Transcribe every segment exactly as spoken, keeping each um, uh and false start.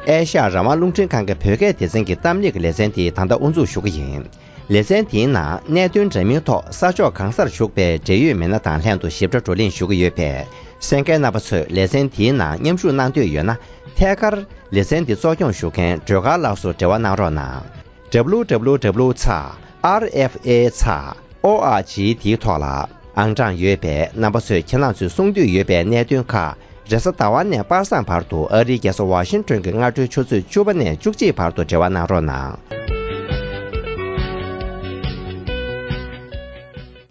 ཨེ་ཤ་ཡ་རང་དབང་རླུང་འཕྲིན་ཁང་གི་བོད་སྐད་སྡེ་ཚན་གྱི་གཏམ་གླེང་གི་ལེ་ཚན་དེ་ད་ལྟ་དབུ་འཛུགས་ཞུ་གི་ཡིན། ལེ་ཚན་དེའི་ནང་གནད་དོན་འདྲ་མིན་ཐོག་ས་ཕྱོགས་གང་སར་བཞུགས་པའི་འབྲེལ་ཡོད་མི་སྣ་དང་ལྷན་དུ་ཞིབ་ཕྲ་བགྲོ་གླེང་ཞུ་གི་ཡོད་པས། གསན་མཁན་རྣམ་པ་ཚོས་ལེ་ཚན་དེའི་ནང་མཉམ་ཞུགས་གནང་འདོད་ཡོད་ན། ཐད་ཀར་ལེ་ཚན་འདི་གཙོ་སྐྱོང་ཞུ་མཁན་སྒྲོལ་དཀར་ལགས་སུ་འབྲེལ་བ་གནང་རོགས་གནང་། W W W ཚེག་R F A ཚེག O R G དེའི་ཐོག་ལ་ཨང་གྲངས་ཡོད་པས། རྣམ་པ་ཚོས་ཁྱེད་རང་ཚོས་གསུང་འདོད་ཡོད་པའི་གནད་དོན་ཁག་རེས་གཟའ་ཟླ་བ་ནས་པ་སངས་བར་དུ་ཨ་རིའི་རྒྱལ་ས་ཝ་ཤིང་ཊོན་གྱི་སྔ་དྲོའི་ཆུ་ཚོད་བཅུ་པ་ནས་བཅུ་གཅིག་བར་དུ་འབྲེལ་བ་གནང་རོགས་གནང་།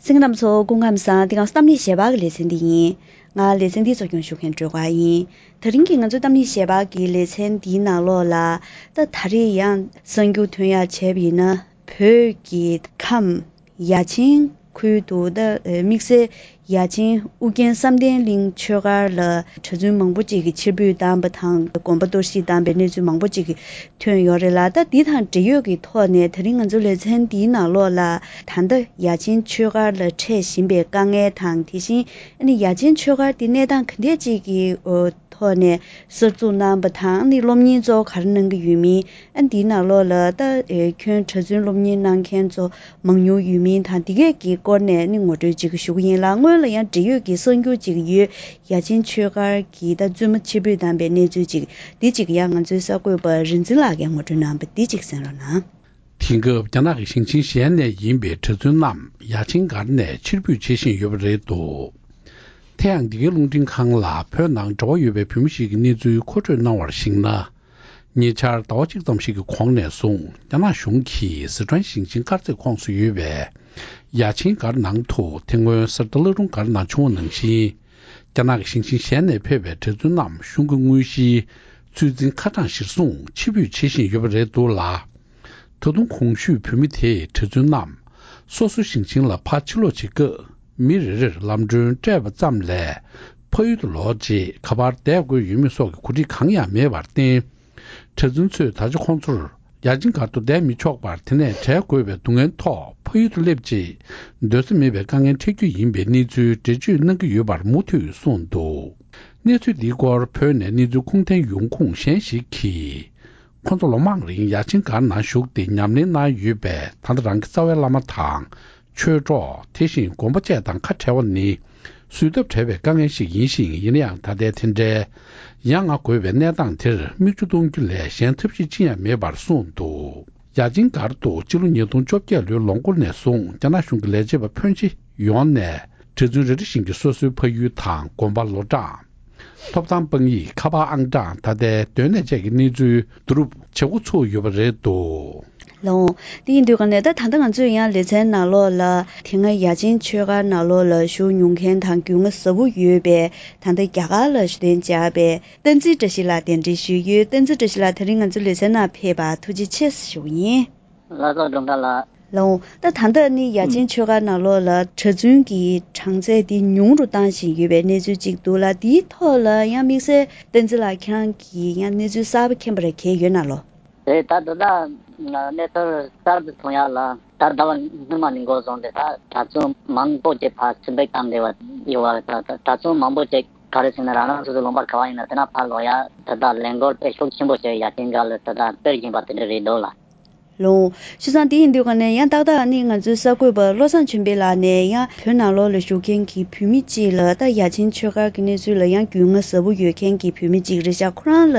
གསན་མཁན་རྣམ་ཚོ་སྐུ་ཁམས་བཟང་། འདི་ག་གཏམ་གླེང་ཞལ་པར་གྱི་ལེ་ཚན་འདི་ཡིན། ང་ལེ་ཚན་འདི་གཙོ་སྐྱོང་ཞུ་མཁན་སྒྲོལ་དཀར་ཡིན། དེ་རིང་གི་ང་ཚོའི་གཏམ་གླེང་ཞལ་པར་གྱི་ལེ་ཚན་འདིའི་ནང་ལོགས་ལ། ད་ད་རེས་ཡང་གསར་འགྱུར་ཐོན་ཡག་བྱས་པ་ཡིན་ན། བོད་ཀྱི་ཁམས་ཡ་ཆེན་ཁུལ་དུ་ད་དམིགས་བསལ་ཡ་ཆེན་ཨུ་རྒྱན་བསམ་གཏན་གླིང་ཆོས་སྒར་ལ་གྲྭ་བཙུན་མང་པོ་ཅིག་གིས་ཕྱིར་འབུད་བཏང་པ་དང་། དགོན་པ་གཏོར་བཤིག་བཏང་པའི་གནས་ཚུལ་མང་པོ་ཅིག་ཐོན་ཡོད་རེད་ལ། ད་འདི་དང་འབྲེལ་ཡོད་ཀྱི་ཐོག་ནས་དེ་རིང་ང་ཚོ་ལེ་ཚན་འདིའི་ནང་ལོགས་ལ་ད་ལྟ་ཡ་ཆེན་ཆོས་སྒར་ལ་འཕྲད་བཞིན་པའི་དཀའ་ངལ་དང་། དེ་བཞིན་ཨ་ནི་ཡ་ཆེན་ཆོས་སྒར་འདི་གནས་སྟངས་ག་འདྲས་ཅིག་གི་ཐོག་ནས་གསར་འཛུགས་གནང་པ་དང་། ཨ་ནི་སློབ་གཉེར་གཙོ་བོ་ག་རེ་གནང་གི་ཡོད་མིན། ཨ་འདིའི་ནང་ལོགས་ལ་ད་ཨེ་ཁྱོན་གྲྭ་བཙུན་སློབ་གཉེར་གནང་མཁན་ཚོ་མང་ཉུང་ཡོད་མིན་དང་། འདི་གས་ཀྱི་སྐོར་ནས་ནི་ངོ་སྤྲོད་ཅིག་ཞུ་གི་ཡིན་ལ། སྔོན་ལ་ཡང་འབྲེལ་ཡོད་ཀྱི་གསར་འགྱུར་ཅིག་ཡོད། ཡ་ཆེན་ཆོས་སྒར་གྱི་ད་བཙུན་མ་ཕྱིར་འབུད་བཏང་པའི་གནས་ཚུལ་ཅིག་འདི་ཅིག་ཡང་ང་ཚོའི་གསར་འགོད་པ་རིག་འཛིན་ལགས་ཀྱིས་ངོ་སྤྲོད་གནང་བ་འདི་ཅིག་གསན་རོགས་གནང་། དེང་སྐབས་རྒྱ་ནག་གི་ཞིང་ཆེན་གཞན་ནས་ཡིན་པའི་གྲྭ་བཙུན་རྣམས་ཡ་ཆེན་སྒར་ནས་ཕྱིར་འབུད་བྱེད་བཞིན་ཡོད་པ་རེད་འདུག་དེ་ཡང་འདི་གའི་རླུང་འཕྲིན་ཁང་ལ་བོད་ནང་འབྲེལ་བ་ཡོད་པའི་བོད་མི་ཞིག་གིས་གནས་ཚུལ་མཁོ་སྤྲོད་གནང་བར་གཞིགས་ན། ཉེ་ཆར་ཟླ་བ་གཅིག་ཙམ་ཞིག་གི་གོང་ནས་བཟུང་རྒྱ་ནག་གཞུང་གིས་སི་ཁྲོན་ཞིང་ཆེན་དཀར་མཛེས་ཁོངས་སུ་ཡོད་པའི་ཡ་ཆེན་སྒར་ནང་དུ། དེ་སྔོན་གསར་རྟ་བླ་རུང་སྒར་ནང་བྱུང་བ་ནང་བཞིན། རྒྱ་ནག་གི་ཞིང་ཆེན་གཞན་ནས་ཕེབས་པའི་གྲྭ་བཙུན་རྣམས་གཞུང་གི་དངོས་གཞིའི་ཚོད་འཛིན་ཁ་གྲངས་གཞིར་བཟུང་ཕྱིར་འབུད་བྱེད་བཞིན་ཡོད་པ་རེད་འདུག་ལ། ད་དུང་གོང་ཞུས་བོད་མི་དེས་གྲྭ་བཙུན་རྣམས་སོ་སོའི་ཞིང་ཆེན་ལ་ཕར་ཕྱིར་ལོག་བྱེད་སྐབས། མི་རེ་རེར་ལམ་གྲོན་སྤྲད་པ་ཙམ་ལས། ཕ་ཡུལ་དུ་ལོག་རྗེས་ག་པར་བསྡད་དགོས་ཡོད་མེད་སོགས་ཀྱི་གོ་སྒྲིག་གང་ཡང་མེད་པར་བརྟེན། གྲྭ་བཙུན་ཚོས་ད་ཆ་ཁོང་ཚོར་ཡ་ཆེན་སྒར་དུ་བསྡད་མི་ཆོག་པར། དེ་ནས་བྲལ་དགོས་པའི་སྡུག་བསྔལ་ཐོག་ཕ་ཡུལ་དུ་སླེབས་རྗེས་སྡོད་ས་མེད་པའི་དཀའ་ངལ་འཕྲད་རྒྱུ་ཡིན་པའི་གནས་ཚུལ་འགྲེལ་བརྗོད་གནང་གི་ཡོད་པར་མུ་མཐུད་གསུངས་འདུག་གནས་ཚུལ་འདིའི་སྐོར་བོད་ནས་གནས་ཚུལ་ཁུངས་ལྡན་ཡོང་ཁུངས་གཞན་ཞིག་གིས། ཁོང་ཚོ་ལོ་མང་རིང་ཡ་ཆེན་སྒར་ནང་བཞུགས་ཏེ་ཉམས་ལེན་གནང་ཡོད་པས། ད་ལྟ་རང་གི་རྩ་བའི་བླ་མ་དང་ཆོས་གྲོགས། དེ་བཞིན་དགོན་པ་བཅས་དང་ཁ་བྲལ་བ་ནི་བཟོད་ཐབས་བྲལ་བའི་དཀའ་ངལ་ཞིག་ཡིན་ཞིང་། ཡིན་ན་ཡང་ད་ལྟའི་དེ་འདྲའི་ཡ་ང་དགོས་པའི་གནས་སྟངས་དེར་མིག་ཆུ་གཏོང་རྒྱུ་ལས་གཞན་ཐབས་ཤེས་ཅི་ཡང་མེད་པར་གསུངས་འདུག་ཡ་ཆེན་སྒར་དུ་སྤྱི་ལོ་ཉིས་སྟོང་བཅོ་བརྒྱད་ལོའི་ལོ་འགོ་ནས་བཟུང་རྒྱ་ནག་གཞུང་གི་ལས་བྱེད་པ་ཕོན་ཆེ་ཡོངས་ནས་གྲྭ་བཙུན་རེ་རེ་བཞིན་གྱི་སོ་སོའི་ཕ་ཡུལ་དང་དགོན་པ། ལོ་གྲངས། ཐོབ་ཐང་། དཔང་ཡིག་ཁ་པར་ཨང་གྲངས། ད་ལྟའི་སྡོད་གནས་བཅས་ཀྱི་གནས་ཚུལ་བསྡུ་རུབ་བྱེད་འགོ་ཚུགས་ཡོད་པ་རེད་འདུག་ལགས་འོང་། དེ་ཡིན་དུས་ག་ནས་ད་ད་ལྟ་ང་ཚོས་ཡང་ལེ་ཚན་ནང་ལོགས་ལ་དེ་སྔ་ཡ་ཆེན་ཆོས་སྒར་ནང་ལོགས་ལ་བཞུགས་མྱོང་མཁན་དང་རྒྱུས་མངའ་ཟབ་པོ་ཡོད་པའི། ད་ལྟ་རྒྱ་གར་ལ་གཞི་རྟེན་བཅགས་པའི་བསྟན་འཛིན་བཀྲ་ཤིས་ལགས་གདན་འདྲེན་ཞུས་ཡོད། བསྟན་འཛིན་བཀྲ་ཤིས་ལགས་དེ་རིང་ང་ཚོའི་ལེ་ཚན་ནང་ཕེབས་པར་ཐུགས་རྗེ་ཆེ་ཞུ་གི་ཡིན། ལགས་སོ། སྒྲུང་དྲ་ལགས། ལགས་འོང་། ད་ད་ལྟ་ནི་ཡ་ཆེན་ཆོས་སྒར་ནང་ལོགས་ལ་གྲྭ་བཙུན་གྱི་གྲངས་ཚད་དེ་ཉུང་རུ་བཏང་བཞིན་ཡོད་པའི་གནས་ཚུལ་ཅིག་འདུག་ལ། དེའི་ཐོག་ལ་ཡང་དམིགས་བསལ་བསྟན་འཛིན་ལགས་ཁྱེད་རང་གིས་ཡང་གནས་ཚུལ་གསར་པ་མཁྱེན་པ་རེ་གང་ཡོད་ན་ལོ། རེད། ད་ད་ལྟ་གནས་ཚུལ་གསར་དུ་ཐོན་ཡག་ལ། ད་ཟླ་བ་སྔོན་མ་ནས་འགོ་བཟུང་སྟེ་ད་གྲྭ་བཙུན་མང་པོ་ཅིག་ཕར་ཕྱིར་འབུད་བཏང་བསྡད་པ་ཡོད་པ། ད་ད་གྲྭ་བཙུན་མང་པོ་ཅིག་ག་རེ་ཟེར་ན། རང་རང་སོ་སོའི་ལུང་པ་ག་པར་ཡིན་ན་དེ་ན་ཕར་ལོག་ཡག་ད་ལྟ་ལས་འགུལ་དཔེ་ཤུགས་ཆེན་པོ་ཞིག་ཡ་ཆེན་སྒར་ལ་ད་ལྟ་སྤེལ་བཞིན་པ་དེ་འདྲ་རེད་འདུག་ལགས། ལགས་འོང་། བྱས་ཙང་དེ་ཡིན་དུས་ག་ནས་ཡང་ཏག་ཏག་ནི་ང་ཚོའི་གསར་འགོད་པ་བློ་བཟང་ཆོས་འཕེལ་ལགས་ནས་ཡང་བོད་ནང་ལོགས་ལ་བཞུགས་མཁན་གྱི་བོད་མི་གཅིག་ལ། ད་ཡ་ཆེན་ཆོས་སྒར་གྱི་གནས་ཚུལ་ལ་ཡང་རྒྱུས་མངའ་ཟབ་པོ་ཡོད་མཁན་གྱི་བོད་མི་གཅིག་རེད་ཤག་ཁོ་རང་ལ་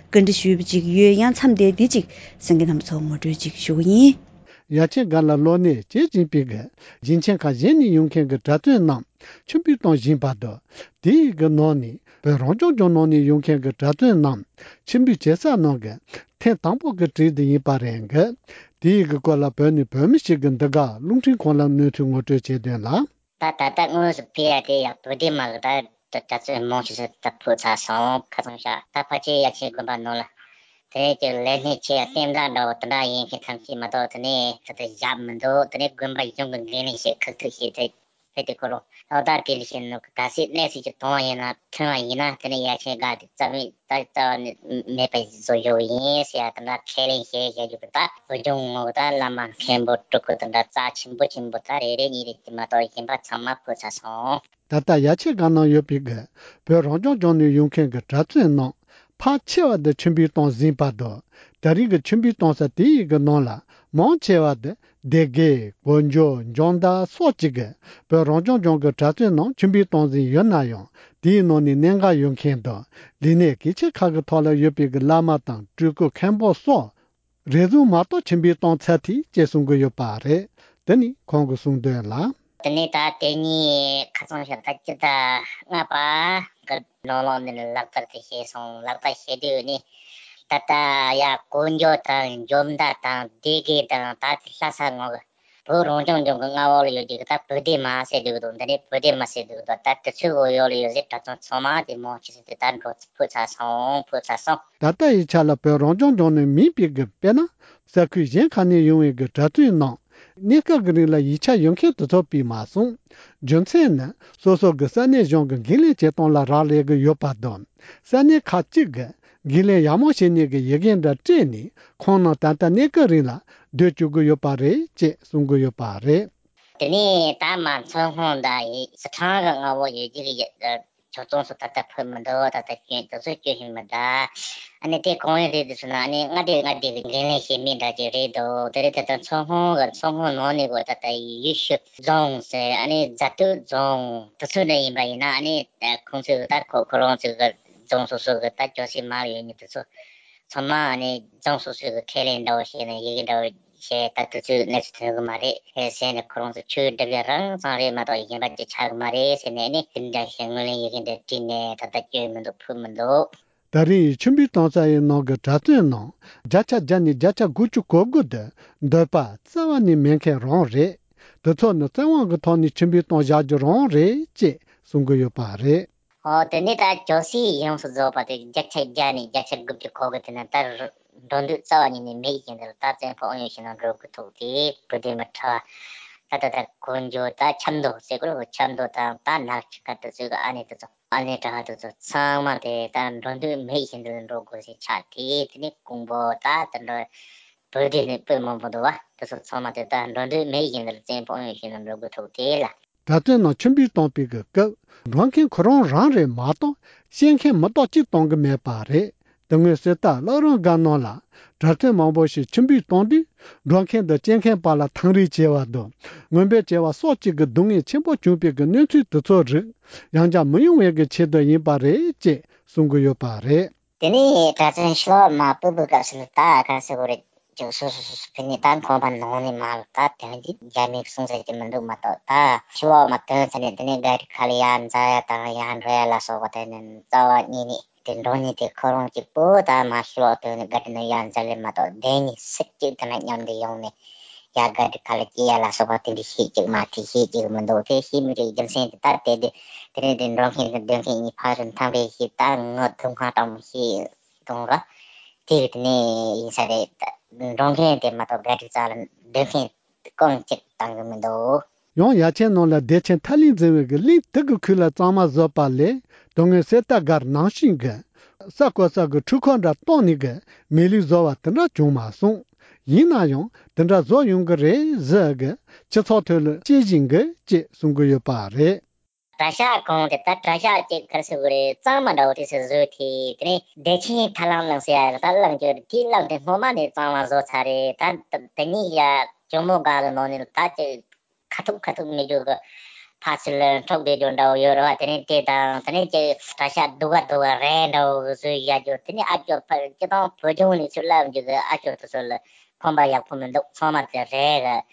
བཀའ་འདྲི་ཞུས་པ་ཅིག་ཡོད། ཡང་མཚམས་དེར་འདི་ཅིག་གསན་མཁན་རྣམ་པ་ཚོར་ངོ་སྤྲོད་ཅིག་ཞུ་གི་ཡིན། ཡ་ཆེན་སྒར་ལ་ལོ་ནས་བྱེད་བཞིན་པའི་གི་ཞིང་ཆེན་ཁག་གཞན་ནས་ཡོང་མཁན་གྱི་གྲྭ་བཙུན་རྣམས་ཕྱིར་འབུད་གཏོང་བཞིན་པ་དང་། དེའི་གི་ནང་ནས་བོད་རང་སྐྱོང་ལྗོངས་ནང་ནས་ཡོང་མཁན་གྱི་གྲྭ་བཙུན་རྣམས་ཕྱིར་འབུད་བྱེད་ས་ནང་གི་ཐེངས་དང་པོ་གི་གྲས་དེ་ཡིན་པ་རེད་གི། དེའི་གི་སྐོར་ལ་བོད་ནས་བོད་མི་ཞིག་གིས་འདི་ག་རླུང་འཕྲིན་ཁང་ལ་གནས་ཚུལ་ངོ་སྤྲོད་བྱས་དོན་ལ། ད་ད་ལྟ་དངོས་སུ་ཕེབས་ཡ་དེ་ཡང་བོད་དེ་མ་གི་ད་གྲྭ་བཙུན་མང་ཆེ་ཤོས་ད་ཕུད་ཚར་སོང་། ཁ་སང་ཤག་ད་ཕལ་ཆེར་ཡ་ཆེན་དགོན་པ་ནང་ལ། དེ་ནས་ཀྱི་ལས་སྣེ་ཆེ་ཡ་བསྟན་བདག་འདྲ་བོ་དེ་འདྲ་ཡིན་མཁན་ཐམས་ཅད་མ་གཏོགས། དེ་ནས་ད་ལྟ་ཡག་མི་འདུག་དེ་ནས་དགོན་པ་གཞུང་གི་འགན་ལེན་བྱེད་ཁག་ཐུག་བྱེད་དེ། ཕེབས་དུས་ཁོ་རང་ཨོ་ད་དེ་ལས་ཤེས་ནོ་ག་སྲིད་གནས་ཚུལ་ཅིག་མཐོང་བ་ཡིན་ན། ཐོན་བ་ཡིན་ན། དེ་ནས་ཡ་ཆེན་སྒར་དེ་རྩ་བའི་ད་རྩ་བ་ནས་མེད་པ་བཟོ་ཡོད་ཡིན་ཟེར་ཡ་དེ་འདྲ་ཁས་ལེན་བྱས་བཞག་རྒྱུ་གི། ད་བོད་ལྗོངས་ངོ་ད་བླ་མ་མཁན་པོ་སྤྲུལ་སྐུ་དེ་འདྲ་རྩ་ཆེན་པོ་ཆེན་པོ་ད་རེ་རེ་གཉིས་རེ་དེ་མ་གཏོགས་གཞན་པ་ཚང་མ་ཕུད་ཚར་སོང་། ད་ལྟ་ཡ་ཆེན་སྒར་ནང་ཡོད་པའི་གི་བོད་རང་སྐྱོང་ལྗོངས་ནས་ཡོང་མཁན་གྱི་གྲྭ་བཙུན་རྣམས་ ཁག་ཆེ་བ་དེ་ཆུ་འབུད་གཏོང་ཟིན་པ་དང་། ད་རེས་ཀྱི་ཆུ་འབུད་གཏོང་ས་དེ་ཡི་གི་ནང་ལ་མང་ཆེ་བ་དེ་སྡེ་དགེ། གོ་འཇོ། འཇོ་མདའ་སོགས་ཀྱི་གི་བོད་རང་སྐྱོང་ལྗོངས་ཀྱི་གྲྭ་བཙུན་རྣམས་ཆུ་འབུད་གཏོང་ཟིན་ཡོད་ན་ཡང་། དེའི་ནང་ནས་གནད་འགག་ཡོད་མཁན་དང་ལས་གནས་གལ་ཆེ་ཁག་གི་ཐོག་ལ་ཡོད་པའི་གི་བླ་མ་དང་སྤྲུལ་སྐུ་མཁན་པོ་སོགས་རེ་ཟུང་མ་གཏོགས་ཆུ་འབུད་གཏོང་ཚར་ཐལ་ཅེས་གསུང་གི་ཡོད་པ་རེད། དེ་ནི་ཁོང་གི་གསུང་དོན་ལ། དེ་ནས་ད་དེ་གཉིས་ཁ་སང་ཞོགས་ད་སྤྱི་ཟླ་ལྔ་པ་གི་ནང་ལོགས་འདི་ནས་ལག་བསྟར་དེ་བྱས་སོང་། ལག་བསྟར་བྱེད་དུས་ནི་ད་ལྟ་ཡ་གོ་འཇོ་དང་འཇོ་མདའ་དང་སྡེ་དགེ་དང་ད་དེ་ལྷ་ས་ངོས་ཀྱི་བོད་རང་སྐྱོང་ལྗོངས་ཀྱི་མངའ་འོག་ལ་ཡོད་རྒྱུ་གི་ད་བོད་སྡེ་མ་ཟེར་འདུག་དང་། འདི་ནས་བོད་སྡེ་མ་ཟེར་འདུག་དང་། ད་དེ་ཚོའི་འོག་ཡོད་ལ་ཡོད་ཟེར་གྲྭ་བཙུན་ཚང་མ་དེ་མང་ཆེ་ཟེར་དེ་ད་འགྲོ་ཕུད་ཚར་སོང་། ཕུད་ཚར་སོང་། ད་ལྟ་ཡི་ཆ་ལ་བོད་རང་སྐྱོང་ལྗོངས་ནས་མིན་པའི་གི་དཔེར་ན་ས་ཁུལ་གཞན་ཁག་ནས་ཡོང་བའི་གི་གྲྭ་བཙུན་རྣམས་གནས་སྐབས་ཀྱི་རིང་ལ་ཡིག་ཆ་ཡོད་མཁན་དེ་ཚོ་པས་མ་གསུངས། རྒྱུ་མཚན་ནི་སོ་སོ་གི་ས་གནས་གཞུང་གི་འགན་ལེན་བྱེད་སྟངས་ལ་རག་ལས་ཀྱི་ཡོད་པ་དང་། ས་གནས་ཁག་ཅིག་གི་འགན་ལེན་ཡག་མོ་བྱེད་ནས་ཀྱི་ཡི་གེ་འདྲ་སྤྲད་ནས་ཁོང་རྣམས་ད་ལྟ་གནས་སྐབས་རིང་ལ་སྡོད་བཅུག་གི་ཡོད་པ་རེད་ཅེས་གསུང་གི་ཡོད་པ་རེད། དེ་ནས་ད་མ་མཚོ་སྔོན་དང་ཡི་སི་ཁྲོན་གྱི་མངའ་འོག་ཡོད་ཀྱི་ཡོད་ཆོས་ཚོགས་སུ་ད་ལྟ་ཕུད་མི་འདུག་ད་ལྟ་སྐྱོན་དེ་ཚོ་སྐྱོན་ཤེས་མི་འདུག་ཨ་ནི་དེ་གང་ཡིན་རེད་དེ་སོང་ན། ཨ་ནི་མངའ་སྡེ་མངའ་སྡེ་གི་འགན་ལེན་བྱེད་མི་འདྲ་ཅིག་རེད་འདུག་དེ་རེད། ད་ལྟ་མཚོ་སྔོན་གྱི་མཚོ་སྔོན་ནང་ནས་གོ་ད་ལྟ་ཡུལ་ཤུལ་རྫོང་ཟེར། ཨ་ནི་རྫ་སྟོད་རྫོང་དེ་ཚོ་ནས་ཡིན་པ་ཡིན་ན། ཨ་ནི་ཁོང་ཚོས་ད་ཁོ་ཁོ་རང་ཚོའི་གི་རྫོང་སོ་སོ་གི་ད་ཅོག་ཙེ་མར་ཡོད་ནི་དེ་ཚོ་ཚང་མ་ནི་རྫོང་སོ་སོའི་གི་ཁས་ལེན་འདྲ་བོ་བྱས་ནས་ཡི་གེ་འདྲ་བོ་བྱས། ད་དུས་ཚོད་གནས་ཚུལ་ཐོན་གི་མ་རེད། ཧེ་ཟེར་ནས་ཁོ་རང་ཚོ་ཆོས་སྒྲུབ་ཡ་རང་ཙང་རེད་མ་གཏོགས་གཞན་པ་ཅིག་ཆགས་གི་མ་རེད་ཟེར་ནས་ནི་དེ་འདྲ་བྱས་ངོས་ལེན་ཡི་གེ་འདི་བྲིས་ནས་ད་ལྟ་སྐྱོན་མི་འདུག་ཕུལ་མི་འདུག་ད་རེས་ཆུ་འབུད་གཏོང་ས་ཡི་ནང་གི་གྲྭ་བཙུན་རྣམས་བརྒྱ་ཆ་བརྒྱ་ནས་བརྒྱ་ཆ་དགུ་བཅུ་གོ་དགུ་དེ་འདོད་པ་རྩ་བ་ནས་མེད་མཁན་རང་རེད། དེ་ཚོ་ནི་བཙན་དབང་གི་ཐོག་ནས་ཆུ་འབུད་གཏོང་བཞག་རྒྱུ་རང་རེད་ཅེས་གསུང་གི་ཡོད་པ་རེད། ཨོ། དེ་ནས་ད་ཅོག་ཙེ་ཡོངས་སུ་རྫོགས་པ་དེ་བརྒྱ་ཆ་བརྒྱ་ནས་བརྒྱ་ཆ་དགུ་བཅུ་གོ་དགུ་དེ་ན་ད་འགྲོ་འདོད་རྩ་བ་ཉིད་ནས་མེད་བཞིན་དུ་ད་བཙན་པོ་ཨང་ཡོད་བཞིན་དུ་འགྲོ་དགོས་ཐུག་དེ་བུ་དེ་མི་ཁྲ་བ། ད་ད་ད་གོ་འཇོ་ད་ཆབ་མདོ་ཟེར་གོ་རེད། ཆབ་མདོ་དང་ད་ནག་ཆུ་ཁ་དེ་ཚོའི་གི་ཨ་ནེ་དེ་ཚོ་ཨ་ནེ་གྲྭ་བ་དེ་ཚོ་ཚང་མ་དེ་ད་འགྲོ་འདོད་མེད་བཞིན་དུ་འགྲོ་དགོས་ཟེར་ཆགས་དེ། དེ་ནས་ཀོང་པོ་ད་དེ་འགྲོ་བུ་དེ་ནས་སྤོས་མང་པོ་འདུག་བ། དེ་ཚོ་ཚང་མ་དེ་ད་འགྲོ་འདོད་མེད་བཞིན་དུ་བཙན་པོ་ཨང་ཡོད་བཞིན་དུ་འགྲོ་དགོས་ཐུག་དེ་ལ། གྲྭ་བཙུན་རྣམས་ཆུ་འབུད་གཏོང་པའི་གི་སྐབས་འགྲོ་མཁན་ཁོ་རང་རང་རེད་མ་གཏོགས་སྐྱེལ་མཁན་མི་གཏོགས་གཅིག་གཏོང་གི་མེད་པ་རེད། དེ་སྔོན་གསེར་རྟ་བླ་རུང་སྒར་ནང་ལ་གྲྭ་བཙུན་མང་པོ་ཞིག་ཆུ་འབུད་གཏོང་དུས་འགྲོ་མཁན་དང་སྐྱེལ་མཁན་བར་ལ་ཐང་རེས་བྱས་པ་དང་ངན་སྦད་བྱས་པ་སོགས་ཀྱི་གི་སྡུག་བསྔལ་ཆེན་པོ་བྱུང་པའི་གི་གནས་ཚུལ་དེ་ཚོ་རིགས་ཡང་བསྐྱར་མི་ཡོང་བའི་གི་ཆེད་དུ་ཡིན་པ་རེད་ཅེས་གསུང་གི་ཡོད་པ་རེད། དེ་ནས་གྲྭ་བཙུན་ཕྱི་ལོགས་མ་སྤོ་བའི་སྐབས་སུ་ད་ག་རེ་ཟེར་དགོས་རེད། ཅིག་སོ་སོ་སོ་སོ་ཕུད་ནས་ད་ཁང་པ་ནང་ནས་མར་ད་དོན་གྱི་རྒྱ་མིས་གསུང་ཟེར་གྱི་མི་འདུག་མ་གཏོགས། ད་ཕྱི་ལོགས་མ་ཐོན་ཚར་ནས་དེ་ནས་ག་རི་ཁ་ལ་ཡར་འཛེག་ཡ་དང་ཡར་འགྲོ་ཡ་ལ་སོགས་པ་དེ་ནི་རྩ་བ་ཉིད་ནས་དེ་འགྲོ་ཉིད་དེ་ཁོ་རང་གཅིག་པོ་ད་མར་ཕྱི་ལོགས་ཐོན་ནས་ག་རི་ནང་ཡར་འཛེག་ལེ་མ་གཏོགས་བདེན་གཉིས་སུ་གཅིག་དེ་ན་མཉམ་དུ་ཡོང་ནས་ཡར་ག་རི་ཁ་ལ་སྐྱེལ་ཡ་ལ་སོགས་པ་དེ་འདྲ་བྱེད་ཀྱི་མ་ཐུབ། བྱེད་ཀྱི་མི་འདུག་དེ་བྱེད་མི་རིགས་རྒྱུ་མཚན་དེ་ད་དེ་དེ་དེ་ནས་དེ་འགྲོ་མཁན་དང་སྡོད་མཁན་གཉིས་ཕ་རུ་འཐམ་རེ་བྱེད། ད་ངུ་དུག་ང་སྤྲང་མོ་བྱེད། གཏོང་ར། དེ་གི་དེ་ནས་ཡིན་ས་རེད། འགྲོ་མཁན་དེ་མ་གཏོགས་ག་རི་རྩ་ལ་སྡོད་མཁན་རྐང་གཅིག་བཏང་གི་མི་འདུག་ཡང་ཡ་ཆེན་ནང་ལ་བདེ་ཆེན་ཐར་གླིང་འཛིན་བའི་གི་གླིང་དེ་གི་ཁུལ་ལ་གཙང་མ་བཟོས་པ་ལས་དོན་དངོས་གསེར་རྟ་སྒར་ནང་བཞིན་གི་ས་བརྐོ་ས་གི་འཕྲུལ་འཁོར་འདྲ་གཏོང་ནས་གི་མེ་ལུག་བཟོ་བ་དེ་འདྲ་བྱུང་མ་སོང་། ཡིན་ན་ཡང་དེ་འདྲ་བཟོ་ཡོང་གི་རེད་ཟེར་གི་སྤྱི་ཚོགས་ཐོག་ལ་བཤད་བཞིན་གི་ཅེས་གསུང་གི་ཡོད་པ་རེད། གྲྭ་ཤག་གང་དེ་ད་གྲྭ་ཤག་ཅིག་ག་རེ་ཟེར་དགོས་རེད། གཙང་མ་འདྲ་བོ་དེ་ཚོ་བཟོས་ཏེ་དེ་ནས་བདེ་ཆེན་ཐར་གླིང་ཟེར་ཡ་ད་གླིང་ཅིག་རེད། དེའི་གླིང་དེ་སྔོན་མ་ནས་གཙང་མ་བཟོས་ཚར་རེད། ད་དེ་ནས་ཡ་ཇོ་མོ་སྒར་གི་ནང་ནས་ད་ཅིག་ཁ་ཐུག་ཁ་ཐུག་མི་རྒྱུ་གི་ཕར་ཚུར་འཕྲོག་བསྡད་རྒྱུ་འདྲ་བོ་ཡོད་རེད་བ། དེ་ནས་དེ་དང་དེ་ནས་ཅིག་གྲྭ་ཤག་སྡུག་ག་སྡུག་ག་རས་འདྲ་བོ་བཟོས་བཞག་རྒྱུ། དེ་ནས་ཨ་ཅོ་ཕར་སྤྱི་བཏང་བོད་ལྗོངས་ནས་ཚུར་སླེབས་རྒྱུ་གི་ཨ་ཅོ་དེ་ཚོ་ལ་ཁོམ་པ་ཡག་པོ་མི་འདུག་ཚང་མ་དེ་རས་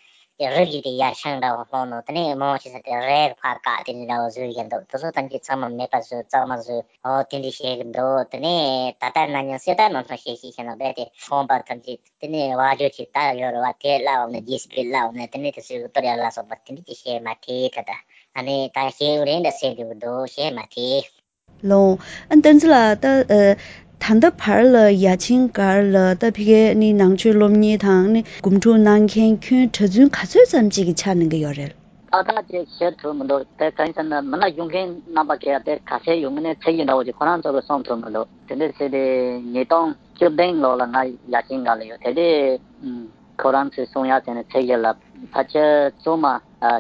གི་རི་རྒྱུད་དེ་ཡར་ཤང་འདྲ་བོ་སློང་ནོ། དེ་ནས་མང་ཆེ་ས་དེ་རས་གི་ཕར་བཀག་དེ་འདྲ་བོ་བཟོས་བཞག་འདུག་དེ་ཚོ་ཐམས་ཅད་ཚང་མ་མེད་པ་བཟོས་གཙང་མ་བཟོས། ཨོ་དེ་འདྲ་བྱེད་གི་འདུག་དེ་ནས་ད་ལྟ་ན་ནིང་གསེར་རྟ་ནང་ཚང་བཤད་ཤེས་བྱས་ན་རྦད་དེ་ཚོང་པ་ཐམས་ཅད་དེ་ནས་བ་ཇོ་ཆེ་ད་ཡོད་རེད་བ། དེ་སླེབས་ནས་རྗེས་སུ་སྤེལ་སླེབས་ནས་དེ་ནས་དེ་ཚོའི་གི་གཏོར་ཡ་ལ་སོགས་པ་དེ་འདྲ་ཅིག་བྱས་མ་ཐེ། ད་ལྟ་ཨ་ནི་ད་བྱེད་ཡུན་རིང་འདྲ་ཟེར་འདུག་གི་འདུག་བྱས་མ་ཐེ། ལོང་། ཨ་བསྟན་འཛིན་ལགས། ད་ཨ་ད་ལྟ་བར་ལ་ཡ་ཆེན་སྒར་ལ་ད་ཕ་གིའི་ནི་ནང་ཆོས་སློབ་གཉེར་དང་ནི་སྒོམ་སྒྲུབ་གནང་མཁན་ཁྱོན་གྲྭ་བཙུན་ག་ཚོད་ཙམ་ཅིག་གི་ཆ་གནང་གི་ཡོད་རེད། ཏག་ཏག་ཅིག་ཤེས་ཐུབ་མི་འདུག་དེ་གང་ཡིན་ཟེར་ན་མི་སྣ་ཞུགས་མཁན་རྣམ་པ་གས་དེ་ག་ཚད་ཡོང་གི་ནས་ཚད་ཀྱི་འདྲ་བོ་ཅིག་ཁོ་རང་ཚོ་གིས་གསུང་ཐུབ་མི་འདུག་དེ་འདྲ་བྱས་ཏེ་ཉིས་སྟོང་བཅུ་བདུན་ལོ་ལ་ང་ཡ་ཆེན་སྒར་ལ་ཡོད། དེ་དུས་ཁོ་རང་ཚོས་གསུང་ཡ་བྱས་ནས་ཚད་ཀྱི་ལ་ཕལ་ཆེར་བཙུན་མ་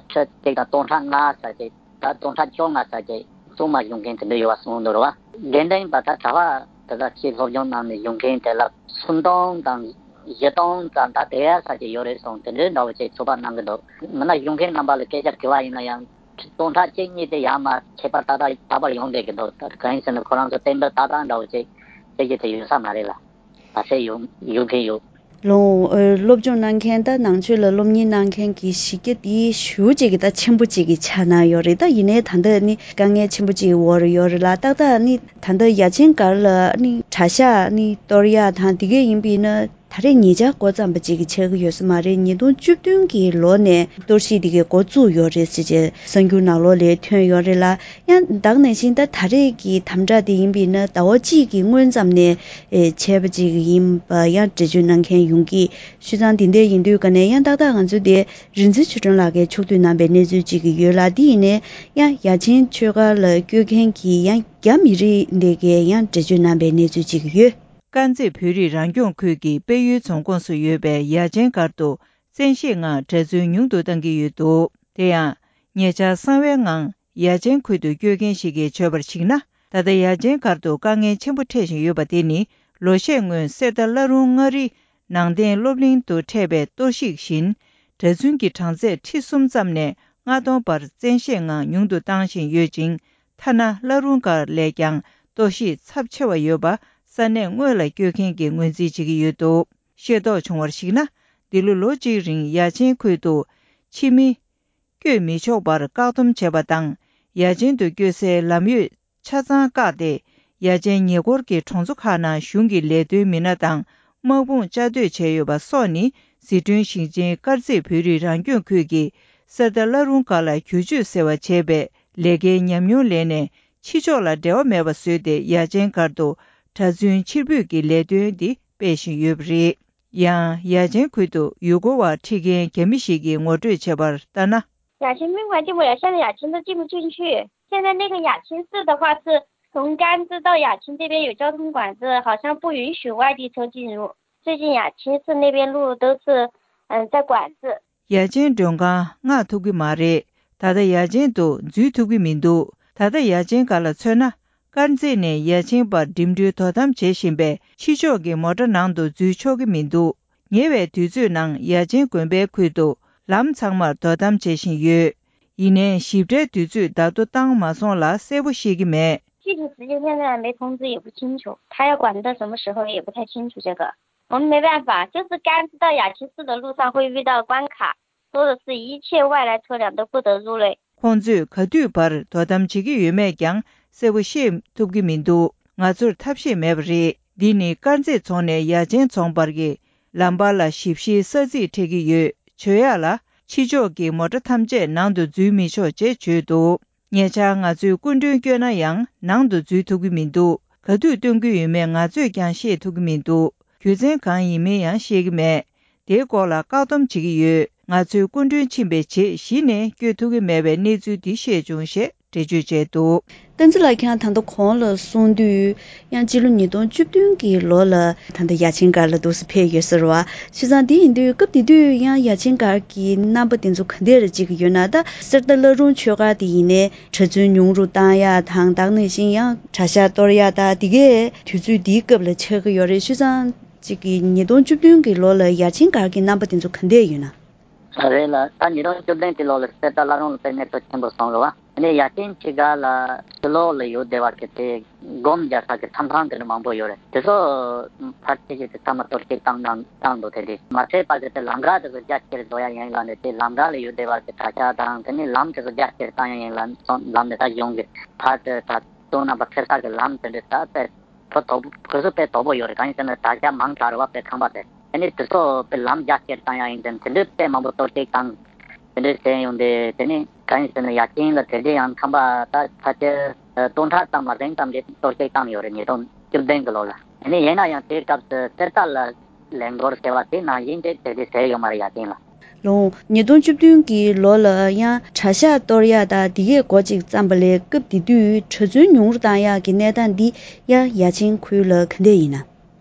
ཁྲི་གཅིག་དང་སྟོང་ཕྲག་ལྔ་ཙམ་ཅིག་ད་སྟོང་ཕྲག་བཅོ་ལྔ་ཙམ་ཅིག་བཙུན་མ་ཞུགས་མཁན་དེ་འདྲ་ཡོད་པ་གསུངས་འདུག་རེད་བ། དགེ་འདུན་པ་ད་གྲྭ་པ་ ད་ལྟ་ཕྱིར་སློབ་སྦྱོང་གནང་ནས་ཡོང་མཁན་དེ་ལ་སུམ་སྟོང་དང་བཞི་སྟོང་ཙམ་ད་དེ་ཡ་ས་ཅིག་ཡོད་རེད་གསུངས། དེ་འདྲའི་འདྲ་བོ་ཅིག་ཚོད་དཔག་གནང་གི་འདུག། མིན་ན་ཡོང་མཁན་རྣམ་པ་ལ་སྐད་ཆ་དྲི་བ་ཡིན་ན་ཡང་སྟོང་ཕྲག་གཅིག་གཉིས་དེ་ཡར་མར་ཁྱད་པར་ཏག་ཏག་ད་བར་ཡོང་བསྡད་ཀྱི་འདུག། ད་གང་ཡིན་ཟེར་ན་ཁོ་རང་ཚོ་གཏན་འབེབས་ཏག་ཏག་འདྲ་བོ་ཅིག་བྱེད་རྒྱུ་དེ་ཡོད་ས་མ་རེད་ལ། ད་ཚེ་ཡོང་ཡོང་མཁན་ཡོད། ལོ། ཨ། སློབ་སྦྱོང་གནང་མཁན་ད་ནང་ཆོས་ལ་སློབ་གཉེར་གནང་མཁན་གྱི་གཞི་རྒྱ་དེ་ཞེ་པོ་ཅིག་གི་ད་ཆེན་པོ་ཅིག་གི་ཆགས་གནང་ཡོད་རེད། ད་ཡིན་ནའི་ད་ལྟ་ནི་དཀའ་ངལ་ཆེན་པོ་ཅིག་འོག་ལ་ཡོད་རེད་ལ། ཏག་ཏག་ནི་ད་ལྟ་ཡ་ཆེན་སྒར་ལ་ནི་གྲྭ་ཤག་ནི་གཏོར་ཡག་དང་དེ་གས་ཡིན་པས་ན་ད་རེས་ཉེ་ཆར་འགོ་བརྩམས་པ་ཅིག་གི་ཆགས་ཀྱི་ཡོད་ས་མ་རེད། ཉིས་སྟོང་བཅུ་བདུན་གྱི་ལོ་ནས་གཏོར་བཤིག་དེ་གས་འགོ་བཙུགས་ཡོད་རེད་ཟེར་བྱས་གསར་འགྱུར་ནང་ལོགས་ལ་ཐོན་ཡོད་རེད་ལ། ཡང་ད་ག་ནང་བཞིན་ད་ད་རེས་ཀྱི་དམ་དྲག་དེ་ཡིན་པས་ན་ཟླ་བ་གཅིག་གི་སྔོན་ཙམ་ནས་ཨེ་བྱས་པ་ཅིག་ཡིན་པ་ཡང་འགྲེལ་བརྗོད་གནང་མཁན་ཡོང་གི། བྱས་ཙང་དེ་འདྲ་ཡིན་དུས་ག་ནས་ཡང་ཏག་ཏག་ང་ཚོ་དེ་རིག་འཛིན་ཆོས་སྒྲོན་ལགས་ཀྱིས་ཕྱོགས་བསྡུས་གནང་པའི་གནས་ཚུལ་ཅིག་ཡོད་ལ། དེ་ཡིན་ནའི་ཡང་ཡ་ཆེན་ཆོས་སྒར་ལ་བསྐྱོད་མཁན་གྱི་ཡང་རྒྱ་མི་རིགས་འདི་གས་ཡང་འགྲེལ་བརྗོད་གནང་པའི་གནས་ཚུལ་ཅིག་ཡོད། དཀར་མཛེས་བོད་རིགས་རང་སྐྱོང་ཁུལ་གྱི་དཔལ་ཡུལ་རྫོང་ཁོངས་སུ་ཡོད་པའི་ཡ་ཆེན་སྒར་དུ་བཙན་ཤེད་ངང་གྲྭ་བཙུན་ཉུང་དུ་གཏང་གི་ཡོད་འདུག། དེ་ཡང་ཉེ་ཆར་གསང་བའི་ངང་ཡ་ཆེན་ཁུལ་དུ་བསྐྱོད་མཁན་ཞིག་གིས་བརྗོད་པར་གཞིགས་ན། ད་ལྟ་ཡ་ཆེན་སྒར་དུ་དཀའ་ངལ་ཆེན་པོ་འཕྲད་བཞིན་ཡོད་པ་དེ་ནི་ལོ་ཤས་སྔོན་གསེར་རྟ་བླ་རུང་མངའ་རིས་ནང་བསྟན་སློབ་གླིང་དུ་འཕྲད་པའི་གཏོར་བཤིག་བཞིན། གྲྭ་བཙུན་གྱི་གྲངས་ཚད་ཁྲི་གསུམ་ཙམ་ནས་ལྔ་སྟོང་བར་བཙན་ཤེད་ངང་ཉུང་དུ་བཏང་བཞིན་ཡོད་ཅིང་། ཐ་ན་བླ་རུང་སྒར་ལས་ཀྱང་གཏོར་བཤིག་ཚབས་ཆེ་བ་ཡོད་པ་ས་གནས་དངོས་ལ་བསྐྱོད་མཁན་གྱིས་ངོས་འཛིན་བྱེད་ཀྱི་ཡོད་འདུག། ཤེས་རྟོགས་བྱུང་བར་གཞིགས་ན། འདི་ལོ་ལོ་གཅིག་རིང་ཡ་ཆེན་ཁུལ་དུ་ཕྱི་མི་བསྐྱོད་མི་ཆོག་པར་བཀག་སྡོམ་བྱས་པ་དང་། ཡ་ཆེན་དུ་བསྐྱོད་སའི་ལམ་ཡོད་ཆ་ཚང་བཀག་སྟེ། ཡ་ཆེན་ཉེ་འཁོར་གྱི་གྲོང་ཚོ་ཁག་ནང་གཞུང་གི་ལས་དོན་མི་སྣ་དང་དམག་དཔུང་བཅའ་སྡོད་བྱས་ཡོད་པ་སོགས་ནི་ཟི་ཁྲོན་ཞིང་ཆེན་དཀར་མཛེས་བོད་རིགས་རང་སྐྱོང་ཁུལ་གྱི་གསེར་རྟ་བླ་རུང་སྒར་ལ་བསྒྱུར་བཅོས་ཟེར་བ་བྱས་པའི་ལས་ཀའི་ཉམས་མྱོང་ལེན་ནས། ཕྱི་ཕྱོགས་ལ་འབྲེལ་བ་མེད་པ་བཟོས་ཏེ་ཡ་ཆེན་སྒར་དུ་གྲྭ་བཙུན་ཕྱིར་འབུད་ཀྱི་ལས་དོན་འདི་སྤེལ་བཞིན་ཡོད་པ་རེད། ཡང་ཡ་ཆེན་ཁུལ་དུ་ཡུལ་སྐོར་བ་ཁྲིད་མཁན་རྒྱ་མི་ཞིག་གིས་ངོ་སྤྲོད་བྱས་པར་ལྟར་ན། 雅琴宾馆进不了，现在雅琴都进不进去。现在那个雅琴寺的话，是从甘孜到雅琴这边有交通管制，好像不允许外地车进入。最近雅琴寺那边路都是，嗯，在管制。 ཡ་ཆེན་མགྲོན་ཁང་མངགས་ཐུབ་ཀྱི་མ་རེད། ད་ལྟ་ཡ་ཆེན་དུ་འཛུལ་ཐུབ་ཀྱི་མི་འདུག། ད་ལྟ་ཡ་ཆེན་སྒར་ལ་མཚོན་ན། དཀར་མཛེས་ནས་ཡ་ཆེན་བར་འགྲིམ་འགྲུལ་དོ་དམ་བྱེད་བཞིན་པས། ཕྱི་ཕྱོགས་ཀྱི་མོ་ཊ་ནང་དུ་འཛུལ་ཆོག་གི་མི་འདུག། ཉེ་བའི་དུས་ཚོད་ནང་ཡ་ཆེན་དགོན་པའི་ཁུལ་དུ་ལམ་ཚང་མར་དོ་དམ་བྱེད་བཞིན་ཡོད། ཡིན་ནའི་ཞིབ་ཕྲའི་དུས་ཚོད་བརྡ་ཐོ་བཏང་མ་སོང་ལ་གསལ་པོ་ཤེས་ཀྱི་མེད། 具体时间现在还没通知，也不清楚，他要管到什么时候也不太清楚。这个我们没办法，就是甘孜到雅琴寺的路上会遇到关卡，说的是一切外来车辆都不得入内。 ཁོང་ཚོས་ག་དུས་བར་དོ་དམ་བྱེད་ཀྱི་ཡོད་མེད་ཀྱང་གསལ་པོ་ཤེས་ཐུབ་ཀྱི་མི་འདུག། ང་ཚོར་ཐབས་ཤེས་མེད་པ་རེད། འདི་ནི་དཀར་མཛེས་རྫོང་ནས་ཡ་ཆེན་རྫོང་བར་གྱི་ལམ་བར་ལ་ཞིབ་བཤེར་ས་ཚིགས་འཕྲད་ཀྱི་ཡོད། བྱོས་ཡག་ལ་ཕྱི་ཕྱོགས་ཀྱི་མོ་ཊ་ཐམས་ཅད་ནང་དུ་འཛུལ་མི་ཆོག་ཅེས་བརྗོད་འདུག། ཉེ་ཆར་ང་ཚོས་སྐུ་མགྲོན་བསྐྱོད་ན་ཡང་ནང་དུ་འཛུལ་ཐུབ་ཀྱི་མི་འདུག། ག་དུས་སྟོན་གྱི་ཡོད་མེད་ང་ཚོས་ཀྱང་ཤེས་ཐུབ་ཀྱི་མི་འདུག། རྒྱུ་མཚན་གང་ཡིན་མིན་ཡང་ཤེས་ཀྱི་མེད། དེའི་སྐོར་ལ་བཀག་སྡོམ་བྱེད་ཀྱི་ཡོད། ང་ཚོས་སྐུ་མགྲོན་ཕྱིན་པའི་རྗེས་གཞི་ནས་བསྐྱོད་ཐུབ་ཀྱི་མེད་པའི་གནས་ཚུལ་འདི་ཤེས་བྱུང་ཞེས་འགྲེལ་བརྗོད་བྱས་འདུག། བསྟན་འཛིན་ལགས་ཁྱེད་རང་ད་ལྟ་གོང་ལ་གསུངས་དུས་ཡང་སྤྱི་ལོ་ཉིས་སྟོང་བཅུ་བདུན་གྱི་ལོ་ལ་ད་ལྟ་ཡ་ཆེན་སྒར་ལ་འདུག་སེ་ཕེབས་ཡོད་ཟེར་བ། བྱས་ཙང་དེ་ཡིན་དུས་སྐབས་དེ་དུས་ཡང་ཡ་ཆེན་སྒར་གྱི་རྣམ་པ་དེ་ཚོ་ག་འདྲ་རེ་ཅིག་ཡོད་ན། ད་གསེར་རྟ་བླ་རུང་ཆོས་སྒར་དེ་ཡིན་ནའི་གྲྭ་བཙུན་ཉུང་རུ་བཏང་ཡག་དང་། ད་ག་ནང་བཞིན་ཡང་གྲྭ་ཤག་གཏོར་ཡག་ད་དེ་གས་དུས་ཚོད་དེའི་སྐབས་ལ་ཆགས་ཀྱི་ཡོད་རེད། བྱས་ཙང་ཅིག་གི་ཉིས་སྟོང་བཅུ་བདུན་གྱི་ལོ་ལ་ཡ་ཆེན་སྒར་གྱི་རྣམ་པ་དེ་ཚོ་ག་འདྲ་ཡོད་ན། རེད་ལ། ད་ཉིས་སྟོང་བཅུ་བདུན་གྱི་ལོ་ལ་གསེར་རྟ་བླ་རུང་ལ་དཔེ་གནས་ཚུལ་ཆེན་པོ་སོང་རེད་བ། དེ་ནས་ཡ་ཆེན་ཕྱི་སྒར་ལ་ཕྱི་ལོགས་ལ་ཡོད་བསྡད་པ་གི་དེ་སྒོམ་རྒྱག་ས་གི་མཚམས་ཁང་དེ་འདྲ་མང་པོ་ཡོད་རེད། དེ་ཚོ་ཕལ་ཆེར་གྱི་དེ་ཚང་མ་གཏོར་བཤིག་བཏང་བཏང་བཏང་འདུག། དེ་དེ་མ་ཚད་པ་གི་དེ་ལམ་ཁ་དེ་ཚོ་རྒྱ་ཆེར་བཟོ་ཡ་ཡིན་ལ་ནས། དེ་ལམ་ཁ་ལ་ཡོད་བསྡད་པ་གི་གྲྭ་ཤག་དང་། དེ་ནས་ལམ་དེ་ཚོ་རྒྱ་ཆེར་བཏང་ཡ་ཡིན་ལ་སོང་། ལམ་དེ་ད་གཞུང་གི་ཕར་དེ་ད་སོང་ན་པ་ཁེ་ས་གི་ལམ་དེ་འདྲ་ད་དཔེ་ཕོ་དོག་པོ་གོ་ས་དཔེ་དོག་པོ་ཡོད་རེད། གང་ཡིན་ཟེར་ན་གྲྭ་ཤག་མང་དྲགས་རེད་བ། དཔེ་ཁང་པ་དེ། དེ་ནས་དེ་ཚོ་དཔེ་ལམ་རྒྱ་ཆེར་བཏང་ཡ་ཡིན་ཟེར་ནས་དེ་འདྲའི་དཔེ་མང་པོ་གཏོར་བཤིག་བཏང་། དེ་འདྲའི་བྱས་ཡོང་དུས་དེ་ནས་གང་ཡིན་ཟེར་ན་ཡ་ཆེན་ལ་དེ་འདྲའི་ཡང་ཁང་པ་ད་ཕལ་ཆེར་སྟོང་ཕྲག་ཙམ་མ་ཟིན་ཙམ་གྱི་གཏོར་བཤིག་བཏང་ཡོད་རེད། ཉིས་སྟོང་བཅུ་བདུན་གྱི་ལོ་ལ། དེ་ནས་ཡིན་ན་ཡང་དེའི་སྐབས་སུ་གསེར་རྟ་ལ་ལས་འགུལ་ཟེར་བ་དེ་ནང་བཞིན་དེ་དེ་འདྲའི་བྱས་ཡོད་མ་རེད་ཡ་ཆེན་ལ། ལོ། ཉིས་སྟོང་བཅུ་བདུན་གྱི་ལོ་ལ་ཡང་གྲྭ་ཤག་གཏོར་ཡག་དང་དེ་གས་འགོ་གཅིག་བརྩམས་པ་ལས་སྐབས་དེ་དུས་གྲྭ་བཙུན་ཉུང་རུ་བཏང་ཡག་གི་གནས་སྟངས་འདི་ཡང་ཡ་ཆེན་ཁུལ་ལ་ག་འདྲ་ཡིན་ན།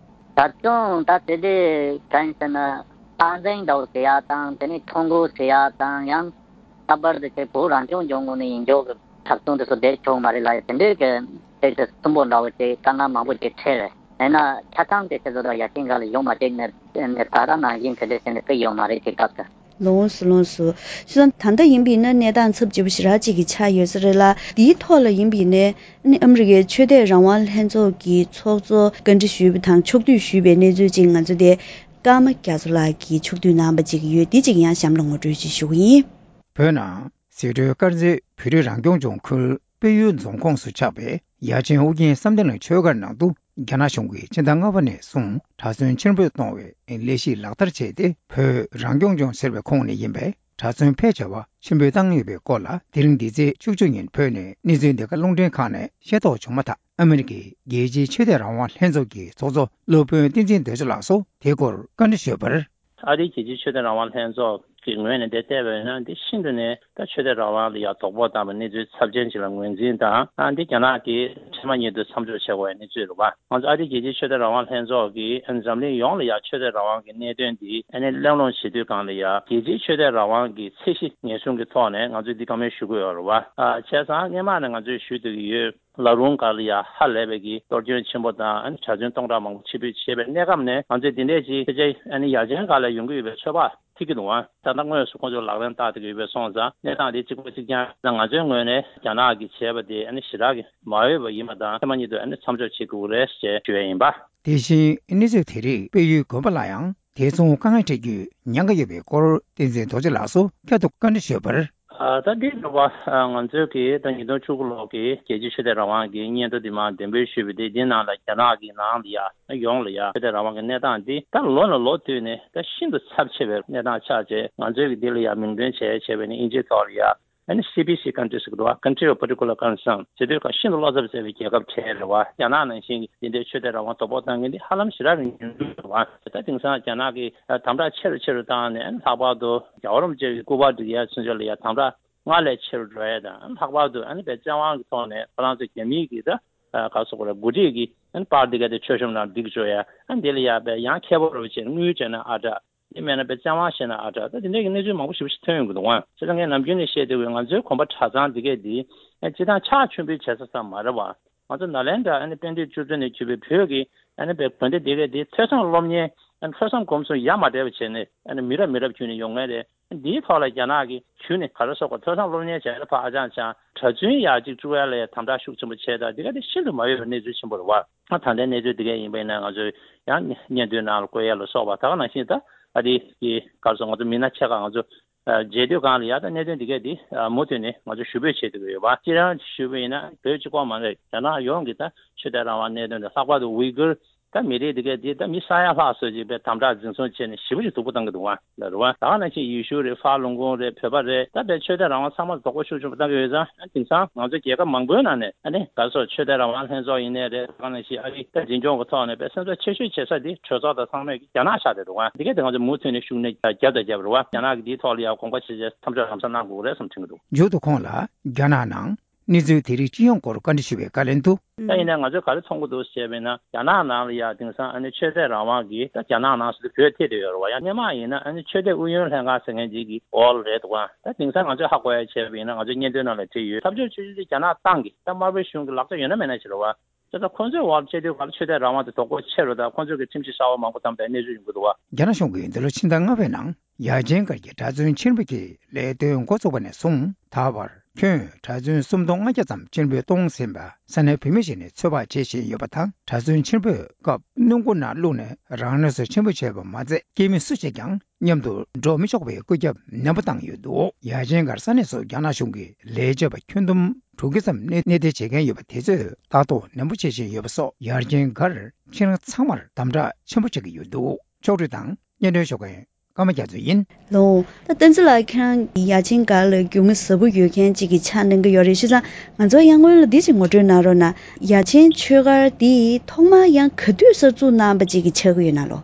ད་དུང་ད་དེ་དུས་གང་ཡིན་ཟེར་ན་སྟངས་འཛིན་འདྲ་བོ་ཟེར་ཡག་དང་། དེ་ནས་ཐོ་འགོད་ཟེར་ཡག་དང་། ཡང་ལྷག་པར་དུ་དེ་བོད་རང་སྐྱོང་ལྗོངས་ངོས་ནས་ཡིན་ཆོག་གི། ཁྲག་འཐུང་དེ་ཚོ་བསྡད་ཆོག་མ་རེད་ལབ་ཡ་དེ་འདྲའི་གི་ཏོག་ཙམ་གསོན་པོ་འདྲ་བོ་ཅིག་དཀའ་ངལ་མང་པོ་ཅིག་འཕྲད་རེད། ཡིན་ན་ཆ་ཚང་དེ་ཚོ་ད་ཡ་ཆེན་སྒར་ལ་ཡོང་མ་བཅུག་ནས་ནས་ད་ལྟ་ནང་བཞིན་དེ་འདྲ་བྱས་ནས་དཔེ་ཡོད་མ་རེད་དེ་སྐབས་དུ། ལོངས་སུ་ལོངས་སུ། བྱས་ཙང་ད་ལྟ་ཡིན་པ་ཡིན་ན་གནས་སྟངས་ཚབས་ཆེ་པོ་ཞེ་དྲག་ཅིག་གི་ཆགས་ཡོད་ས་རེད་ལ། འདིའི་ཐོག་ལ་ཡིན་པ་ཡིན་ན་ཨ་ནི་ཨ་མི་རི་ཀའི་ཆོས་དད་རང་དབང་ལྷན་ཚོགས་ཀྱི་ཚོགས་གཙོ་བཀའ་འདྲི་ཞུས་པ་དང་ཕྱོགས་བསྡུས་ཞུས་པའི་གནས་ཚུལ་ཅིག་ང་ཚོ་དེ་ཀརྨ་རྒྱ་མཚོ་ལགས་ཀྱིས་ཕྱོགས་བསྡུས་གནང་བ་ཅིག་ཡོད། འདི་ཅིག་ཡང་གཤམ་ལ་ངོ་སྤྲོད་ཅིག་ཞུ་གི་ཡིན། བོད་ནང་ཟད་འགྲོའི་དཀར་མཛེས་བོད་རིགས་རང་སྐྱོང་ལྗོངས་ཁུལ་དཔལ་ཡུལ་རྫོང་ཁོངས་སུ་ཆགས་པའི་ཡ་ཆེན་ཨོ་རྒྱན་བསམ་གཏན་གླིང་ཆོས་སྒར་ནང་དུ་རྒྱ་ནག་གཞུང་གིས་ཕྱི་ཟླ་ལྔ་པ་ནས་བཟུང་གྲྭ་བཙུན་ཕྱིར་འབུད་གཏོང་བའི་ལས་གཞི་ལག་བསྟར་བྱས་ཏེ། བོད་རང་སྐྱོང་ལྗོངས་ཟེར་བའི་ཁོངས་ནས་ཡིན་པའི་གྲྭ་བཙུན་ཕལ་ཆེ་བ་ཕྱིར་འབུད་བཏང་ཡོད་པའི་སྐོར་ལ། དེ་རིང་འདི་ཚེས་བཅུ་གཅིག་ཉིན་བོད་ནས་གནས་ཚུལ་འདི་ག་རླུང་འཕྲིན་ཁང་ནས་ཤེས་རྟོགས་བྱུང་མ་ཐག་ཨ་མི་རི་ཀའི་རྒྱལ་སྤྱིའི་ཆོས་དད་རང་དབང་ལྷན་ཚོགས་ཀྱི་ཚོགས་གཙོ་སློབ་དཔོན་བསྟན་འཛིན་རྡོ་རྗེ་ལགས་སུ་དེའི་སྐོར་བཀའ་འདྲི་ཞུས་པར། ཨ་རིའི་རྒྱལ་སྤྱིའི་ཆོས་དད་རང་དབང་ལྷན་ཚོགས་ཀྱི་ངོས་ནས་འདི་བལྟས་པ་ཡིན་ན། འདི་ཤིན་ཏུ་ནས་ད་ཆོས་དད་རང་དབང་ལ་ཡང་དོ་ཕོག་བཏང་བའི་གནས་ཚུལ་ཚབས་ཆེན་ཞིག་ལ་ངོས་འཛིན་དང་། ཨ་འདི་རྒྱ་ནག་གིས་འཕྲལ་མ་ཉིད་དུ་མཚམས་འཇོག་བྱེད་དགོས་པའི་གནས་ཚུལ་རེད་པ། ང་ཚོ་ཨ་རིའི་རྒྱལ་སྤྱིའི་ཆོས་དད་རང་དབང་ལྷན་ཚོགས་ཀྱིས་ཨ་འཛམ་གླིང་ཡོངས་ལ་ཡང་ཆོས་དད་རང་དབང་གི་གནད་དོན་འདི་ཨ་ནི་གླེང་སློང་བྱེད་དུས་སྒང་ལ་ཡང་རྒྱལ་སྤྱིའི་ཆོས་དད་རང་དབང་གི་ཚད་གཞི་ངེས་བཟུང་གི་ཐོག་ནས་ང་ཚོས་འདི་བཀའ་མོལ་ཞུ་གི་ཡོད་རེད་པ། ཨ་བྱས་ཙང་སྔོན་མ་ནས་ང་ཚོས་ཞུ་བསྡད་ཀྱི་ཡོད། ལ་རུང་སྒར་ལ་ཡ་ཧ་ལས་པའི་གི་གཏོར་སྐྱོན་ཆེན་པོ་དང་། ཨ་ནི་གྲྭ་བཙུན་སྟོང་ཕྲག་མང་པོ་ཕྱིར་འབུད་བྱས་པའི་གནས་སྐབས་ནས། ང་ཚོས་འདི་འདྲས་ཅིག་ཕལ་ཆེར་ཨ་ནི་ཡ་ཆེན་སྒར་ལ་ཡོང་གི་ཡོད་པའི་ཚོད་དཔག་ཐིག་གི་འདུག་ཨ། ད་ལྟ་དངོས་སུ་ཁོང་ཚོས་ལག་ལེན་བསྟར་བསྡད་ཀྱི་ཡོད་པའི་སོང་ཙང་། གནས་སྟངས་འདི་གཅིག་པ་གཅིག་རྐྱང་ང་ཚོའི་ངོས་ནས་རྒྱ་ནག་གིས་བྱས་པ་དེ་ཨ་ནི་ཞེ་དྲག་གི་མ་འོས་པ་ཡིན་པ་དང་། ཐེངས་མ་ཉིད་དུ་ཨ་ནི་མཚམས་འཇོག་བྱེད་དགོས་རེད་ཅེས་ཞུ་ཡ་ཡིན་པ། དེ་བཞིན་གནས་ཚུལ་དེ་རིགས་དཔལ་ཡུལ་དགོན་པ་ལ་ཡང་དེ་མཚུངས་དཀའ་ངལ་འཕྲད་རྒྱུའི་ཉེན་ཁ་ཡོད་པའི་སྐོར་བསྟན་འཛིན་རྡོ་རྗེ་ལགས་སུ་བསྐྱར་དུ་བཀའ་འདྲི་ཞུས་པར། ཨ་ད་འདི་འདྲ་བ། ཨ་ང་ཚོའི་གི་ད་ཉིས་སྟོང་བཅུ་དགུ་ལོ་གི་རྒྱལ་སྤྱིའི་ཆོས་དད་རང་དབང་གི་སྙན་ཐོ་འདི་མར་འདོན་སྤེལ་ཞུས་པ་དེ། འདི་ནང་ལ་རྒྱ་ནག་གི་ནང་ལ་ཡ་ཡོངས་ལ་ཡ་ཆོས་དད་རང་དབང་གི་གནས་སྟངས་འདི་ད་ལོ་ནས་ལོ་བསྟུད་ནས་ད་ཤིན་ཏུ་ཚབས་ཆེ་བའི་གནས་སྟངས་ཆགས་བྱས། ང་ཚོའི་གི་འདི་ལ་ཡ་མིང་འདོན་བྱས་བྱས་པ་ཡིན་ན། དབྱིན་ཇིའི་ཐོག་ལ་ཡ་ཨ་ནི་སི་པི་སི་ཀན་ཊི་རི་ཟེར་གི་འདུག་བ། Country of Particular Concern ཟེར་དུས་ཀ་ཤིན་ཏུ་བློ་འཚབ་ཟེར་བའི་རྒྱལ་ཁབ་གྲས་རེད་བ། རྒྱ་ནག་ནང་བཞིན་གི་འདི་འདྲའི་ཆོས་དད་རང་དབང་དོ་ཕོག་བཏང་མཁན་འདི་ཧ་ལམ་ཞེ་དྲག་གི་ཉུང་ཉུང་རེད་བ། ད་དེང་སང་རྒྱ་ནག་གིས་དམ་དྲག་ཆེ་རུ་ཆེ་རུ་བཏང་ནས། ཨ་ནི་ལྷག་པར་དུ་རྒྱལ་བ་རིན་པོ་ཆེ་གི་སྐུ་པར་སྒྲིག་ཡ་ཚུན་ཆད་ལ་ཡ་དམ་དྲག་སྔར་ལས་ཆེ་རུ་འགྲོ་ཡ་དང་། ལྷག་པར་དུ་ཨ་ནི་བོད་བཙན་དབང་གི་ཐོག་ནས་ཁོ་རང་ཚོ་རྒྱ་མིའི་གི་ད་ག་སོགས་རེད། འགོ་ཁྲིད་ཀྱི་ཨ་ནི་པར་འདི་ག་དེ་མཆོད་གཤོམ་ནང་བསྒྲིགས་བཅུག་ཡ། ཨ་ནི་འདི་ལ་ཡ་བས་ཡང་ཁྱད་པར་རུ་བྱས་དངུལ་སྤྲད་ན་ཨ་དྲག་འདི་མེད་ན་བོད་བཙན་དབང་བཤད་ན་ཨ་དྲག་ད་དེ་འདྲའི་གི་གནས་ཚུལ་མང་པོ་ཞེ་པོ་ཞིག་ཐོན་ཡོང་གི་འདུག་བ། བྱས་ཙང་ངས་ནམ་རྒྱུན་ནས་བཤད་བསྡད་པའི་ང་ཚོའི་གོམ་པ་གྲྭ་ཚང་འདི་གས་འདི་ཨ་སྤྱིར་བཏང་ཕྱག་མཆོད་འབུལ་བྱེད་ས་ཙམ་མ་རེད་བ། ང་ཚོ་ནཱ་ལེནྡྲ་ཨ་ནི་དཔལ་ལྡན་ཆུ་ཚོད་ནས་བརྒྱུད་པའི་བོད་ཀྱི་ཨ་ནི་བོད་དགོན་སྡེ་འདི་གས་འདི་ཐོས་བསམ་སློབ་གཉེར། ཨ་ནི་ཐོས་བསམ་སྒོམ་གསུམ་ཡ་མ་བྲལ་བ་བྱས་ནས། ཨ་ནི་མི་རབས་མི་རབས་བརྒྱུད་ནས་ཡོང་མཁན་རེད། འདིའི་ཐོག་ལ་རྒྱ་ནག་གིས་བརྒྱུད་ནས་ག་རེ་ཟེར་དགོས། ཐོས་བསམ་སློབ་གཉེར་བྱས་ལ་ཕར་ཨ་ཅང་ཅང་གྲྭ་བཙུན་ཡར་གཅིག་བཅུག་ཡ་ལ་ཡ་དམ་དྲག་ཤུགས་ཆེན་པོ་བྱས། ད་འདི་ག་དེ་ཤིན་ཏུ་མ་འོས་པའི་གནས་ཚུལ་ཆེན་པོ་རེད་བ། ད་ལྟའི་གནས་ཚུལ་འདི་གས་ཡིན་པ་ཡིན་ན། ང་ཚོས་ཡང་སྙན་ཐོའི་ནང་ལ་བཀོད་ཡ་ལ་སོགས་པ། ད་ག་ནང་བཞིན་ད་ཨ་རི་གི་ག་རེ་ཟེར། ང་ཚོ་མི་སྣ་ཆེ་ཁག་ང་ཚོ་མཇལ་དུས་སྒང་ལ་ཡ། ད་གནད་དོན་འདི་གས་འདི་མུ་མཐུད་ནས་ང་ཚོ་ཞུ་འབོད་བྱེད་ཀྱི་ཡོད་པ། སྤྱིར་བཏང་ཞུས་པ་ཡིན་ན། བོད་གཅིག་པོ་མ་རེད། རྒྱ་ནག་ཡོངས་ཀྱི་ད་ཆོས་དད་རང་དབང་གནད་དོན་དང་། ལྷག་པར་དུ་ཝི་གུར་ད་མི་རིགས་འདི་གས་འདི་ད་མི་ས་ཡ་ལྷག་ཙམ་ཅིག་དཔེ་དམ་དྲག་འཛིན་བཟུང་བྱས་ནས་ཞེ་པོ་ཅིག་སྡུག་པོ་བཏང་གི་འདུག་བ། ལ་རུ་བ། ད་ག་ནང་བཞིན་ཡེ་ཤུ་རེད། ཧྥ་ལུང་ཀུང་རེད། བོད་པ་རེད། ད་དཔེ་ཆོས་དད་རང་དབང་ཚང་མ་དོགས་པ་ཤུགས་ཆེན་པོ་བཏང་གི་ཡོད་ཙང་། དེང་སང་ང་ཚོ་རྒྱལ་ཁབ་མང་པོའི་ནང་ནས་ཨ་ནི་ག་རེ་ཟེར། ཆོས་དད་རང་དབང་ལྷན་ཚོགས་ཡིན་ནའི་རེད། ད་ག་ནང་བཞིན་ཨ་རི་ད་འཛིན་སྐྱོང་གི་ཐོག་ནས་དཔེ་སེམས་འཚབ་ཆེ་ཤོས་བྱེད་ས་འདི་གྲོས་ཚོགས་དང་ཚང་མས་རྒྱ་ནག་ཆགས་བསྡད་འདུག་བ། འདི་གས་དེ་ང་ཚོ་མུ་མཐུད་ནས་ཤུགས་སྣོན་རྒྱབ་དང་རྒྱབ་རེད་བ། རྒྱ་ནག་གིས་འདིའི་ཐོག་ལ་ཡང་དགོངས་པ་ཇི་བཞིན་མཚམས་འཇོག་ལམ་སང་གནང་དགོས་རེད་བསམ་དྲན་གྱི་འདུག་མཇུག་ཏུ་ཁོང་ལ་རྒྱ་ནག་ནང་གནས་ཚུལ་དེ་རིགས་སྤྱི་ཡོངས་སྐོར་བཀའ་འདྲི་ཞུས་པའི་བཀའ་ལན་དུ། ད་ཡིན་ནའི་ང་ཚོས་ག་རེ་མཐོང་གི་འདུག་ཟེར་བས་ན། རྒྱ་ནག་ནང་ལ་ཡ་དེང་སང་ཨ་ནི་ཆོས་དད་རང་དབང་གིས་ད་རྒྱ་ནག་ནང་སུ་དུ་བོད་ཐད་དུ་ཡོད་རེད་བ། ཡང་སྔོན་མ་ཡིན་ན་ཨ་ནི་ཆོས་དད་ཨུ་ཡོན་ལྷན་ཁང་ཟེར་མཁན་ཅིག་གི་འོག་ལ་རེད་འདུག་ག་ད་དེང་སང་ང་ཚོས་ཧ་གོ་ཡ་བྱས་པ་ཡིན་ན། ང་ཚོའི་སྙན་ཐོའི་ནང་ལ་བྲིས་ཡོད། འཐབ་ཕྱོགས་ཆུང་ཆུང་དེ་རྒྱ་ནག་ཏང་གི་ད་དམར་པོའི་གཞུང་གི་ལག་ཆ་ཡོད་ན་མེད་ན་ཞིག་རེད་བ། ད་ལྟ་ཁོང་ཚོའི་འོག་ལ་བྱས་དུས་ག་ལ་ཆོས་དད་རང་དབང་དེ་དོགས་པ་ཆེ་རུ་དང་། ཁོང་ཚོས་ཀྱི་ཁྲིམས་གཞི་གསར་པ་མང་པོ་བདམས་པའི་གནས་ཚུལ་ཡོང་གི་འདུག་བ། རྒྱ་ནག་གཞུང་གིས་འདི་ལོ་ཕྱི་ཟླ་ལྔ་པའི་ནང་ཡ་ཆེན་སྒར་གྱི་གྲྭ་བཙུན་ཕྱིར་འབུད་ཀྱི་ལས་དོན་འགོ་བཙུགས་པ་ནས་བཟུང་ད་བར་ཁྱོན་གྲྭ་བཙུན་སུམ་སྟོང་ལྔ་བརྒྱ་ཙམ་ཕྱིར་འབུད་གཏོང་ཟིན་པ་ས་གནས་བོད་མི་ཞིག་ནས་ཚོད་དཔག་བྱེད་བཞིན་ཡོད་པ་དང་། གྲྭ་བཙུན་ཕྱིར་འབུད་སྐབས་སྣུམ་འཁོར་ནང་བླུགས་ནས་རང་མགོ་ནས་ཕྱིར་འབུད་བྱས་པ་མ་ཚད། སྐྱེས་མི་སུ་ཞིག་ཀྱང་མཉམ་དུ་འགྲོ་མི་ཆོག་པའི་བཀོད་ཁྱབ་ནན་པོ་བཏང་ཡོད་འདུག་ཡ་ཆེན་སྒར་ས་གནས་སུ་རྒྱ་ནག་གཞུང་གི་ལས་བྱེད་པ་ཁྱོན་བསྡོམས་དྲུག་བརྒྱ་ཙམ་གནས་གནས་སྡོད་བྱེད་མཁན་ཡོད་པ་དེ་ཚོས་ལྟ་རྟོག་ནན་པོ་བྱེད་བཞིན་ཡོད་པ་སོགས། ཡ་ཆེན་སྒར་ཁྱེད་རང་ཚང་མར་དམ་དྲག་ཆེན་པོ་བྱེད་ཀྱི་ཡོད་འདུག་ཕྱོགས་བསྒྲིགས་དང་སྙན་སྒྲོན་ཞུ་མཁན་ཀརྨ་རྒྱ་མཚོ་ཡིན། ལོ། ད་བསྟན་འཛིན་ལགས་ཁྱེད་རང་ཡ་ཆེན་སྒར་ལ་རྒྱུས་མངའ་ཟབ་པོ་ཡོད་མཁན་ཅིག་གི་ཆ་གནང་གི་ཡོད་རེད། བྱས་ཙང་ང་ཚོ་ཡང་སྔོན་ལ་འདི་ཅིག་ངོ་སྤྲོད་གནང་རོགས་གནང་། ཡ་ཆེན་ཆོས་སྒར་འདི་ཐོག་མར་ཡང་ག་དུས་གསར་འཛུགས་གནང་བ་ཅིག་གི་ཆགས་ཀྱི་ཡོད་ན་ལོ།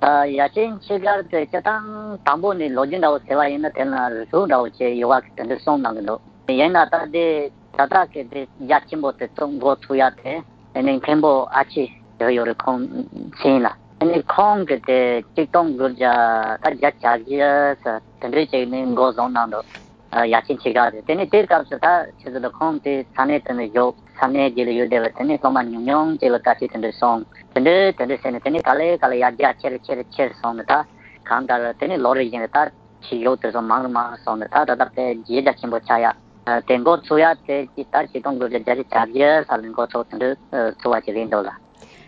ཨ། ཡ་ཆེན་ཆོས་སྒར་དེ་སྤྱིར་བཏང་དང་པོ་ནས་ལོ་རྒྱུས་འདྲ་བོ་ཟེར་བ་ཡིན་ན། དེ་ལ་རི་སུལ་འདྲ་བོ་བྱས་ཡོད་པ་དེ་འདྲ་གསུངས་གནང་གི་འདུག་ཡིན་ན་ད་དེ་ད་ལྟ་གི་དེ་རྒྱ་ཆེན་པོ་དེ་ཚོ་འགོ་ཚུགས་ཡ་དེ་ཨ་ནི་མཁན་པོ་ཨ་ཕྱི་ཡོད་ཡོད་རེད། ཁོང་མཚན་ལ། ཨ་ནི་ཁོང་གི་དེ་གཅིག་སྟོང་དགུ་བརྒྱ་ད་བརྒྱད་ཅུ་གྱ་བཞི་ཙམ་དེ་འདྲའི་ཅིག་ནས་འགོ་བཟུང་གནང་འདུག་ཡར་ཆེན་ཆེ་ག་རེད། དེ་ནས་དེའི་སྐབས་སུ་ད་ཆུ་ཚོད་དང་ཁོང་དེ་ས་གནས་དེ་ནས་བཞུགས། ས་གནས་རྗེས་ལ་ཡོད་བསྡད་པ་དེ་ནས་སློབ་མ་ཉུང་ཉུང་ཅིག་ལ་བཀའ་ཁྲིད་དེ་འདྲ་སོང་། དེ་འདྲ་དེ་འདྲ་བྱས་ནས་དེ་ནས་ག་ལེ་ག་ལེ་ཡར་རྒྱས་ཆེ་རུ་ཆེ་རུ་ཆེ་རུ་སོང་ནས། ད་གང་ལྟར་དེ་ནས་ལོ་རེ་བཞིན་དུ་ད་ཆེས་ཡོད་དེ་ཚོ་མང་རུ་མང་རུ་སོང་ནས། ད་ད་ལྟ་དཔེ་གཞི་རྒྱ་ཆེན་པོ་ཆགས་ཡ། དེ་འགོ་ཚུགས་ཡ་དེ་ད་ཆིག་སྟོང་དགུ་བརྒྱ་བརྒྱད་ཅུ་གྱ་བརྒྱད་ཙམ་ལ་འགོ་ཚུགས་དེ་འདྲ་ཚུགས་པ་ཅིག་རེད་འདུག་ལ།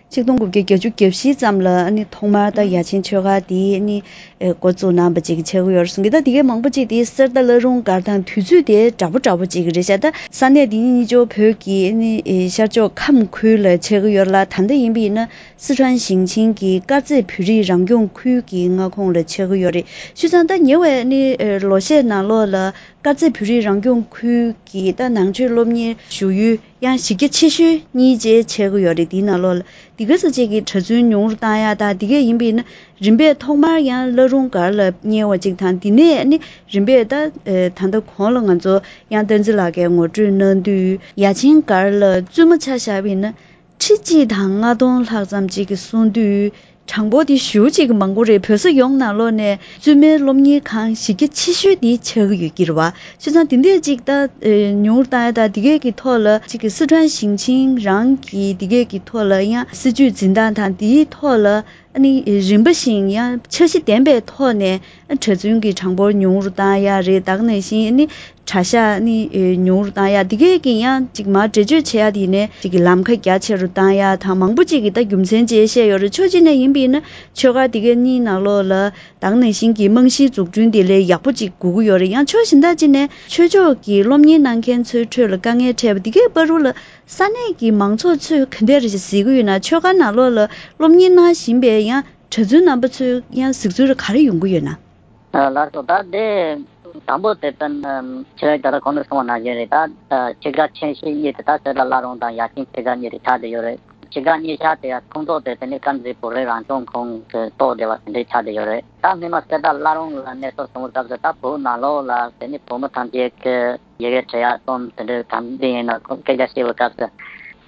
ཆིག་སྟོང་དགུ་བརྒྱ་བརྒྱད་ཅུ་གྱ་བཞི་ཙམ་ལ་ཨ་ནི་ཐོག་མར་ད་ཡ་ཆེན་ཆོས་སྒར་དེ་ཨ་ནི་འགོ་བཙུགས་གནང་བ་ཅིག་ཆགས་ཀྱི་ཡོད་རེད་གསུང་གི། ད་དེ་གའི་མང་པོ་ཅིག་དེ་གསེར་རྟ་བླ་རུང་སྒར་དང་དུས་ཚོད་དེ་འདྲ་པོ་འདྲ་པོ་ཅིག་རེད་ཤག་ད་ས་གནས་དེ་ཉིད་གཉིས་ཆོ་བོད་ཀྱི་ཨ་ནི་ཤར་ཕྱོགས་ཁམས་ཁུལ་ལ་ཆགས་ཀྱི་ཡོད་ལ། ད་ལྟ་ཡིན་པ་ཡིན་ན་སི་ཁྲོན་ཞིང་ཆེན་གྱི་དཀར་མཛེས་བོད་རིགས་རང་སྐྱོང་ཁུལ་གྱི་མངའ་ཁོངས་ལ་ཆགས་ཀྱི་ཡོད་རེད། བྱས་ཙང་ད་ཉེ་བའི་ཨ་ནི་ལོ་ཤས་ནང་ལོགས་ལ། དཀར་མཛེས་བོད་རིགས་རང་སྐྱོང་ཁུལ་གྱི་ད་ནང་ཆོས་སློབ་གཉེར་ཞུ་ཡུལ་ཡང་གཞི་རྒྱ་ཆེ་ཤོས་གཉིས་བཅས་ཆགས་ཀྱི་ཡོད་རེད། དེའི་ནང་ལོགས་ལ་དེ་ག་ས་ཅིག་གི་གྲྭ་བཙུན་ཉུང་རུ་བཏང་ཡ་དང་། དེ་གས་ཡིན་པ་ཡིན་ན་རིམ་པས་ཐོག་མར་ཡང་བླ་རུང་སྒར་ལ་གཉེར་བ་ཅིག་དང་། དེ་ནས་ནི་རིམ་པས་ད་ད་ལྟ་གོང་ལ་ང་ཚོ་ཡང་བསྟན་འཛིན་ལགས་ཀྱིས་ངོ་སྤྲོད་གནང་དུས། ཡ་ཆེན་སྒར་ལ་བཙུན་མ་ཆ་བཞག་པ་ཡིན་ན་ཁྲི་གཅིག་དང་ལྔ་སྟོང་ལྷག་ཙམ་ཅིག་གི་སོང་དུས། གྲངས་འབོར་དེ་ཞེ་པོ་ཅིག་མང་པོ་རེད། བོད་ས་ཡོངས་ནང་ལོགས་ནས་བཙུན་མའི་སློབ་གཉེར་ཁང་གཞི་རྒྱ་ཆེ་ཤོས་དེ་ཆགས་ཀྱི་ཡོད་ཀྱི་རེད་བ། བྱས་ཙང་དེ་འདྲས་ཅིག་ད་ཨེ་ཉུང་རུ་བཏང་ཡ་དང་། དེ་གས་ཀྱི་ཐོག་ལ་ཅིག་གི་སི་ཁྲོན་ཞིང་ཆེན་རང་གི་དེ་གས་ཀྱི་ཐོག་ལ་ཡང་སྲིད་ཇུས་འཛིན་སྟངས་དང་། དེའི་ཐོག་ལ་ཨ་ནི་རིམ་པ་བཞིན་ཡང་འཆར་གཞི་ལྡན་པའི་ཐོག་ནས་གྲྭ་བཙུན་གྱི་གྲངས་འབོར་ཉུང་རུ་བཏང་ཡ་རེད། ད་ག་ནང་བཞིན་ཨ་ནི་གྲྭ་ཤག་ནི་ཨེ་ཉུང་རུ་བཏང་ཡ། དེ་གས་ཀྱི་ཡང་ཅིག་མར་འགྲེལ་བརྗོད་བྱེད་ཡ་དེ་ནས་ཅིག་གི་ལམ་ཁ་རྒྱ་ཆེ་རུ་བཏང་ཡ་དང་། མང་པོ་ཅིག་གིས་ད་རྒྱུ་མཚན་བཅས་བཤད་ཡོད་རེད། ཕྱོགས་གཅིག་ནས་ཡིན་པ་ཡིན་ན་ཆོས་སྒར་དེ་གའི་གཉིས་ནང་ལོགས་ལ་ད་ག་ནང་བཞིན་གྱི་རྨང་གཞིའི་འཛུགས་སྐྲུན་དེ་ལས་ཡག་པོ་ཅིག་དགོས་ཀྱི་ཡོད་རེད། ཡང་ཕྱོགས་གཞན་དག་ཅིག་ནས་ཆོས་ཕྱོགས་ཀྱི་སློབ་གཉེར་གནང་མཁན་ཚོའི་ཁྲོད་ལ་དཀའ་ངལ་འཕྲད་པ་དེ་གའི་བར་དུ་ལ་ས་གནས་ཀྱི་མང་ཚོགས་ཚོས་ག་འདྲ་རེ་ཞིག་གཟིགས་ཀྱི་ཡོད་ན། ཆོས་སྒར་ནང་ལོགས་ལ་སློབ་གཉེར་གནང་བཞིན་པའི་ཡང་གྲྭ་བཙུན་རྣམ་པ་ཚོས་ཡང་གཟིགས་ཚུལ་ག་རེ་ཡོང་གི་ཡོད་ན། ལགས་སོ། ད་དེ་དང་པོ་དེ་དོན་ཆེ་བའི་ད་ལྟ་གོང་དུ་གསུངས་པ་ནང་བཞིན་རེད། ད་ཆོས་སྒར་ཆེ་ཤོས་གཉིས་དེ་ད་གསེར་རྟ་བླ་རུང་དང་ཡ་ཆེན་ཆོས་སྒར་གཉིས་རེད་ཆགས་བསྡད་ཡོད་རེད། ཆོས་སྒར་གཉིས་ཆ་དེ་ཡང་ཁོངས་གཏོགས་དེ་དེ་ནི་དཀར་མཛེས་བོད་རིགས་རང་སྐྱོང་ཁུལ་གཏོགས་བསྡད་པ་དེ་འདྲའི་ཆགས་བསྡད་ཡོད་རེད། ད་སྔོན་མ་གསེར་རྟ་བླ་རུང་ལ་གནས་སྐབས་སོང་བའི་སྐབས་སུ་ད་བོད་ནང་ལོགས་ལ་དེ་ནི་བོད་མི་ཐམས་ཅད་ཀྱི་ཡི་གེ་འབྲི་ཡག་རྩོམ་དེ་འདྲའི་གང་འདི་ཡིན་ན་སྐད་ཆ་བཤད་པའི་སྐབས་སུ།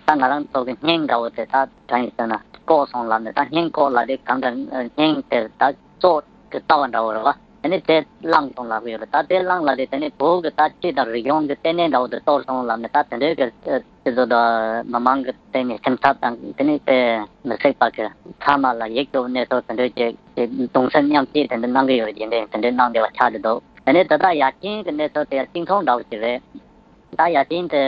ད་ང་རང་ཚོ་གི་སྙིང་འདྲ་བོ་དེ་ད་གང་ཡིན་ཟེར་ན་བཀོག་སོང་ལབ་ནས། ད་སྙིང་བཀོག་ལབ་དེ་གང་ག་སྙིང་དེ་ད་བཙོག་གི་ལྟ་བ་འདྲ་བོ་རེད་བ། དེ་ནི་དེ་བླངས་སོང་ལབ་གི་ཡོད་རེད། ད་དེ་བླངས་ལབ་དེ་དེ་ནི་བོད་གི་ད་སྤྱི་དང་རིག་གཞུང་གི་ལྟེ་གནས་འདྲ་བོ་དེ་གཏོར་སོང་ལབ་ནས། ད་དེ་འདྲའི་གི་སྤྱི་ཚོགས་དང་མི་མང་གི་སྟེང་ནས་སེམས་འཚབ་དང་། དེ་ནི་དཔེ་མི་སྲིད་པ་གི་མཚན་མ་ལ་ཡིད་སྐྱོ་བའི་གནས་ཚུལ་དེ་འདྲའི་ཅིག་གདུང་སེམས་མཉམ་སྐྱེད་དེ་འདྲ་གནང་གི་ཡོད་རེད། རྗེས་འདེད་དེ་འདྲ་གནང་བསྡད་པ་ཆགས་བསྡད་འདུག་དེ་ནས་ད་ལྟ་ཡ་ཆེན་གྱི་གནས་ཚུལ་དེ་ཡང་གཅིག་མཚུངས་འདྲ་བོ་ཞིག་རེད། ད་ཡ་ཆེན་དེ་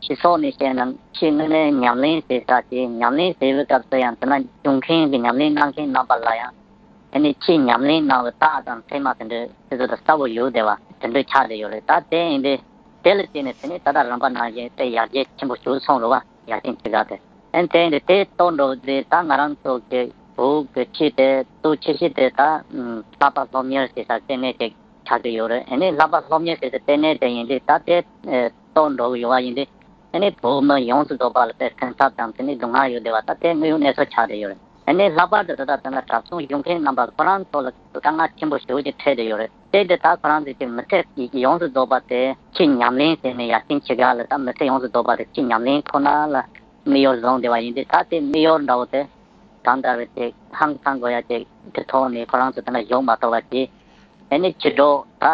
སྤྱི་ཚོགས་ནས་བཤད་ན་ཆེས་དངོས་གནས་ཉམས་ལེན་བྱེད་ས་དེ། ཉམས་ལེན་བྱེད་པའི་སྐབས་སུ་ཡང་དེ་ན་བྱུང་མཁན་གྱི་ཉམས་ལེན་གནང་མཁན་རྣམ་པ་ལ་ཡང་དེ་ནི་ཆེས་ཉམས་ལེན་གནང་བའི་རྟགས་དང་མཚན་མ་དེ་འདྲ་དེ་ཚོ་དང་གསལ་པོ་ཡོད་བསྡད་པ་དེ་འདྲ་ཆགས་བསྡད་ཡོད་རེད། ད་དེ་ཡིན་དུས་དེ་ལ་བརྟེན་ནས་དེ་ནི་ད་ལྟ་རིམ་པ་ནང་བཞིན་དེ་ཡར་རྒྱས་ཆེན་པོ་བྱུང་སོང་རེད་བ། ཡ་ཆེན་ཆོས་སྒར་དེ། ཨན་དེ་འདི་དེ་གཏོར་འགྲོ་དེ་ད་ང་རང་ཚོ་གི་བོད་ཀྱི་ཆོས་དེ་གཙོ་ཆེ་ཤོས་དེ་ད་ཨམ་བསླབ་པ་སློབ་གཉེར་བྱེད་ས་ལྟེ་གནས་ཅིག་ཆགས་ཀྱི་ཡོད་རེད། ཨ་ནི་བསླབ་པ་སློབ་གཉེར་བྱེད་ས་ལྟེ་གནས་དེ་ཡིན་དུས་ད་དེ་ཨེ་གཏོར་འགྲོ་གི་ཡོད་པ་ཡིན་དུས། ཨ་ནི་བོད་མི་ཡོངས་སུ་རྫོགས་པ་ལ་དེ་སེམས་འཚབ་དང་དེ་ནི་སྡུག་བསྔལ་ཡོད་བསྡད་པ་ད་དེ་དངོས་ཡོད་གནས་ཚུལ་ཆགས་བསྡད་ཡོད་རེད། ཨ་ནི་ལྷག་པར་དུ་ད་ལྟ་དེ་ན་གྲྭ་བཙུན་ཡོང་མཁན་རྣམ་པ་ཁོ་རང་ཚོ་ལ་དཀའ་ངལ་ཆེན་པོ་ཞེ་པོ་ཅིག་འཕྲད་བསྡད་ཡོད་རེད། དེ་འདི་ད་ཁོ་རང་ཚོས་ཅིག་མི་ཚེ་ཡོངས་སུ་རྫོགས་པ་དེ་ཆེས་ཉམས་ལེན་བྱས་ནས། ཡ་ཆེན་ཆོས་སྒར་ལ་ད་མི་ཚེ་ཡོངས་སུ་རྫོགས་པ་དེ་ཆེས་ཉམས་ལེན་ཁོ་ན་ལ་དམིགས་ཡུལ་བཟུང་བསྡད་པ་ཡིན་དུས། ད་དེ་དམིགས་ཡུལ་འདྲ་བོ་དེ་གང་ལྟར་བའི་ཅིག་ཧང་སང་དགོས་ཡ་ཅིག་གི་ཐོག་ནས་ཁོ་རང་ཚོ་དེ་ན་བཞུགས་མ་ཐུབ་པ་ཅིག་ཨ་ནི་ཕྱི་དྲོ་ད་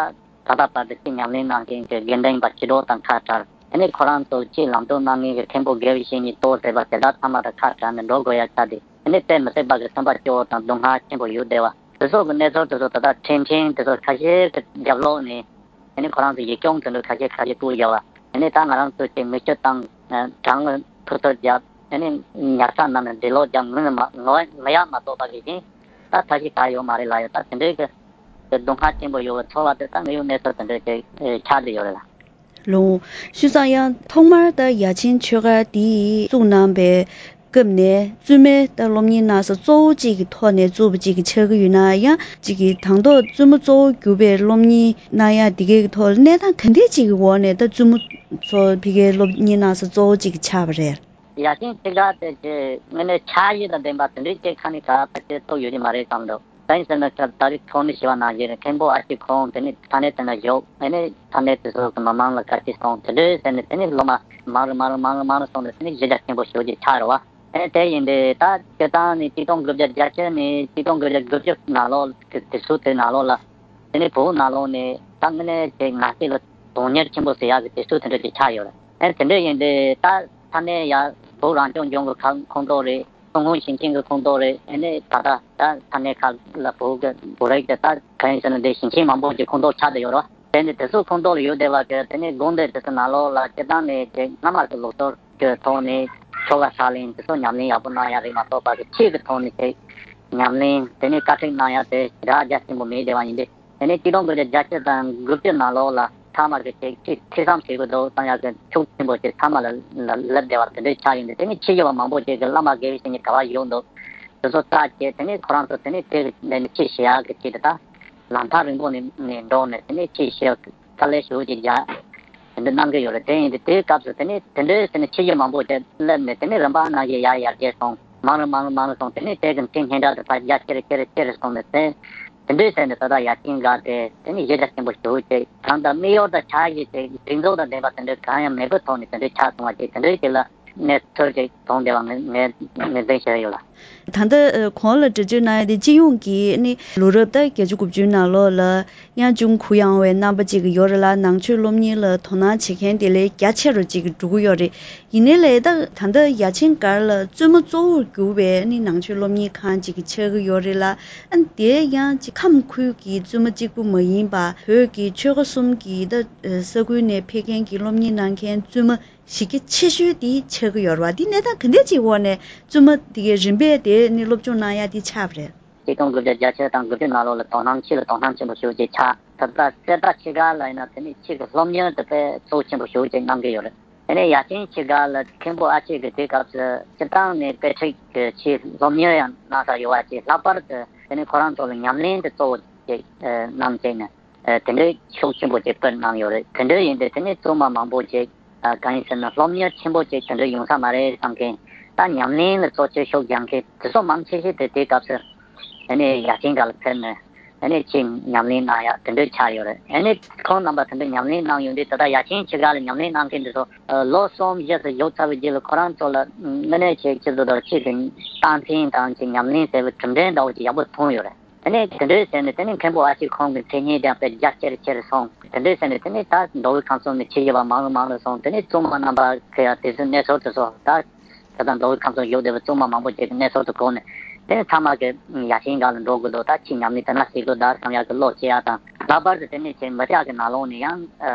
ད་ལྟ་བར་དུ་ཆེས་ཉམས་ལེན་གནང་མཁན་གྱི་དགེ་འདུན་པ་ཕྱི་དྲོ་དང་ཁ་བྲལ། ཨ་ནི་ཁོ་རང་ཚོ་ཆེས་ལམ་སྟོན་གནང་མཁན་གྱི་མཁན་པོ་དགེ་བའི་བཤེས་གཉེན་ཏོག་ཟེར་བ་དེ་དག་ཚང་མ་དང་ཁ་བྲལ་ནས་འགྲོ་དགོས་ཡ་ཆགས་ཏེ། ཨ་ནི་དཔེ་མི་སྲིད་པ་གི་སེམས་པ་སྐྱོ་བོ་དང་སྡུག་བསྔལ་ཆེན་པོ་ཡོད་བསྡད་པ་དེ་ཚོ་གི་གནས་ཚུལ་དེ་ཚོ་ད་ལྟ་འཕྲིན་ཕྲན་དེ་ཚོ་ཁ་ཤས་ཀྱི་རྒྱབ་ལོགས་ནས། ཨ་ནི་ཁོ་རང་ཚོ་ཡིག་སྐྱོང་དེ་འདྲ་ཁ་ཤས་ཁ་ཤས་བཀོད་བཞག་པ། ཨ་ནི་ད་ང་རང་ཚོ་ཅིག་མི་སྤྱོད་དང་གྲང་ངར་ཐུག་ཚོད་རྒྱབ། ཨ་ནི་ཉལ་ས་ནང་ནས་འདྲེ་ལོག་རྒྱབ། ངུ་ནི་མ་ངུ་ངུ་ཡག་མ་གཏོགས་པ་གི་གཞན་ད་ཐབས་ཤེས་ག་ཡོད་མ་རེད་ལ། ཡོད་ད་དེ་འདྲའི་གི་གི་སྡུག་བསྔལ་ཆེན་པོ་ཡོད་པའི་ཚོར་བ་དེ་ད་ངས་ཡོད་གནས་ཚུལ་དེ་འདྲ་ཅིག་ཆགས་བསྡད་ཡོད་རེད་ལ། ལོ། བྱས་ཙང་ཡང་ཐོག་མར་ད་ཡ་ཆེན་ཆོས་སྒར་འདི་བཙུགས་གནང་པའི་སྐབས་ནས་བཙུན་མའི་ད་སློབ་གཉེར་གནང་ས་གཙོ་བོ་གཅིག་གི་ཐོག་ནས་བཙུགས་པ་གཅིག་གི་ཆགས་ཀྱི་ཡོད་ན། ཡང་གཅིག་གི་དང་ཐོག་བཙུན་མ་གཙོ་བོ་གྱུར་པའི་སློབ་གཉེར་གནང་ཡ་འདི་གའི་ཐོག་གནས་སྟངས་ག་འདྲས་གཅིག་གི་འོག་ནས་ད་བཙུན་མ་ཚོ་ཕ་གིའི་སློབ་གཉེར་གནང་ས་གཙོ་བོ་གཅིག་གི་ཆགས་པ་རེད། ཡ་ཆེན་ཆོས་སྒར་དེ་ཅིག་དངོས་གནས་ཆགས་ཡུལ་དང་ལྡན་པ་དེ་འདྲའི་ཅིག་ཁ་ནས་ག་ད་ཅིག་ཐུག་ཡོད་ཀྱི་མ་རེད་བསམ་འདུག་གང་ཡིན་ཟེར་ན་སྐབས་ད་རེས་ཐོག་ནས་ཞུས་པ་ནང་བཞིན་རེད། མཁན་པོ་ཨ་ཅེ་ཁོང་དེ་ནས་ས་གནས་དེ་ན་བཞུགས། དེ་ནས་ས་གནས་དེ་ཚོ་གི་མི་མང་ལ་བཀའ་ཁྲིད་གསུངས། དེ་འདྲའི་ཟེར་ནས་དེ་ནས་སློབ་མ་མང་རུ་མང་རུ་མང་རུ་མང་རུ་སོང་ནས་དེ་ནས་གཞི་རྒྱ་ཆེན་པོ་ཞེ་པོ་ཅིག་ཆགས་རེད་བ། ཨེ་དེ་ཡིན་དུས་ད་སྤྱིར་བཏང་ནས་ཆིག་སྟོང་དགུ་བརྒྱ་བརྒྱད་ཅུ་ནས་ཆིག་སྟོང་དགུ་བརྒྱ་དགུ་བཅུ་ནང་ལོགས་ཀྱི་དུས་ཚོད་དེ་ནང་ལོགས་ལ། དེ་ནས་བོད་ནང་ལོགས་ནས་ད་དངོས་གནས་དེ་ང་ཚོ་ལ་དོན་གཉེར་ཆེན་པོ་ཟེར་ཡག་གི་དུས་ཚོད་དེ་འདྲ་ཅིག་ཆགས་ཡོད་རེད། ཨེ་དེ་འདྲ་ཡིན་དུས་ད་ས་གནས་ཡ་བོད་རང་སྐྱོང་ལྗོངས་ཀྱི་ཁ་ཁོངས་གཏོགས་རེད། ཀྲུང་ཧྭ་ཞིང་ཆེན་གྱི་ཁོངས་གཏོགས་རེད། ཨེ་ནས་ད་ལྟ་ད་ས་གནས་ཁག་ལ་བོད་ཀྱི་བོད་རིགས་དེ་ད་གང་ཡིན་ཟེར་ན་འདི་ཞིང་ཆེན་མང་པོ་ཅིག་ཁོངས་གཏོགས་ཆགས་བསྡད་ཡོད་རེད། དེ་ནི་དེ་ཚོ་ཁོངས་གཏོགས་ལ་ཡོད་བསྡད་པ་གི་དེ་ནི་དགོན་སྡེ་དེ་ཚོ་ནང་ལོགས་ལ་སྤྱིར་བཏང་ནས་དེ་སྔ་མ་གི་ལུགས་སྲོལ་གྱི་ཐོག་ནས་ཆོ་ག་ཕྱག་ལེན་དེ་ཚོ་ཉམས་ལེན་ཡག་པོ་གནང་ཡག་རེད་མ་གཏོགས་པ་གི་ཆོས་ཀྱི་ཐོག་ནས་དེ་ཉམས་ལེན་དེ་ནི་བཀའ་ཁྲིད་གནང་ཡག་དེ་ཞེ་དྲག་རྒྱ་ཆེན་པོ་མེད་བསྡད་པ་ཡིན་ཏེ། དེ་ནི་ཆིག་སྟོང་དགུ་བརྒྱ་བརྒྱད་ཅུ་དང་དགུ་བཅུ་ནང་ལོགས་ལ་ཐ་མ་གི་ཅིག་ཅིག་ཐོས་བསམ་བྱེད་དགོས་འདུག་བསམ་ཡག་གི་ཤུགས་ཆེན་པོ་ཅིག་ཚང་མ་ལ་ལ་སླེབས་བསྡད་པ་དེ་འདྲའི་ཆགས་ཡོད་འདུག་དེ་ནི་ཆོས་ཞུ་བ་མང་པོ་ཅིག་གི་བླ་མ་དགེ་བའི་བཤེས་གཉེན་ག་བ་ཡོད་འདུག་དེ་ཚོ་བཙལ་བྱས་དེ་ནས་ཁོ་རང་ཚོ་དེ་ནས་དེ་གི་ནས་ཆོས་བཤད་ཡག་གི་ཆེད་དུ་ད་ལམ་ཐག་རིང་པོ་ནས་ནས་འགྲོ་ནས་དེ་ནས་ཆོས་བཤད་དཀའ་ལས་ཞེ་པོ་ཅིག་རྒྱག་དེ་འདྲ་གནང་གི་ཡོད་རེད། དེ་ཡིན་དུས་དེའི་སྐབས་སུ་དེ་ནས་དེ་འདྲའི་དེ་ནས་ཆོས་བཤད་མང་པོ་དེ་སླེབས་ནས་དེ་ནས་རིམ་པ་ནང་བཞིན་ཡར་ཡར་རྒྱས་སོང་། མང་རུ་མང་རུ་མང་རུ་སོང་། དེ་ནས་དེ་གི་མཐིལ་སྙན་གྲགས་དེ་ཕར་རྒྱ་ཆེ་རུ་ཆེ་རུ་ཆེ་རུ་སོང་ནས་དེ་དེ་འདྲའི་ཟེར་ནས་ད་ལྟ་ཡ་ཆེན་སྒར་དེ་དེ་ནས་གཞི་རྒྱ་ཆེན་པོ་ཞེ་པོ་ཅིག་དང་ད་མིག་ཡོར་དང་ཆ་ཤས་ཅིག་སྒྲིག་འཛུགས་དང་ལྡན་པ་དེ་འདྲའི་གང་ཡང་མེད་པའི་ཐོག་ནས་དེ་འདྲའི་ཆགས་སོང་བ་ཅིག་དེ་འདྲའི་ཅིག་ལ། གནས་ཚུལ་ཅིག་བྱུང་བསྡད་པ་ངས་ངས་ངོས་འཛིན་བྱས་ཡོད་ལ། ད་ལྟ་ཨ་གོང་ལ་འགྲེལ་བརྗོད་གནང་ཡ་དེ་སྤྱི་ཡོངས་ཀྱི་ནི་ལོ་རབས་ད་བརྒྱད་ཅུ་དགུ་བཅུའི་ནང་ལོགས་ལ་ཡང་ཅུང་གུ་ཡངས་པའི་རྣམ་པ་ཅིག་ཡོད་རེད་ལ། ནང་ཆོས་སློབ་གཉེར་ལ་དོ་སྣང་བྱེད་མཁན་དེ་ལས་རྒྱ་ཆེ་རུ་ཅིག་འགྲོ་གི་ཡོད་རེད། ཡིན་ནའི་ལས་ད་ད་ལྟ་ཡ་ཆེན་སྒར་ལ་བཙུན་མ་གཙོ་བོར་གྱུར་པའི་ནི་ནང་ཆོས་སློབ་གཉེར་ཁང་ཅིག་ཆགས་ཀྱི་ཡོད་རེད་ལ། ཨ་ནི་དེ་ཡང་ཅིག་ཁམས་ཁུལ་གྱི་བཙུན་མ་གཅིག་པུ་མ་ཡིན་པ་བོད་ཀྱི་ཆོལ་ཁ་གསུམ་གྱི་ད་ས་ཁུལ་ནས་ཕེབས་མཁན་གྱི་སློབ་གཉེར་གནང་མཁན་བཙུན་མ་གཞི་རྒྱ་ཆེ་ཤོས་དེ་ཆགས་ཀྱི་ཡོད་རེད་བ། འདི་གནས་སྟངས་ག་འདྲ་ཅིག་འོག་ནས་བཙུན་མ་དེ་གའི་རིམ་པས་དེ་ནི་སློབ་སྦྱོང་གནང་ཡ་དེ་ཆགས་པ་རེད། ཆིག་སྟོང་དགུ་བརྒྱ་བརྒྱད་ཅུ་དང་དགུ་བཅུ་ནང་ལོགས་ལ་དོ་སྣང་ཆེ་ལ་དོ་སྣང་ཆེན་པོ་ཞེ་པོ་ཅིག་ཆགས། ད་ལྟ་གསེར་རྟ་ཆོས་སྒར་ལ་ཡིན་ན་དེ་ནི་ཆོས་ཀྱི་སློབ་གཉེར་དེ་དཔེ་གཙོ་ཆེན་པོ་ཞེ་པོ་ཅིག་གནང་གི་ཡོད་རེད། དེ་ནས་ཡ་ཆེན་ཆོས་སྒར་ལ་མཁན་པོ་ཨ་ཆེ་གི་དུས་སྐབས་སུ་སྤྱིར་བཏང་ནས་དཔེ་ཁྲིད་ཀྱི་ཆོས་སློབ་གཉེར་ཡང་གནང་ས་ཡོད་པ་ཅིག་ལྷག་པར་དུ་དེ་ནི་ཁོ་རང་ཚོ་ལ་ཉམས་ལེན་དེ་གཙོ་བོ་ཅིག་གནང་བྱས་ནས། ཨ་དེ་འདྲའི་ཤུགས་ཆེན་པོ་ཅིག་སྤེལ་གནང་ཡོད་རེད། དེ་འདྲ་ཡིན་དུས་དེ་ནས་བཙུན་མ་མང་པོ་ཅིག་ཨ་གང་ཡིན་ཟེར་ན་སློབ་གཉེར་ཆེན་པོ་ཅིག་དེ་འདྲ་ཡོང་ས་མ་རེད་བསམ་མཁན། ད་ཉམས་ལེན་ལ་གཙོ་ཆེར་ཤུགས་རྒྱག་མཁན་དེ་ཚོ་མང་ཆེ་ཤོས་དེ་དེའི་སྐབས་སུ་ཨ་ནི་ཡ་ཆེན་སྒར་ལ་ཕེབས་ནས་ཨ་ནི་ཆོས་ཉམས་ལེན་གནང་ཡག་དེ་འདྲ་ཆགས་ཡོད་རེད། ཨ་ནི་ཁོང་རྣམ་པ་དེ་འདྲ་ཉམས་ལེན་གནང་ཡོང་དུས་ད་ལྟ་ཡ་ཆེན་ཆོས་སྒར་ལ་ཉམས་ལེན་གནང་མཁན་དེ་ཚོ་ཨ་ལོ་གསུམ་བཞི་ཙམ་བཞུགས་ཚར་བའི་རྗེས་ལ་ཁོ་རང་ཚོ་ལ་དངོས་གནས་ཆོས་ཆོས་ཚོ་དང་ཆོས་ཀྱི་རྟགས་མཚན་དང་ཆོས་ཉམས་ལེན་ཟེར་བའི་གྲུབ་འབྲས་འདྲ་བོ་ཅིག་ཡག་པོ་མཐོང་ཡོད་རེད། དེ་ནས་དེ་འདྲའི་ཟེར་ནས་དེ་ནས་མཁན་པོ་ཨ་ཅེ་ཁོང་གི་མཚན་སྙན་ཀྱང་དཔེ་རྒྱ་ཆེར་ཆེར་སོང་། དེ་འདྲའི་ཟེར་ནས་དེ་ནས་ད་མདོ་དབུས་ཁམས་གསུམ་ནས་ཆོས་ཞུ་བ་མང་རུ་མང་རུ་སོང་། དེ་ནས་བཙུན་མ་རྣམ་པ་གི་ཡང་དེ་ཚོའི་གནས་ཚུལ་དེ་ཚོ་ད་ད་ལྟ་མདོ་དབུས་ཁམས་གསུམ་བཞུགས་བསྡད་པའི་བཙུན་མ་མང་པོ་ཅིག་གི་གནས་ཚུལ་དེ་གོ་ནས་དེ་ནས་ཚང་མ་གི་ཡ་ཆེན་སྒར་ལ་འགྲོ་དགོས་འདུག་ད་ཆོས་ཉམས་ལེན་དེ་འདྲ་ཞིག་དགོས་ད་བསམ་ཡག་གི་བློ་སྐྱེ་ཡག་དང་། ལྷག་པར་དུ་དེ་ནས་ཆེ་མི་སྐྱ་གི་ནང་ལོགས་ནས་ཡང་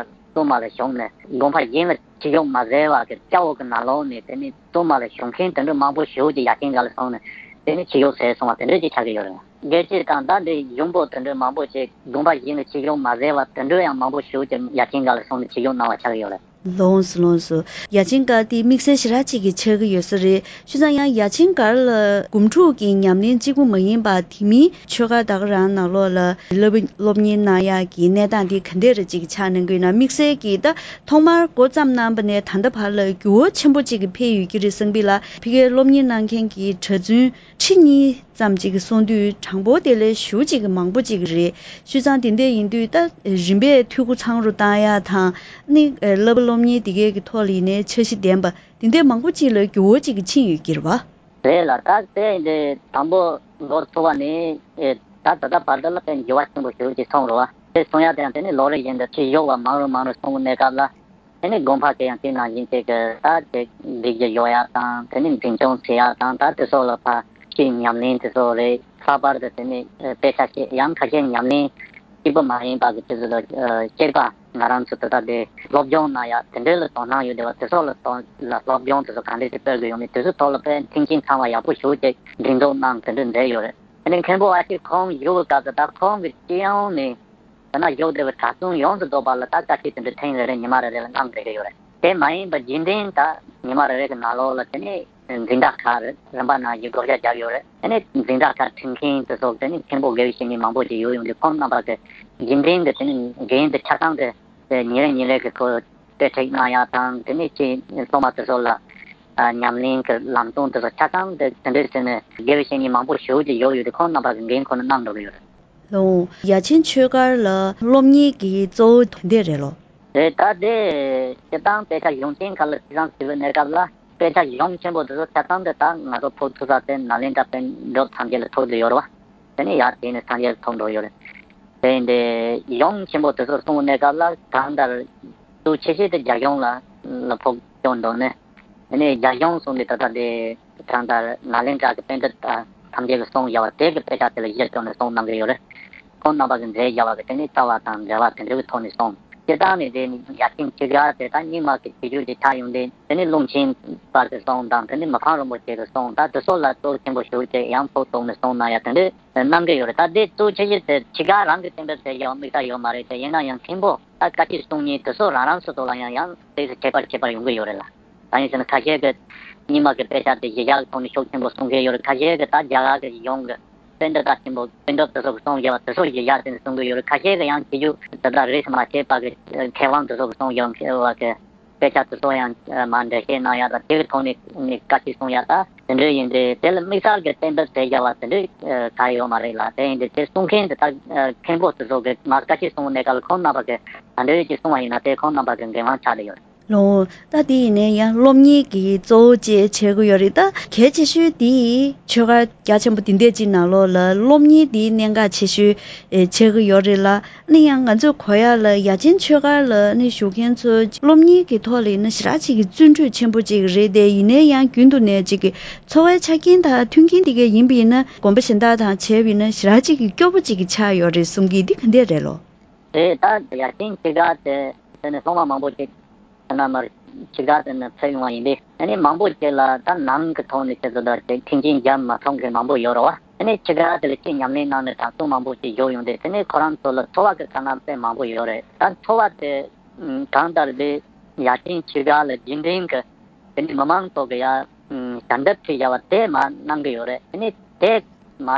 བཙུན་མ་ལ་ཞུགས་ནས་དགོན་པ་གཞན་ལ་ཆོས་ཞུགས་མ་ཟེར་བ་གི་སྐྱ་བོ་གི་ནང་ལོགས་ནས་དེ་ནས་བཙུན་མ་ལ་ཞུགས་མཁན་དེ་འདྲ་མང་པོ་ཞེ་པོ་ཅིག་ཡ་ཆེན་སྒར་ལ་སོང་ནས་དེ་ནས་ཆོས་ཞུགས་ཟེར་སོང་བ་དེ་འདྲ་ཅིག་ཆགས་ཀྱི་ཡོད་རེད། དགེ་བཤེས་དང་ད་འདི་གཞུང་པོ་དེ་འདྲ་མང་པོ་ཅིག་དགོན་པ་གཞན་ལ་ཆོས་ཞུགས་མ་ཟེར་བ་དེ་འདྲ་ཡང་མང་པོ་ཞེ་པོ་ཅིག་ཡ་ཆེན་སྒར་ལ་སོང་ནས་ཆོས་ཞུགས་གནང་བ་ཆགས་ཀྱི་ཡོད་རེད། ལོངས་སུ་ལོངས་སུ། ཡ་ཆེན་སྒར་དེ་དམིགས་བསལ་ཞེ་དྲག་ཅིག་གི་ཆགས་ཀྱི་ཡོད་ས་རེད། བྱས་ཙང་ཡང་ཡ་ཆེན་སྒར་ལ་སྒོམ་ཕྲུག་གི་ཉམས་ལེན་གཅིག་པུ་མ་ཡིན་པ་དེ་མིན་ཆོས་སྒར་ད་ག་རང་ནང་ལོགས་ལ་སློབ་སློབ་གཉེར་གནང་ཡག་གི་གནས་སྟངས་དེ་ག་འདྲས་རེ་ཅིག་ཆགས་གནང་གི་ཡོད་ན། དམིགས་བསལ་གྱིས་ད་ཐོག་མར་འགོ་བརྩམས་གནང་བ་ནས་ད་ལྟ་བར་ལ་འགྱུར་བ་ཆེན་པོ་ཅིག་གི་འཕེལ་ཡོད་ཀྱི་རེད་བསམ་གི་ལ། ཕ་གིར་སློབ་གཉེར་གནང་མཁན་གྱི་གྲྭ་བཙུན་ཁྲི་གཉིས་ཙམ་ཅིག་གི་གསུང་དུས་གྲངས་འབོར་དེ་ལས་ཞེ་པོ་ཅིག་གི་མང་པོ་ཅིག་རེད། བྱས་ཙང་དེ་འདྲ་ཡིན་དུས་ད་རིམ་པས་འཐུས་སྒོ་ཚང་རུ་བཏང་ཡག་དང་ནི་བསླབ་པ་སློབ་གཉེར་དེ་གའི་གི་ཐོག་ལ་ཡིན་ནའི་འཆར་གཞི་ལྡན་པ་དེ་འདྲ་མང་པོ་ཅིག་ལ་འགྱུར་བ་ཅིག་གི་ཕྱིན་ཡོད་ཀྱི་རེད་བ། རེད་ལ། ད་དེ་འདི་དང་པོ་འགོ་ཚུགས་པ་ནི་ད་ད་ལྟ་བར་དུ་ལ་དཔེ་འགྱུར་བ་ཆེན་པོ་ཞེ་པོ་ཅིག་སོང་རེད་བ། དེ་སོང་ཡག་དེ་ཡང་དེ་ནི་ལོ་རེ་བཞིན་དུ་ཆོས་ཞུགས་པ་མང་རུ་མང་རུ་སོང་གི་གནས་སྐབས་ལ། དེ་ནས་དགོན་པ་དེ་ཡང་དེ་ནང་བཞིན་དེ་གི་ད་དེ་སྒྲིག་གཞི་ཡོད་ཡག་དང་དེ་ནས་འཛིན་སྐྱོང་བྱེད་ཡག་དང་ད་དེ་སོགས་ལ་ཕར་ཆོས་ཉམས་ལེན་དེ་ཚོ་རེད། ལྷག་པར་དུ་དེ་ནས་དཔེ་ཆ་ཤེས་ཡང་ཁ་ཤས་ཉམས་ལེན་གཅིག་པུ་མ་ཡིན་པ་གི་དེ་ཚོ་ལ་གཅིག་པ་ང་རང་ཚོ་དེ་ད་དེ་སློབ་སྦྱོང་གནང་ཡག་དེ་འདྲའི་ལ་དོ་སྣང་ཡོད་བསྡད་པ་དེ་ཚོ་ལ་དོ་ལ་སློབ་སྦྱོང་དེ་ཚོ་གང་འདྲས་ཅིག་སྤེལ་དགོས་ཡོད་མེད་དེ་ཚོའི་ཐོག་ལ་དཔེ་མཐུན་རྐྱེན་ཚང་བ་ཡག་པོ་ཞེ་པོ་ཅིག་སྒྲིག་འཛུགས་གནང་དེ་འདྲ་མཛད་ཡོད་རེད། དེ་ནས་མཁན་པོ་ཨ་ཅེ་ཁོང་བཞུགས་པའི་སྐབས་སུ་ད་ཁོང་གི་སྤྱི་ཡོངས་ནས། དེ་ན་བཞུགས་བསྡད་པའི་གྲྭ་བཙུན་ཡོངས་སུ་རྫོགས་པ་ལ་ད་བཀའ་ཁྲིད་དེ་འདྲ་ཐེངས་རེ་རེ་ཉི་མ་རེ་རེ་ལ་གནང་བསྡད་ཀྱི་ཡོད་རེད། དེ་མ་ཡིན་པ་རྒྱུན་ལྡན་ད་ཉི་མ་རེ་རེ་གི་ནང་ལོགས་ལ་དེ་ནས་འཛིན་གྲྭ་ཁག་རེ་རིམ་པ་ནང་བཞིན་བགོ་བཤའ་བརྒྱབ་ཡོད་རེད། དེ་ནས་འཛིན་གྲྭ་ཁག་ཁྲིད་མཁན་དེ་ཚོ་དེ་ནས་མཁན་པོ་དགེ་བའི་བཤེས་གཉེན་མང་པོ་ཞིག་ཡོད་ཡོང་དུས་ཁོང་རྣམ་པ་གི་རྒྱུན་ལྡན་གི་དེ་ནས་འགན་དེ་ཆ་ཚང་དེ་ཉིན་རེ་ཉིན་རེ་གི་ཁོ་དཔེ་ཁྲིད་གནང་ཡག་དང་དེ་ནས་ཅིག་སློབ་མ་དེ་ཚོ་ལ་ཉམས་ལེན་གི་ལམ་སྟོན་དེ་ཚོ་ཆ་ཚང་དེ་དེ་འདྲའི་དེ་ནས་དགེ་བའི་བཤེས་གཉེན་མང་པོ་ཞིག་ཡོད་ཡོད་དུས་ཁོང་རྣམ་པ་གི་འགན་ཁོ་ན་གནང་འགྲོ་གི་ཡོད་རེད། ལོ། ཡ་ཆེན་ཆོས་སྒར་ལ་སློབ་གཉེར་གྱི་གཙོ་བོ་དེ་འདྲས་རེད་ལོ། རེད། ད་དེ་སྤྱིར་བཏང་དཔེ་ཆ་གཞུང་ཆེན་ཁག་ལ་ཁྲིད་གཏམ་ཞུ་བའི་གནས་སྐབས་ལ་དཔེ་ཆ་གཞུང་ཆེན་པོ་དེ་ཚོ་ཆ་ཚང་དེ་ད་ང་ཚོ་ཕུལ་ཐུབ་ས་དེ་ནཱ་ལེནྡྲ་པཎ་གྲུབ་སངས་རྒྱས་ལ་ཐོབ་བསྡད་ཡོད་རེད་བ། དེ་ནས་ཡར་དེ་ནས་སངས་རྒྱས་ལ་ཐོབ་འགྲོ་ཡོད་རེད། དེ་ཡིན་དེ་ཡོངས་ཆེན་པོ་དེ་ཚོ་གསུང་གནས་སྐབས་ལ་གང་ལྟར་གཙོ་ཆེ་ཤོས་དེ་རྒྱ་གཞུང་ལ་ལ་ཕོག་སྐྱོན་འདུག་ནས། དེ་ནས་རྒྱ་གཞུང་གསུང་དེ་ད་ལྟ་དེ་གང་ལྟར་ནཱ་ལེནྡྲ་གི་པཎྜི་ཏ་ཐམས་ཅད་ཀྱི་གསུང་བཞག་པ་དེ་གི་དཔེ་ཆ་དེ་ལ་གཞི་བཅོལ་ནས་གསུང་གནང་གི་ཡོད་རེད། ཁོང་རྣམ་པ་གི་མཛད་བཞག་པ་གི་དེ་ནས་ལྟ་བ་དང་འབྲེལ་བ་དེ་འདྲ་གི་ཐོག་ནས་གསུང་། སྤྱིར་བཏང་ནས་དེ་ནི་ཡ་ཆེན་ཆོས་སྒར་དེ་ད་རྙིང་མ་གི་ཆོས་བརྒྱུད་ཀྱི་ཆ་ཡོང་དེ་དེ་ནི་ཀླུ་མཁྱེན་པ་གི་གསུང་དང་དེ་ནི་མི་ཕམ་རིན་པོ་ཆེ་གི་གསུང་ད་དེ་ཚོ་ལ་གཙོ་ཆེན་པོ་ཞུགས་ཏེ་ཡང་ཕོག་ཐུག་ནས་གསུང་གནང་ཡ་དེ་འདྲ་གནང་གི་ཡོད་རེད། ད་དེ་གཙོ་ཆེ་ཤོས་དེ་ཆོས་སྒར་རང་གི་གཏན་འབེབས་བྱས་ཡོད་དམིགས་བསལ་ཡོད་མ་རེད་དེ། ཡིན་ན་ཡང་མཁན་པོ་ད་བཀའ་ཆོས་གསུང་མཁན་དེ་ཚོ་རང་རང་སོ་སོ་ལ་ཡང་ཡང་དེ་ཁྱད་པར་ཁྱད་པར་ཡོང་གི་ཡོད་རེད་ལ། ད་ཡིན་ཟེར་ན་ཁ་ཤས་ཀྱིས་རྙིང་མ་གི་དཔེ་ཆ་དེ་གཞི་བཞག་གི་ཐོག་ནས་ཤུགས་ཆེན་པོ་གསུང་མཁན་ཡོད་རེད། ཁ་ཤས་ཀྱིས་ད་རྒྱ་གར་གྱི་གཞུང་གི་པཎྜི་ཏ་ཆེན་པོ་པཎྜི་ཏ་དེ་ཚོ་གི་གསུང་བཞག་པ་དེ་ཚོ་གཞི་བཞག་དེ་ནས་གསུང་གི་ཡོད་རེད། ཁ་ཤས་ཀྱིས་ཡང་ཆོས་བརྒྱུད་དེ་དག་རིས་སུ་མ་ཆད་པ་གི་མཁས་དབང་དེ་ཚོ་གི་གསུང་བཞག་པ་གི་དཔེ་ཆ་དེ་ཚོ་ཡང་མར་འགྲེལ་བཤད་གནང་ཡག་དང་དེ་གི་ཐོག་ནས་ནས་བཀའ་ཆོས་གསུང་ཡག་ད་དེ་འདྲ་ཡིན་དུས་དེ་ལ་དམིགས་བསལ་གྱི་གཏན་འབེབས་བྱས་བཞག་པ་དེ་འདྲ་ག་ཡོད་མ་རེད་ལ། དེ་ཡིན་དུས་དེ་གསུང་མཁན་དེ་དག་མཁན་པོ་དེ་ཚོ་གི་མར་བཀའ་ཆོས་གསུང་གནས་སྐབས་ལ་ཁོང་རྣམ་པ་གི་ད་འདྲ་ཡོད་ཀྱི་གསུང་བ་ཡིན་ན་དེ་ཁོང་རྣམ་པ་གི་འགན་དབང་ཆགས་བསྡད་ཡོད་རེད། ལོ། ད་དེ་ཡིན་ནའི་ཡང་སློབ་གཉེར་གྱི་གཙོ་བོ་བཅས་བྱེད་དགོས་ཡོད་རེད། ད་གལ་ཆེ་ཤོས་དེ་ཆོས་སྒར་རྒྱ་ཆེན་པོ་དེ་འདྲས་ཅིག་ནང་ལོགས་ལ་སློབ་གཉེར་དེ་གནད་འགག་ཆེ་ཤོས་ཨེ་བྱེད་ཀྱི་ཡོད་རེད་ལ། ཨ་ནི་ཡང་ང་ཚོས་གོ་ཡག་ལ་ཡ་ཆེན་ཆོས་སྒར་ལ་ཨ་ནི་བཞུགས་མཁན་ཚོ་སློབ་གཉེར་གྱི་ཐོག་ལ་ཡིན་ན་ཞེ་དྲག་ཅིག་གི་བརྩོན་འགྲུས་ཆེན་པོ་ཅིག་རེད་དེ། ཡིན་ནའི་ཡང་རྒྱུན་དུ་ནས་ཅིག་གི་འཚོ་བའི་ཆ་རྐྱེན་དང་མཐུན་རྐྱེན་དེ་གས་ཡིན་པ་ཡིན་ན་དགོན་པ་གཞན་དག་དང་བྱས་པ་ཡིན་ན་ཞེ་དྲག་ཅིག་གི་སྐྱོ་པོ་ཅིག་གི་ཆགས་ཡོད་རེད་གསུང་གི། འདི་ག་འདྲས་རེད་ལོ། དེ་ལྟར་ཡ་ཆེན་ཆོས་སྒར་དེ་དེ་ནི་སློབ་མ་མང་པོ་ཅིག་ཐ་ན་མར་ཆོས་སྒར་དེ་ནི་ཕེབས་ཡོང་བ་ཡིན་པས། ཨ་ནི་མང་པོ་ཅིག་ལ་ད་ནང་གི་ཐོག་ནས་ཆེད་དུ་ད་ཅིག་མཐུན་རྐྱེན་རྒྱབ་མ་ཐུབ་མཁན་མང་པོ་ཡོད་རེད་བ། ཨ་ནི་ཆོས་སྒར་དེ་ལ་ཅིག་ཉམས་ལེན་གནང་ནས་གྲྭ་ཚང་མང་པོ་ཅིག་བཞུགས་ཡོང་དུས་དེ་ནི་ཁོ་རང་ཚོ་ལ་འཚོ་བ་གི་དཀའ་ངལ་དཔེ་མང་པོ་ཡོད་རེད། ད་འཚོ་བ་དེ་གང་ལྟར་དེ་ཡ་ཆེན་ཆོས་སྒར་ལ་རྒྱུན་ལྡན་གྱི་དེ་ནི་མི་མང་ཚོ་གི་ཡ་ཞལ་འདེབས་ཁྲིད་བྱ་བ་དེ་མར་གནང་གི་ཡོད་རེད། དེ་ནི་དེ་མ་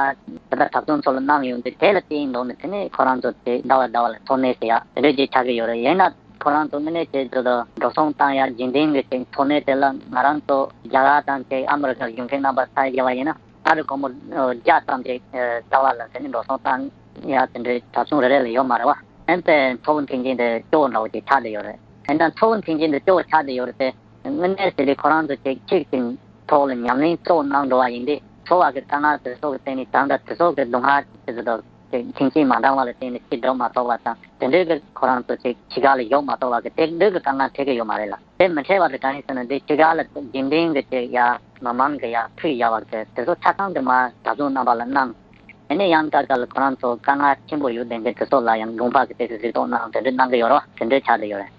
ད་ལྟ་གྲྭ་བཙུན་ཚོ་ལ་གནང་ཡོང་དུས་དེ་ལ་བརྟེན་འདུག་ནས་དེ་ནས་ཁོ་རང་ཚོ་དེ་ཟླ་བ་ཟླ་བ་ལ་འཚོ་གནས་ཟེར་ཡག་དེ་འདྲ་ཅིག་ཆགས་ཀྱི་ཡོད་རེད། ཡིན་ན་ཁོ་རང་ཚོ་དངོས་གནས་བྱས་ཚོ་དང་འགྲོ་སོང་བཏང་ཡག་རྒྱུན་ལྡན་གྱི་ཅིག་འཚོ་གནས་དེ་ལ་ང་རང་ཚོ་རྒྱ་གར་དང་ཅིག་ཨ་མི་རི་ཀར་བཞུགས་མཁན་རྣམ་པ་ཚ་བྱས་པ་ཡིན་ན་ཨ་རི་སྒོར་མོ་བརྒྱ་ཙམ་ཅིག་ཟླ་བ་ལ་དེ་ནས་འགྲོ་སོང་བཏང་ཡག་དེ་འདྲའི་གྲྭ་བཙུན་རེ་རེ་ལ་ཡོད་མ་རེད་བ། ཨེ་ནས་འཚོ་བ་མཐུན་རྐྱེན་དེ་སྐྱོ་བོ་འདྲ་བོ་ཅིག་ཆགས་བསྡད་ཡོད་རེད། ཡིན་ན་འཚོ་བ་མཐུན་རྐྱེན་དེ་སྐྱོ་བོ་ཆགས་བསྡད་ཡོད་རེད་དེ། དངོས་གནས་ཟེར་དུས་ཁོ་རང་ཚོ་ཅིག་ཅིག་གི་ཐོག་ལ་ཉམས་ལེན་གཙོ་བོ་གནང་འགྲོ་བ་ཡིན་དུས་འཚོ་བ་གི་དཀའ་ངལ་དེ་ཚོ་གི་སྟེང་ནས་ད་ལྟ་དེ་ཚོ་གི་སྡུག་བསྔལ་དེ་ཚོ་དང་ཅིག་མཐུན་རྐྱེན་མ་འདང་བ་ལ་བརྟེན་ནས་ཅིག་འགྲོ་མ་ཐུབ་པ་དང་དེ་འདྲའི་གི་ཁོ་རང་ཚོ་ཅིག་ཕྱི་ཁ་ལ་ཡོང་མ་ཐུབ་པ་གི་དེ་འདྲའི་གི་དཀའ་ངལ་འཕྲད་ཀྱི་ཡོད་མ་རེད་ལ། དེ་མི་འཕྲད་པ་དེ་གང་ཡིན་ཟེར་ན་འདི་ཕྱི་ཁ་ལ་རྒྱུན་ལྡན་གི་ཅིག་ཡ་མི་མང་གི་ཡ་ཕུད་ཡ་བ་གི་དེ་ཚོ་ཆ་ཚང་གི་མ་གྲྭ་བཙུན་རྣམ་པ་ལ་གནང་། དེ་ནས་ཡང་སྐབས་སྐབས་ལ་ཁོ་རང་ཚོ་དཀའ་ངལ་ཆེན་པོ་ཡོད་བསྡད་མཁན་དེ་ཚོ་ལ་ཡང་དགོངས་པ་གི་དེ་ཚོ་གཟིགས་རྟོག་གནང་དེ་འདྲ་གནང་གི་ཡོད་རེད་བ། དེ་འདྲ་ཆགས་བསྡད་ཡོད་རེད།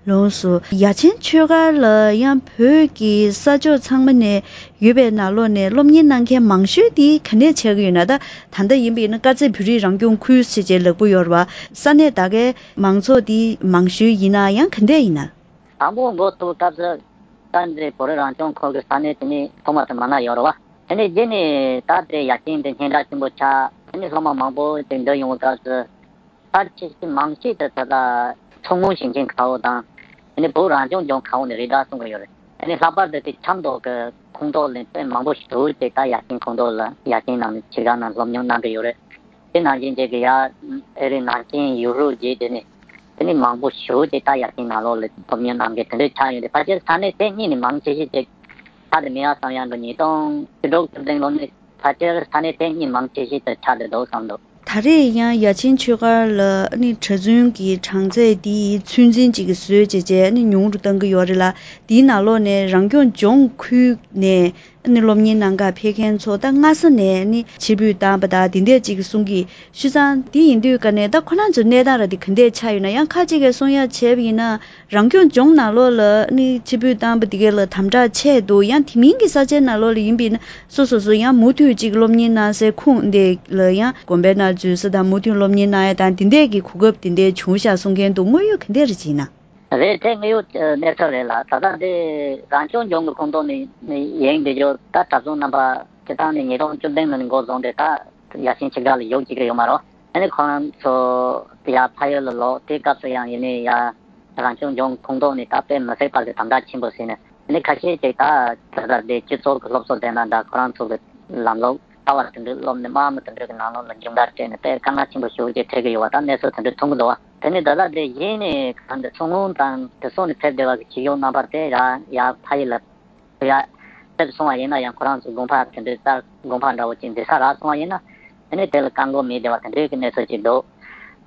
ལགས་སོ། ཡ་ཆེན་ཆོས་སྒར་ལ་ཡང་བོད་ཀྱི་ས་ཕྱོགས་ཚང་མ་ནས་ཡོད་པའི་ནང་ལོགས་ནས་སློབ་གཉེར་གནང་མཁན་མང་ཤོས་དེ་ག་ནས་ཆགས་ཀྱི་ཡོད་ན། ད་ད་ལྟ་ཡིན་པ་ཡིན་ན་དཀར་མཛེས་བོད་རིགས་རང་སྐྱོང་ཁུལ་ཟེར་བྱས་ལབ་ཀྱི་ཡོད་རེད་བ། ས་གནས་ད་གའི་མང་ཚོགས་དེ་མང་ཤོས་ཡིན་ན་ཡང་ག་འདྲས་ཡིན་ན། དང་པོ་འགོ་ཚུགས་སྐབས་སུ་དཀར་མཛེས་བོད་རིགས་རང་སྐྱོང་ཁུལ་གྱི་ས་གནས་དེ་ནི་ཐོག་མ་དུ་མ་ན་ཡོད་རེད་བ། དེ་ནས་རྗེས་ནས་ད་ལྟའི་ཡ་རྐྱེན་དེ་སྙན་གྲགས་ཆེན་པོ་ཆགས། དེ་ནས་སློབ་མ་མང་པོ་ཅིག་འདུ་ཡོང་བའི་སྐབས་སུ་ཕལ་ཆེར་མང་ཆེ་དུ་ད་ལྟ་མཚོ་སྔོན་ཞིང་ཆེན་ཁ་འོག་དང་། དེ་ནས་བོད་རང་སྐྱོང་ལྗོངས་ཁ་འོག་ནས་རེད་འདྲ་གསུང་གི་ཡོད་རེད། དེ་ནས་ལྷག་པར་དུ་དེ་ཆབ་མདོ་གི་ཁོངས་གཏོགས་ལ་དཔེ་མང་པོ་ཞིག་དེ་ད་ཡ་རྐྱེན་ཁོངས་གཏོགས་ལ་ཡ་རྐྱེན་ནང་ནས་ཆེ་ག་ནང་སློབ་སྦྱོང་གནང་གི་ཡོད་རེད། དེ་ནང་བཞིན་བྱས་ཀྱི་ཡ་ཨེ་རི་ནང་ཆེན་ཡུ་རོབ་བརྒྱུད་དེ་ནས་དེ་ནས་མང་པོ་ཞིག་དེ་ད་ཡ་རྐྱེན་ནང་ལོགས་ལ་སློབ་སྦྱོང་གནང་མཁན་དེ་འདྲ་ཆགས་ཡོད་དེ། ཕལ་ཆེར་ས་གནས་དེ་གཉིས་ནས་མང་ཆེ་ཤོས་དེ་ཆགས་བསྡད་མེད་ཡ་བསམ་ཡ་འགྲོ། ཉིས་སྟོང་བཅུ་དྲུག་བཅུ་བདུན་ལོ་ནས་ཕལ་ཆེར་ས་གནས་དེ་གཉིས་མང་ཆེ་ཤོས་དེ་ཆགས་བསྡད་འདུག་བསམ་འདུག། ད་རེས་ཡང་ཡ་ཆེན་ཆོས་སྒར་ལ་ཨ་ནི་གྲྭ་བཙུན་གྱི་གྲངས་ཚད་འདི་ཚུན་འཛིན་ཅིག་གིས་བཟོས་བྱས་བྱས་ཨ་ནི་ཉུང་རུ་གཏང་གི་ཡོད་རེད་ལ། འདིའི་ནང་ལོགས་ནས་རང་སྐྱོང་ལྗོངས་ཁུལ་ནས་ཨ་ནི་སློབ་གཉེར་གནང་གར་ཕེབས་མཁན་ཚོ་ད་སྔ་ས་ནས་ཨ་ནི་ཕྱིར་འབུད་བཏང་པ་དང་འདི་འདྲས་ཅིག་གསུང་གི། བྱས་ཙང་འདི་ཡིན་དུས་ཀ་ནས་ད་ཁོ་རང་ཚོའི་གནས་སྟངས་ར་འདི་ག་འདྲས་ཆགས་ཡོད་ན། ཡང་ཁ་ཅིག་གིས་གསུང་ཡ་བྱས་པ་ཡིན་ན་རང་སྐྱོང་ལྗོངས་ནང་ལོགས་ལ་ཨ་ནི་ཕྱིར་འབུད་བཏང་པ་འདི་གས་ལ་དམ་དྲག་ཆེ་འདུག། ཡང་དེ་མིན་གྱི་ས་ཆའི་ནང་ལོགས་ལ་ཡིན་པ་ཡིན་ན། སོ་སོ་སོ་ཡང་མུ་མཐུད་ཅིག་སློབ་གཉེར་གནང་སའི་ཁུངས་འདི་ལ་ཡང་དགོན་པའི་ནང་འཛུལ་ས་དང་མུ་མཐུད་སློབ་གཉེར་གནང་ཡ་དང་འདི་འདྲས་ཀྱི་གོ་སྐབས་འདི་འདྲས་བྱུང་ཤག་གསུང་མཁན་འདུག། དངོས་ཡོད་ག་འདྲས་རེད་ཅེ་ན། རེད། དེ་དངོས་ཡོད་གནས་ཚུལ་རེད་ལ། ད་ལྟ་འདི་རང་སྐྱོང་ལྗོངས་ཀྱི་ཁོངས་གཏོགས་ནས་ཡིན་འདི་ཚོ་ད་གྲྭ་བཙུན་རྣམ་པ་སྤྱིར་བཏང་ནས་ཉིས་སྟོང་བཅུ་བདུན་ལོ་ནས་འགོ་བཟུང་སྟེ་ད་ཡ་ཆེན་ཆོས་སྒར་ལ་ཡོད་ཅིག་གི་ཡོད་མ་རེད། ཨ་ནི་ཁོ་རང་ཚོ་ཡར་ཕ་ཡུལ་ལ་ལོག་དེ་སྐབས་སུ་ཡང་ཡིན་ནའི་ཡ། རང་སྐྱོང་ལྗོངས་ཁོངས་གཏོགས་ནས་ད་དཔེ་མི་སྲིད་པ་གི་དམ་དྲག་ཆེན་པོ་བྱས་ནས། ཨ་ནི་ཁ་ཤས་ཅིག་ད་ད་ལྟ་དེ་སྤྱི་ཚོགས་ཀྱི་སློབ་གསོ་དེ་ན་འདྲ་ཁོ་རང་ཚོ་གི་ལམ་ལུགས་ལྟ་བ་དེ་འདྲ་སློབ་ནས་དམག་མི་དེ་འདྲ་གི་ནང་ལོགས་ལ་མཇུག་མཐར་སྤྲད་ནས་དཔེ་དཀའ་ངལ་ཆེན་པོ་ཞེ་པོ་ཅིག་འཕྲད་ཀྱི་ཡོད་པ་ད་གནས་ཚུལ་དེ་འདྲ་མཐོང་གི་འདུག་བ། དེ་ནས་ད་ལྟ་དེ་གཞི་ནས་གང་དུ་མཚོ་སྔོན་དང་དེ་སོགས་ནས་ཕེབས་བསྡད་པ་གི་ཆོས་ཞུགས་རྣམ་པ་དེ་ཡ་ཡ་ཕ་ཡུལ་ལ། ཡ། ཕེབས་སོང་བ་ཡིན་ན་ཡང་ཁོ་རང་ཚོ་དགོན་པ་དེ་འདྲའི་རྩ་དགོན་པ་འདྲ་བོ་ཅིག་འཛིན་ས་རག་སོང་བ་ཡིན་ན། དེ་ནས་དེ་ལ་བཀག་འགོག་མེད་བསྡད་པ་དེ་འདྲའི་གི་གནས་ཚུལ་ཅིག་འདུག།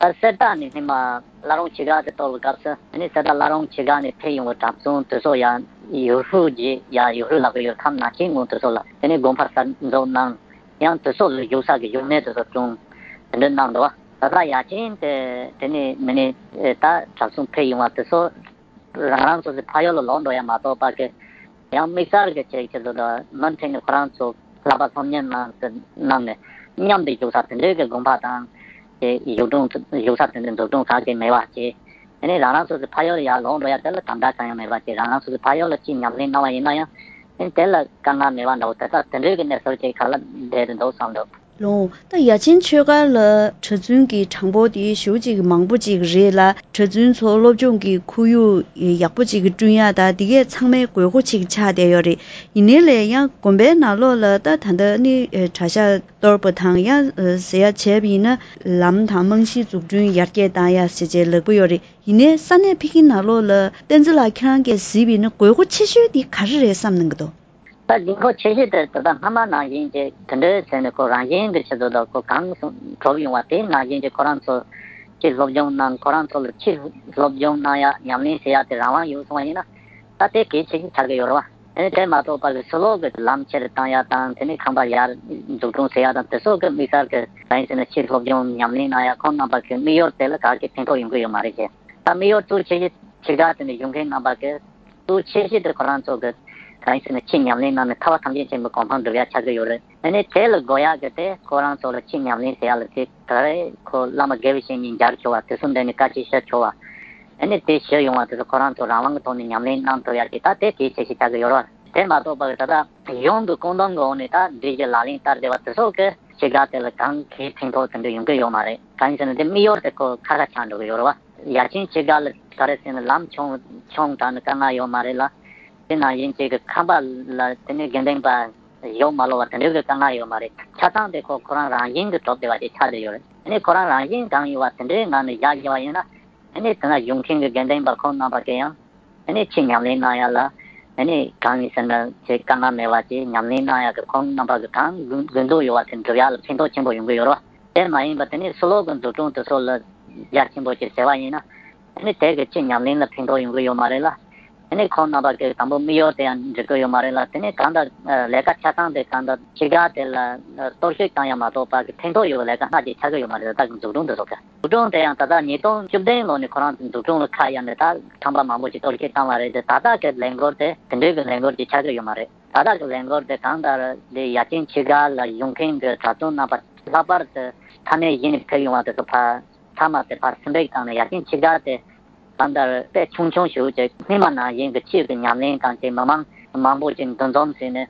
ད་གསེར་རྟ་ནས་སྔོན་མ་བླ་རུང་ཆོས་སྒར་དེ་གཏོར་བའི་སྐབས་སུ་དེ་ནས་གསེར་རྟ་བླ་རུང་ཆོས་སྒར་ནས་ཕེབས་ཡོང་བའི་གྲྭ་བཙུན་དེ་ཚོ་ཡང་ཡུལ་ཤུལ་གྱི་ཡང་ཡུལ་ཤུལ་ལབ་ཀྱི་ཡོད། ཁམས་ནང་ཆེན་ངོས་དེ་ཚོ་ལ་དེ་ནས་དགོན་པ་གསར་འཛུགས་གནང་། ཡང་དེ་ཚོ་ལ་བཞུགས་ས་གི་བཞུགས་གནས་དེ་ཚོ་བསྐྲུན། དེ་འདྲ་གནང་འདུག་བ། ད་ལྟ་ཡ་ཆེན་དེ་དེ་ནས་མི་ནས་ད་གྲྭ་བཙུན་ཕེབས་ཡོང་བ་དེ་ཚོ་རང་རང་སོ་སོའི་ཕ་ཡུལ་ལ་ལོག་འགྲོ་ཡ་མ་གཏོགས་པ་གི། ཡང་དམིགས་བསལ་གྱི་ཆེད་ཀྱི་དུ་དུ་མུ་མཐུད་ནས་ཁོ་རང་ཚོ་བསླབ་པ་སློབ་གཉེར་གནང་གནང་ནས་མཉམ་དུ་བཞུགས་ས་དེ་འདྲའི་གི་དགོན་པ་དང་། དེ་བཞུགས་གྲོང་བཞུགས་ས་དེ་འདྲའི་འཛུགས་སྐྲུན་གང་གི་མེད་པ་བྱས། དེ་ནས་རང་རང་སོ་སོའི་ཕ་ཡུལ་ཡར་ལོག་འགྲོ་ཡ་དེ་ལ་དམ་བསྒྲགས་གང་ཡང་མེད་པ་བྱས། རང་རང་སོ་སོའི་ཕ་ཡུལ་ལ་ཅིག་ཉམས་ལེན་གནང་བ་ཡིན་ན་ཡང་། དེ་ལ་དཀའ་ངལ་མེད་པ་འདྲ་བོ་དེ་དག་དེ་འདྲའི་གི་གནས་ཚུལ་ཅིག་ག་ལ་བསྡད་དུ་འདུག་བསམ་འདུག་ལོ། ད་ཡ་ཆེན་ཆོས་སྒར་ལ་གྲྭ་བཙུན་གྱི་གྲངས་འབོར་དེ་ཞེ་པོ་ཅིག་མང་པོ་ཅིག་རེད་ལ། གྲྭ་བཙུན་ཚོ་སློབ་སྦྱོང་གི་ཁོར་ཡུག་ཡག་པོ་ཅིག་བསྐྲུན་ཡག་ད་འདི་གས་ཚང་མའི་དགོས་མཁོ་ཅིག་ཆགས་བསྡད་ཡོད་རེད། ཡིན་ནའི་ལས་ཡང་དགོན་པའི་ནང་ལོགས་ལ་ད་ད་ལྟ་ནི་གྲྭ་ཤག་གཏོར་པ་དང་ཡང་ཟེར་ཡ་བྱས་པ་ཡིན་ན་ལམ་དང་རྨང་གཞི་འཛུགས་སྐྲུན་ཡར་རྒྱས་བཏང་ཡག་ཟེར་བྱས་ལབ་ཀྱི་ཡོད་རེད། ཡིན་ནའི་ས་གནས་ཕ་གི་ནང་ལོགས་ལ་བསྟན་འཛིན་ལགས་ཁྱེད་རང་གིས་གཟིགས་པ་ཡིན་ན་དགོས་མཁོ་ཆེ་ཤོས་དེ་ག་རེ་རེད་བསམ་གནང་གི་འདུག་ད་དགོས་མཁོ་ཆེ་ཤོས་དེ་ད་ལྟ་སྔ་མ་ནང་བཞིན་གྱི་དེ་འདྲའི་ཟེར་ནས་ཁོ་རང་བཞིན་གྱི་ཆེད་དུ་དང་ཁོ་གང་སོང་གྲུབ་ཡོང་བ་དེ་ནང་བཞིན་གྱི་ཁོ་རང་ཚོ་ཕྱིར་སློབ་སྦྱོང་གནང་། ཁོ་རང་ཚོ་ལ་ཕྱིར་སློབ་སྦྱོང་གནང་ཡ་ཉམས་ལེན་བྱེད་ཡ་དེ་རང་དབང་ཡོད་སོང་བ་ཡིན་ན་ད་དེ་གལ་ཆེ་ཤོས་ཆགས་ཀྱི་ཡོད་རེད་བ། དེ་ནས་དེ་མ་གཏོགས་པ་གི་ཕྱི་ལོགས་ཀྱི་ལམ་ཆེ་རུ་བཏང་ཡ་དང་དེ་ནས་ཁང་པ་ཡར་འཛུགས་སྐྲུན་བྱེད་ཡ་དང་དེ་སོགས་ཀྱི་དམིགས་བསལ་གྱི་གང་ཡིན་ཟེར་ན་ཕྱིར་སློབ་སྦྱོང་ཉམས་ལེན་གནང་ཡ་ཁོང་རྣམ་པ་གི་དམིགས་ཡུལ་དེ་ལ་ག་གི་ཕན་ཐོགས་ཡོང་གི་ཡོད་མ་རེད་ཅེས། ད་དམིགས་ཡུལ་གཙོ་ཆེ་ཤོས་ཕྱི་དགྲ་དེ་ནས་ཡོང་མཁན་རྣམ་པ་གི་གཙོ་ཆེ་ཤོས་དེ་ཁོ་རང་ཚོ་གི་གང་ཡིན་ཟེར་ན་ཆེས་ཉམས་ལེན་གནང་ནས་ཐར་པ་ཐམས་ཅད་མཁྱེན་པའི་གོ་འཕང་སྒྲུབ་ཡ་ཆགས་ཀྱི་ཡོད་རེད། ཨ་ནི་དེ་ལ་དགོས་ཡག་གི་དེ་ཁོ་རང་ཚོ་ལ་ཆེས་ཉམས་ལེན་ཟེར་ཡ་ལ་དེ་ག་རེ་ཁོ་བླ་མ་དགེ་བའི་བཤེས་གཉེན་མཇལ་ཆོག་པ་དེ་ཚོ་འདྲ་ནས་བཀའ་ཆད་བཤད་ཆོག་པ། ཨ་ནི་དེ་ཞུ་ཡོང་བ་དེ་ཚོ་ཁོ་རང་ཚོ་རང་དབང་གི་ཐོག་ནས་ཉམས་ལེན་གནང་ཐུབ་ཡག་གི་ད་དེ་གལ་ཆེ་ཤོས་ཆགས་ཀྱི་ཡོད་རེད། དེ་མ་གཏོགས་པ་གི་ད་ལྟ་གཞུང་གི་བཀོད་འདོམས་གི་འོག་ནས་ད་སྒྲིག་གཞི་ལག་ལེན་བསྟར་བསྡད་པ་དེ་ཚོ་གི་ཕྱི་དགྲ་དེ་ལ་གང་གི་ཕན་ཐོགས་དེ་འདྲ་ཡོང་གི་ཡོད་མ་རེད། གང་ཡིན་ཟེར་ན་དེ་དམིགས་ཡུལ་དེ་ཁོ་ཁ་ཁ་ཆགས་འགྲོ་གི་ཡོད་རེད་བ། ཡ་ཆེན་ཕྱི་དགྲ་ལ་ག་རེ་ཟེར་ན་ལམ་ཆུང་ཆུང་དྲགས་ནས་དཀའ་ངལ་ཡོད་མ་རེད་ལ། དེ་ནང་བཞིན་གཅིག་གི་ཁང་པ་ལ་དེ་ནས་དགེ་འདུན་པ་བཞུགས་མ་ལོག་པ་དེ་འདྲའི་གི་དཀའ་ངལ་ཡོད་མ་རེད། ཆ་ཚང་དེ་ཁོ་ཁོ་རང་རང་བཞིན་གྱི་གྲུབ་བསྡད་པ་དེ་ཆགས་བསྡད་ཡོད་རེད། དེ་ནས་ཁོ་རང་རང་བཞིན་གང་ཡོད་པ་དེ་འདྲའི་ངང་ནས་བཞག་བཞག་པ་ཡིན་ན། དེ་ནས་དེ་ན་བཞུགས་མཁན་གྱི་དགེ་འདུན་པ་ཁོང་རྣམ་པ་གིས་ཡང་དེ་ནས་ཆེས་ཉམས་ལེན་གནང་ཡ་ལ་དེ་ནས་གང་ཡིན་ཟེར་ན་ཆེས་དཀའ་ངལ་མེད་པ་ཅིག་ཉམས་ལེན་གནང་ཡ་གི་ཁོང་རྣམ་པ་གི་གང་དགོས་དགོས་འདོད་ཡོད་པ་དེ་འགྲུབ་ཡ་ལ་ཕན་ཐོགས་ཆེན་པོ་ཡོང་གི་ཡོད་རེད་བ། དེ་མ་ཡིན་པ་དེ་ནས་ཕྱི་ལོགས་ཀྱི་འཛུགས་སྐྲུན་དེ་ཚོ་ལ་རྒྱ་ཆེན་པོ་ཅིག་ཟེར་བ་ཡིན་ན། དེ་ནས་དེ་གི་ཕྱི་ཉམས་ལེན་ལ་ཕན་ཐོགས་ཡོང་གི་ཡོད་མ་རེད་ལ། དེ་ནས་ཁོང་རྣམ་པ་གི་དང་པོ་དམིགས་ཡུལ་དེ་ཡང་འགྲིག་གི་ཡོད་མ་རེད་ལ། དེ་ནས་གང་ལྟར་ལས་ཀ་ཆ་ཚང་དེ་གང་ལྟར་ཕྱི་དགྲ་དེ་ལ་གཏོར་བཤིག་བཏང་ཡ་མ་གཏོགས་པ་གི་ཕན་ཐོགས་ཡོད་པའི་ལས་ཀ་སྣ་གཅིག་ཆགས་ཀྱི་ཡོད་མ་རེད། ད་གི་འཛུགས་སྐྲུན་དེ་ཚོ་གི་འཛུགས་སྐྲུན་དེ་ཡང་ད་ལྟ་ཉིས་སྟོང་བཅུ་བདུན་ལོ་ནས་ཁོ་རང་ཚོ་འཛུགས་སྐྲུན་ལ་ཁ་གཡར་ནས་ད་ཁང་པ་མང་པོ་ཞིག་གཏོར་བཤིག་བཏང་བ་རེད་དེ། ད་ལྟ་གི་ལས་འགུལ་དེ་དེ་འདྲའི་གི་ལས་འགུལ་ཅིག་ཆགས་ཀྱི་ཡོད་མ་རེད། ད་ལྟ་གི་ལས་འགུལ་དེ་གང་ལྟར་དེ་ཡ་ཆེན་ཕྱི་དགྲ་ལ་བཞུགས་མཁན་གྱི་གྲྭ་བཙུན་རྣམ་པ་ལྷག་པར་དུ་ས་གནས་གཞན་ནས་ཕེབས་ཡོང་བ་དེ་ཚོ་ཕ་མཐའ་མ་དེ་ཕར་ཕྱིར་འབུད་བཏང་ནས་ཡ་ཆེན་ཕྱི་དགྲ་དེ་གང་ལྟར་དཔེ་ཆུང་ཆུང་ཞིག་ཅིག་སྔོན་མ་ནང་བཞིན་གྱི་ཆོས་ཀྱི་ཉམས་ལེན་དང་དེ་མི་མང་མང་པོ་ཅིག་འདུ་འཛོམས་བྱས་ནས་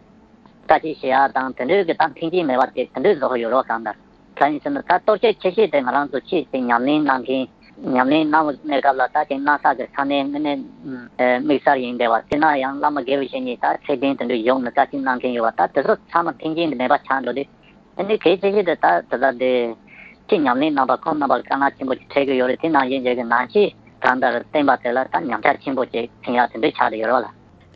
བཀའ་ཆད་བཤད་ཡ་དང་དེ་འདྲའི་གི་ད་མཐུན་རྐྱེན་མེད་པ་དེ་དེ་འདྲའི་བཟོ་གི་ཡོད་རེད་བ། གང་ལྟར་གང་ཡིན་ཟེར་ན་ད་གཏོར་བཤིག་ཆེ་ཤོས་དེ་ང་རང་ཚོ་ཆོས་དེ་ཉམས་ལེན་གནང་མཁན། ཉམས་ལེན་གནང་བའི་གནས་སྐབས་ལ་ད་དེ་གནང་ས་གི་ས་གནས་དངོས་གནས་ཨ་དམིགས་བསལ་ཡིན་བསྡད་པ་དེ་ན་ཡང་བླ་མ་དགེ་བའི་བཤེས་གཉེན་ད་ཚད་ལྡན་དེ་འདྲ་བཞུགས་ནས་བཀའ་ཆད་གནང་མཁན་ཡོད་པ་ད་དེ་ཚོ་ཚང་མ་མཐུན་རྐྱེན་དེ་མེད་པ་ཆགས་འགྲོ་དུས། ཨ་ནི་གལ་ཆེ་ཤོས་དེ་ད་ད་ལྟ་དེ་ཆོས་ཉམས་ལེན་གནང་པ་ཁོང་རྣམ་པ་ལ་དཀའ་ངལ་ཆེན་པོ་ཅིག་འཕྲད་ཀྱི་ཡོད་རེད། དེ་ནང་བཞིན་བྱས་ཀྱི་ནང་ཆོས་གང་ལྟར་བསྟན་པ་དེ་ལ་ད་ཉམས་ཆག་ཆེན་པོ་ཅིག་ཕན་ཡག་དེ་འདྲ་ཆགས་བསྡད་ཡོད་རེད་བ་ལ།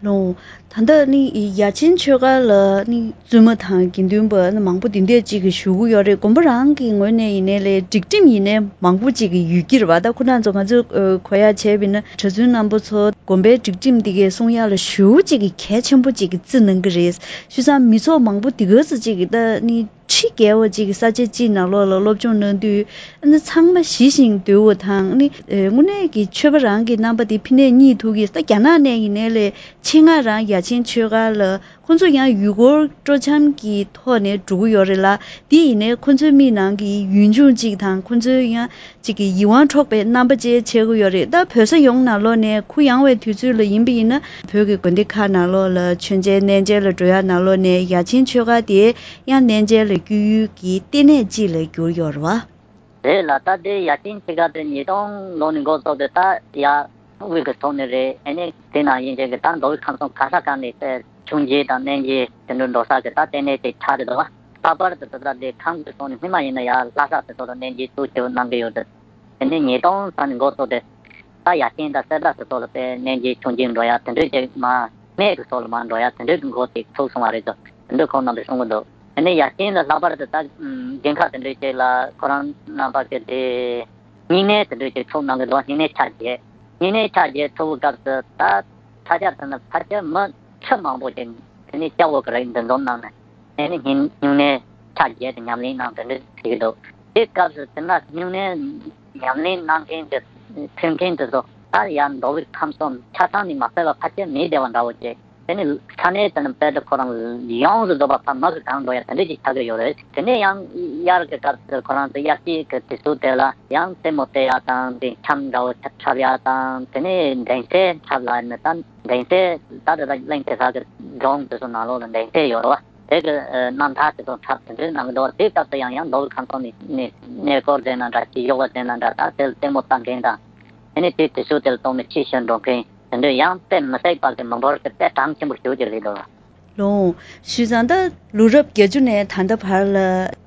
ལོ། ད་ལྟ་ནི་ཡ་ཆེན་ཆོས་སྒར་ལ་ནི་བཙུན་མ་དང་དགེ་འདུན་པ་ནི་མང་པོ་འདི་འདྲས་ཅིག་གི་བཞུགས་ཀྱི་ཡོད་རེད། དགོན་པ་རང་གི་ངོས་ནས་ཡིན་ནའི་ལས་སྒྲིག་ཁྲིམས་ཡིན་ནའི་མང་པོ་ཅིག་གི་ཡོད་ཀྱི་རེད་བ། ད་ཁོ་རང་ཚོ་ང་ཚོས་ཨ་གོ་ཡ་བྱས་པ་ཡིན་ན་གྲྭ་བཙུན་རྣམ་པ་ཚོ་དགོན་པའི་སྒྲིག་ཁྲིམས་འདི་གའི་སྲུང་ཡ་ལ་ཞེ་པོ་ཅིག་གི་གལ་ཆེན་པོ་ཅིག་གི་བརྩི་གནང་གི་རེད། བྱས་ཙང་མི་ཚོགས་མང་པོ་འདི་ག་ཚོད་ཅིག་གི་ད་ནི་ཁྲི་བརྒལ་བ་ཅིག་གི་ས་ཆ་གཅིག་ནང་ལོགས་ལ་སློབ་སྦྱོང་གནང་དུས་ཨ་ནི་ཚང་མ་ཞི་ཞིང་དུལ་བ་དང་ནི་ཨེ་དངོས་གནས་ཀྱི་ཆོས་པ་རང་གི་རྣམ་པ་དེ་ཕི་ནས་རྙེད་ཐུབ་ཀྱི། ད་རྒྱ་ནག་ནས་ཡིན་ནའི་ལས་ཆེད་མངགས་རང་ཡ་ཆེན་ཆོས་སྒར་ལ་ཁོང་ཚོ་ཡང་ཡུལ་སྐོར་སྤྲོ་འཆམ་གྱི་ཐོག་ནས་འགྲོ་གི་ཡོད་རེད་ལ། དེ་ཡིན་ནའི་ཁོང་ཚོའི་མིག་ནང་གི་ཡུལ་ལྗོངས་གཅིག་དང་ཁོང་ཚོའི་ཡང་གཅིག་གི་ཡིད་དབང་འཕྲོག་པའི་རྣམ་པ་ཅིག་བྱེད་ཀྱི་ཡོད་རེད། ད་བོད་ས་ཡོངས་ནང་ལོགས་ནས་གུ་ཡངས་པའི་དུས་ཚོད་ལ་ཡིན་པ་ཡིན་ན་བོད་ཀྱི་དགོན་སྡེ་ཁག་ནང་ལོགས་ལ་མཆོད་མཇལ་གནས་མཇལ་ལ་འགྲོ་ཡ་ནང་ལོགས་ནས་ཡ་ཆེན་ཆོས་སྒར་དེ་ཡང་གནས་མཇལ་ལ་སྐྱོད་ཡུལ་གྱི་ལྟེ་གནས་གཅིག་ལ་གྱུར་ཡོད་རེད་བ། རེད་ལ། ད་དེ་ཡ་ཆེན་ཆོས་སྒར་དེ་ཉིས་སྟོང་ལོ་ནས་འགོ་བཙུགས་ཏེ་ད་ཡ་དབུས་ཀྱི་ཐོག་ནས་རེད། ཨ་ནི་དེ་ནང་བཞིན་བྱས་ཀྱི་ད་མདོ་དབུས་ཁམས་གསུམ་ག་ས་ག་ནས་མཆོད་མཇལ་དང་གནས་མཇལ་དེ་འདྲ་འགྲོ་ས་གི་ད་ལྟེ་གནས་དེ་ཆགས་བསྡད་འདུག་བ། ལྷག་པར་དུ་ད་ལྟ་དེ་ཁམས་ཀྱི་ཐོག་ནས་སྔོན་མ་ཡིན་ན་ཡ་ལྷ་ས་དེ་ཚོ་ལ་གནས་མཇལ་ཐུགས་ཆེ་བོ་གནང་གི་ཡོད་དེ། དེ་ནས་ཉིས་སྟོང་ཙམ་ནས་འགོ་བཙུགས་ཏེ། ད་ཡ་རྐྱེན་དང་གསེར་རྟ་སོགས་ལ་དཔེ་གནས་མཇལ་མཆོད་མཇལ་འགྲོ་ཡ་དེ་འདྲའི་ཅིག་མ་སྨད་ཀྱི་སོགས་ལ་མ་འགྲོ་ཡ་དེ་འདྲའི་གི་འགོ་ཅིག་ཚུགས་སོང་བ་རེད་དོ། དེ་འདྲ་ཁོང་རྣམ་པས་གསུང་གི་འདུག་དེ་ནས་ཡ་རྐྱེན་ལ་ལྷག་པར་དུ་ད་དགོན་ཁག་དེ་འདྲའི་ཅིག་ལ་ཁོ་རང་རྣམ་པ་གི་དེ་ སྨྱུང་གནས་དེ་འདྲ་ཅིག་ཚུགས་གནང་གི་འདུག་སྨྱུང་གནས་ཆ་བརྒྱད། སྨྱུང་གནས་ཆ་བརྒྱད་ཚུགས་པའི་སྐབས་སུ་ད་ས་ཆ་དེ་ནི་ཕལ་ཆེར་མི་ཁྲི་མང་པོ་ཅིག་དེ་ནས་སྐྱ་བོ་གི་རིགས་འདུ་འཛོམས་གནང་ནས་དེ་ནས་སྨྱུང་སྨྱུང་གནས་ཆ་བརྒྱད་དེ་ཉམས་ལེན་གནང་དེ་འདྲ་བྱེད་ཀྱི་འདུག་དེ་སྐབས་སུ་དེ་ན་སྨྱུང་གནས་ཉམས་ལེན་གནང་མཁན་དེ་ཕེབས་མཁན་དེ་ཚོ་ད་ཡར་མདོ་དབུས་ཁམས་གསུམ་ཆ་ཚང་ནས་མ་ཕེབས་པ་ཕལ་ཆེར་མེད་བསྡད་པ་འདྲ་བོ་ཅིག་དེ་ནས་ས་གནས་དེ་ནས་དཔེ་དེ་ཁོ་རང་ཡོངས་སུ་རྫོགས་པ་ཕ་མ་གི་གང་འགྲོ་ཡ་དེ་འདྲ་ཅིག་ཆགས་ཀྱི་ཡོད་རེད། དེ་ནས་ཡང་དབྱར་གྱི་སྐབས་སུ་ཁོ་རང་ཚོ་དབྱར་སྐྱིད་ཀྱི་དུས་ཚོད་དེ་ལ་ཡང་རྩེད་མོ་རྩེ་ཡ་དང་དེ་འཆམ་འདྲ་བོ་འཁྲབ་ཡ་དང་དེ་ནས་འགྲེང་སྟེ་འཁྲབ་ལ་ནི་ད་འགྲེང་སྟེ་ད་དེ་དག་གླིང་གེ་སར་གྱི་སྒྲུང་དེ་ཚོ་ནང་ལོགས་ལ་འགྲེང་སྟེ་ཡོད་རེད་བ། དེ་གི་རྣམ་ཐར་དེ་ཚོ་འཁྲབ་དེ་འདྲའི་གནང་གི་འདུག་དེའི་སྐབས་སུ་ཡང་ཡང་མདོ་དབུས་ཁམས་གསུམ་ནས་ནས་གནས་སྐོར་དེ་ན་འདྲ་ཅིག་གཡུག་པ་དེ་ན་འདྲ་ད་དེ་ལ་རྩེད་མོ་ལྟ་མཁན་དང་དེ་ནས་དེའི་དུས་ཚོད་དེ་ལ་གཏོང་ནས་ཕྱིར་ཞོན་འགྲོ་མཁན། དེ་འདྲ་ཡང་དཔེ་མི་སྲིད་པ་གི་མི་འབོར་གྱི་དཔེ་གྲངས་ཆེན་པོ་ཞེ་པོ་ཅིག་སླེབས་འདུག་ལགས། ལགས། བྱས་ཙང་ད་ལོ་རབས་བརྒྱད་ཅུ་ནས་ད་ལྟ་བར་ལ་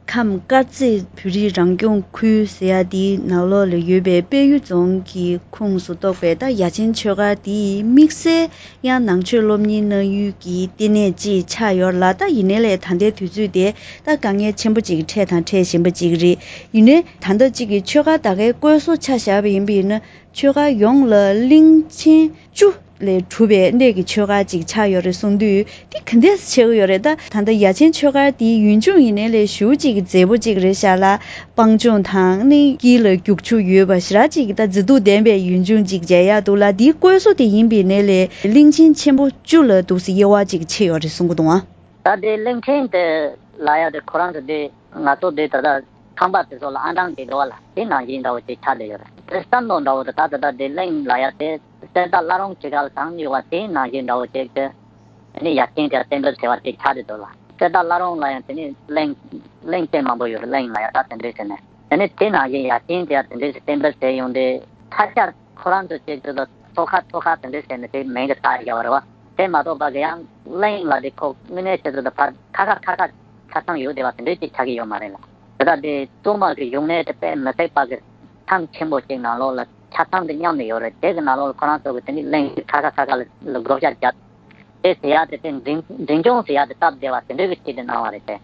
ཁམས་དཀར་མཛེས་བོད་རིགས་རང་སྐྱོང་ཁུལ་ཟེར་ཡ་དེའི་ནང་ལོགས་ལ་ཡོད་པའི་དཔལ་ཡུལ་རྫོང་གི་ཁོངས་སུ་གཏོགས་པའི་ད་ཡ་ཆེན་ཆོས་སྒར་དེ་དམིགས་བསལ་ཡང་ནང་ཆོས་སློབ་གཉེར་གནང་ཡུལ་གྱི་ལྟེ་གནས་ཅིག་ཆགས་ཡོད་ལ། ད་ཡིན་ནའི་ལས་ད་ལྟའི་དུས་ཚོད་དེ་ད་དཀའ་ངལ་ཆེན་པོ་ཅིག་འཕྲད་དང་འཕྲད་བཞིན་པ་ཅིག་རེད། ཡིན་ནའི་ད་ལྟ་ཅིག་གི་ཆོས་སྒར་ད་གའི་བཀོད་བཟོ་ཆ་བཞག་པ་ཡིན་པ་ཡིན་ན། ཆོས་སྒར་ཡོངས་ལ་གླིང་ཆེན་བཅུ་ལས་གྲུབ་པའི་གནས་ཀྱི་ཆོས་སྒར་ཅིག་ཆགས་ཡོད་རེད་གསུང་དུས། འདི་ག་འདྲས་ཆགས་ཀྱི་ཡོད་རེད། ད་ད་ལྟ་ཡ་ཆེན་ཆོས་སྒར་འདིའི་ཡུལ་ལྗོངས་ཡིན་ནའི་ལས་ཞེ་པོ་ཅིག་མཛེས་པོ་ཅིག་རེད་ཤག་ལ། སྤང་ལྗོངས་དང་ནི་དཀྱིལ་ལ་རྒྱུག་ཆུ་ཡོད་པ་ཞེ་དྲག་ཅིག་ད་མཛེས་སྡུག་ལྡན་པའི་ཡུལ་ལྗོངས་ཅིག་མཇལ་ཡག་འདུག་ལ། འདིའི་བཀོད་བཟོ་དེ་ཡིན་པ་ཡིན་ནའི་ལས་གླིང་ཆེན་ཆེན་པོ་བཅུ་ལ་འདུག་སེ་དབྱེ་བ་ཅིག་ཕྱེ་ཡོད་རེད་གསུང་གི་འདུག་ཨ། ད་དེ་གླིང་ཕྲན་དེ་ལབ་ཡ་དེ་ཁོ་རང་ཚོ་དེ་ང་ཚོ་དེ་ད་ལྟ་ཁང་པ་དེ་ཚོ་ལ་ཨང་གྲངས་དེ་འགྲོ་བ་ལ་དེ་ནང་བཞིན་འདྲ་བོ་དེ་ཆགས་བསྡད་ཡོད་རེད། དེ་བསམ་བློ་འདྲ་བོ་དེ་ད་ད་ལྟ་དེ་གླིང་ལབ་ཡ་དེ་གསེར་རྟ་བླ་རུང་ཆེ་ཁག་ལ་དང་ཡོད་པ་དེ་ནང་བཞིན་འདྲ་བོ་ཅིག་དེ་ཨ་ནི་ཡ་ཆེན་དེ་བསྟན་འགྲོ་ཟེར་བ་དེ་ཆགས་བསྡད་འདུག་ལ། གསེར་རྟ་བླ་རུང་ལ་ཡང་དེ་ནི་གླིང་གླིང་དེ་མང་པོ་ཡོད་རེད། གླིང་ལབ་ཡ་ད་དེ་འདྲའི་ཟེར་ནས་དེ་ནི་དེ་ནང་བཞིན་ཡ་ཆེན་དེ་ཡང་དེ་འདྲའི་བསྟན་འགྲོ་ཟེར་ཡོང་དེ་ཐ་ཆ་ཁོ་རང་ཚོ་ཅིག་ཏུ་ཚོ་ཁ་ཐོ་ཁ་དེ་འདྲ་བྱས་ནས་དེ་མིང་གི་བཏགས་བཞག་པ་རེད་བ། དེ་མ་གཏོགས་པ་གི་ཡང་གླིང་ལ་དེ་ཁོ་དངོས་གནས་ཆེད་དུ་དེ་ཕར་ཁ་ཁ་ཁ་ཁ་ཆ་ཚང་ཡོད་བསྡད་པ་དེ་འདྲ་ཅིག་ཆགས་ཀྱི་ཡོད་མ་རེད་ལ། དེ་དག་དེ་གཙང་མ་གི་ཡུལ་གནས་དེ་དཔེ་མི་སྲིད་པ་གི་ཐང་ཆེན་པོ་ཅིག་ནང་ལོགས་ལ་ཆ་ཚང་དེ་མཉམ་ནས་ཡོད་རེད། དེ་གི་ནང་ལོགས་ལ་ཁོ་རང་ཚོ་གི་དེ་འདྲའི་གླིང་ཁ་ཁ་ཁ་ཁ་ལ་བགོ་བཤའ་བརྒྱབ། དེ་ཟེར་ཡ་དེ་དེ་འཛིན་འཛིན་སྐྱོང་ཟེར་ཡ་དེ་སྟབས་བདེ་བ་དེ་འདྲ་གི་ཆེད་དུ་གནང་བ་རེད་དེ།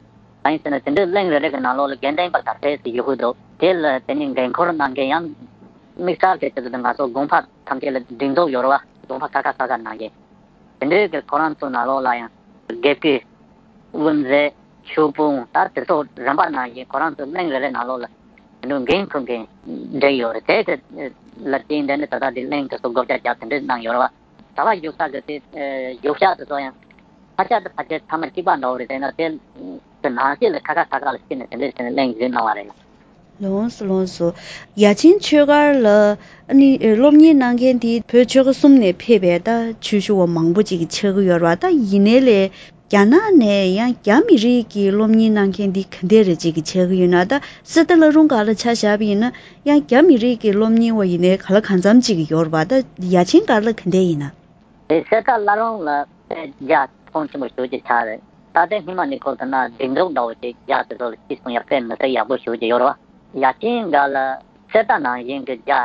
གང་ཡིན་ཟེར་ན་དེ་འདྲའི་གླིང་རེ་རེ་གི་ནང་ལོགས་ལ་དགེ་འདུན་པ་ག་ཚད་ཅིག་ཡོད་ཀྱི་འདུག་དེ་ལ་དེ་ནི་འགན་འཁུར་གནང་མཁན་ཡང་དམིགས་བསལ་གྱི་ཆེད་དུ་ང་ཚོ་དགོན་པ་ཐམས་ཅད་ལ་སྒྲིག་འཛུགས་ཡོད་རེད་བ། དགོན་པ་ཁ་ཁ་ཁ་ཁ་གནང་མཁན་དེ་འདྲའི་གི་ཁོ་རང་ཚོ་ནང་ལོགས་ལ་ཡང་དགེ་བསྐོས་དབུ་མཛད་ཆོས་དཔོན་ད་དེ་ཚོ་རིམ་པ་ནང་བཞིན་ཁོ་རང་ཚོ་གླིང་རེ་རེ་ནང་ལོགས་ལ་དེ་འདྲའི་འགན་འཁུར་མཁན་བསྒྲིགས་ཡོད་རེད། དེ་གི་ལ་བརྟེན་དེ་ནི་ད་ལྟ་དེ་གླིང་དེ་ཚོ་བགོ་བཤའ་རྒྱག་དེ་འདྲའི་གནང་ཡོད་རེད་བ། ཟླ་བ་བཞུགས་ས་གི་དེ་བཞུགས་ཤག་དེ་ཚོ་ཡང་ཕལ་ཆེར་དེ་ཕལ་ཆེར་ཚང་མ་གཅིག་པ་འདྲ་བོ་རེད། དེ་ན་དེ་དེ་ནང་བཞིན་ལ་ཁ་ཁ་ཁ་ཁ་ལ་ཕྱིན་ནས་དེ་འདྲས་བྱས་ནས་གླེང་བཞིན་གནང་བ་རེད། ལོངས་སུ་ལོངས་སུ། ཡ་ཆེན་ཆོས་སྒར་ལ་ཨ་ནི་སློབ་གཉེར་གནང་མཁན་དེ་བོད་ཆོལ་ཁ་གསུམ་ནས་ཕེབས་པའི་ད་ཆོས་ཞུ་བ་མང་པོ་ཅིག་ཆགས་ཀྱི་ཡོད་རེད་བ། ད་ཡིན་ནའི་ལས་རྒྱ་ནག་ནས་ཡང་རྒྱ་མི་རིགས་ཀྱི་སློབ་གཉེར་གནང་མཁན་དེ་ག་འདྲས་རེ་ཅིག་ཆགས་ཀྱི་ཡོད་ན། ད་གསེར་རྟ་བླ་རུང་སྒར་ལ་ཆ་བཞག་པ་ཡིན་ན་ཡང་རྒྱ་མི་རིགས་ཀྱི་སློབ་གཉེར་བ་ཡིན་ནའི་ག་ལ་གང་འཚམ་ཅིག་ཡོད་རེད་བ། ད་ཡ་ཆེན་སྒར་ལ་ག་འདྲས་ཡིན་ན། དེ་གསེར་རྟ་བླ་རུང་ལ་དཔེ་རྒྱ་ཁོངས་ཆེན་པོ་ཞེ་པོ་ཅིག་ཆགས་རེད། ད་ལྟའི་སྔོན་མ་ནས་ཁོ་ཚོ་ན་སྒྲིག་འཛུགས་འདྲ་བོ་ཅིག་རྒྱ་དེ་ཚོ་ལ་ཅིག་གསུང་ཡ་དཔེ་མི་སྲིད་ཡག་པོ་ཞེ་པོ་ཅིག་ཡོད་རེད་བ། ཡ་ཆེན་སྒར་ལ་གསེར་རྟ་ནང་བཞིན་གྱི་རྒྱ་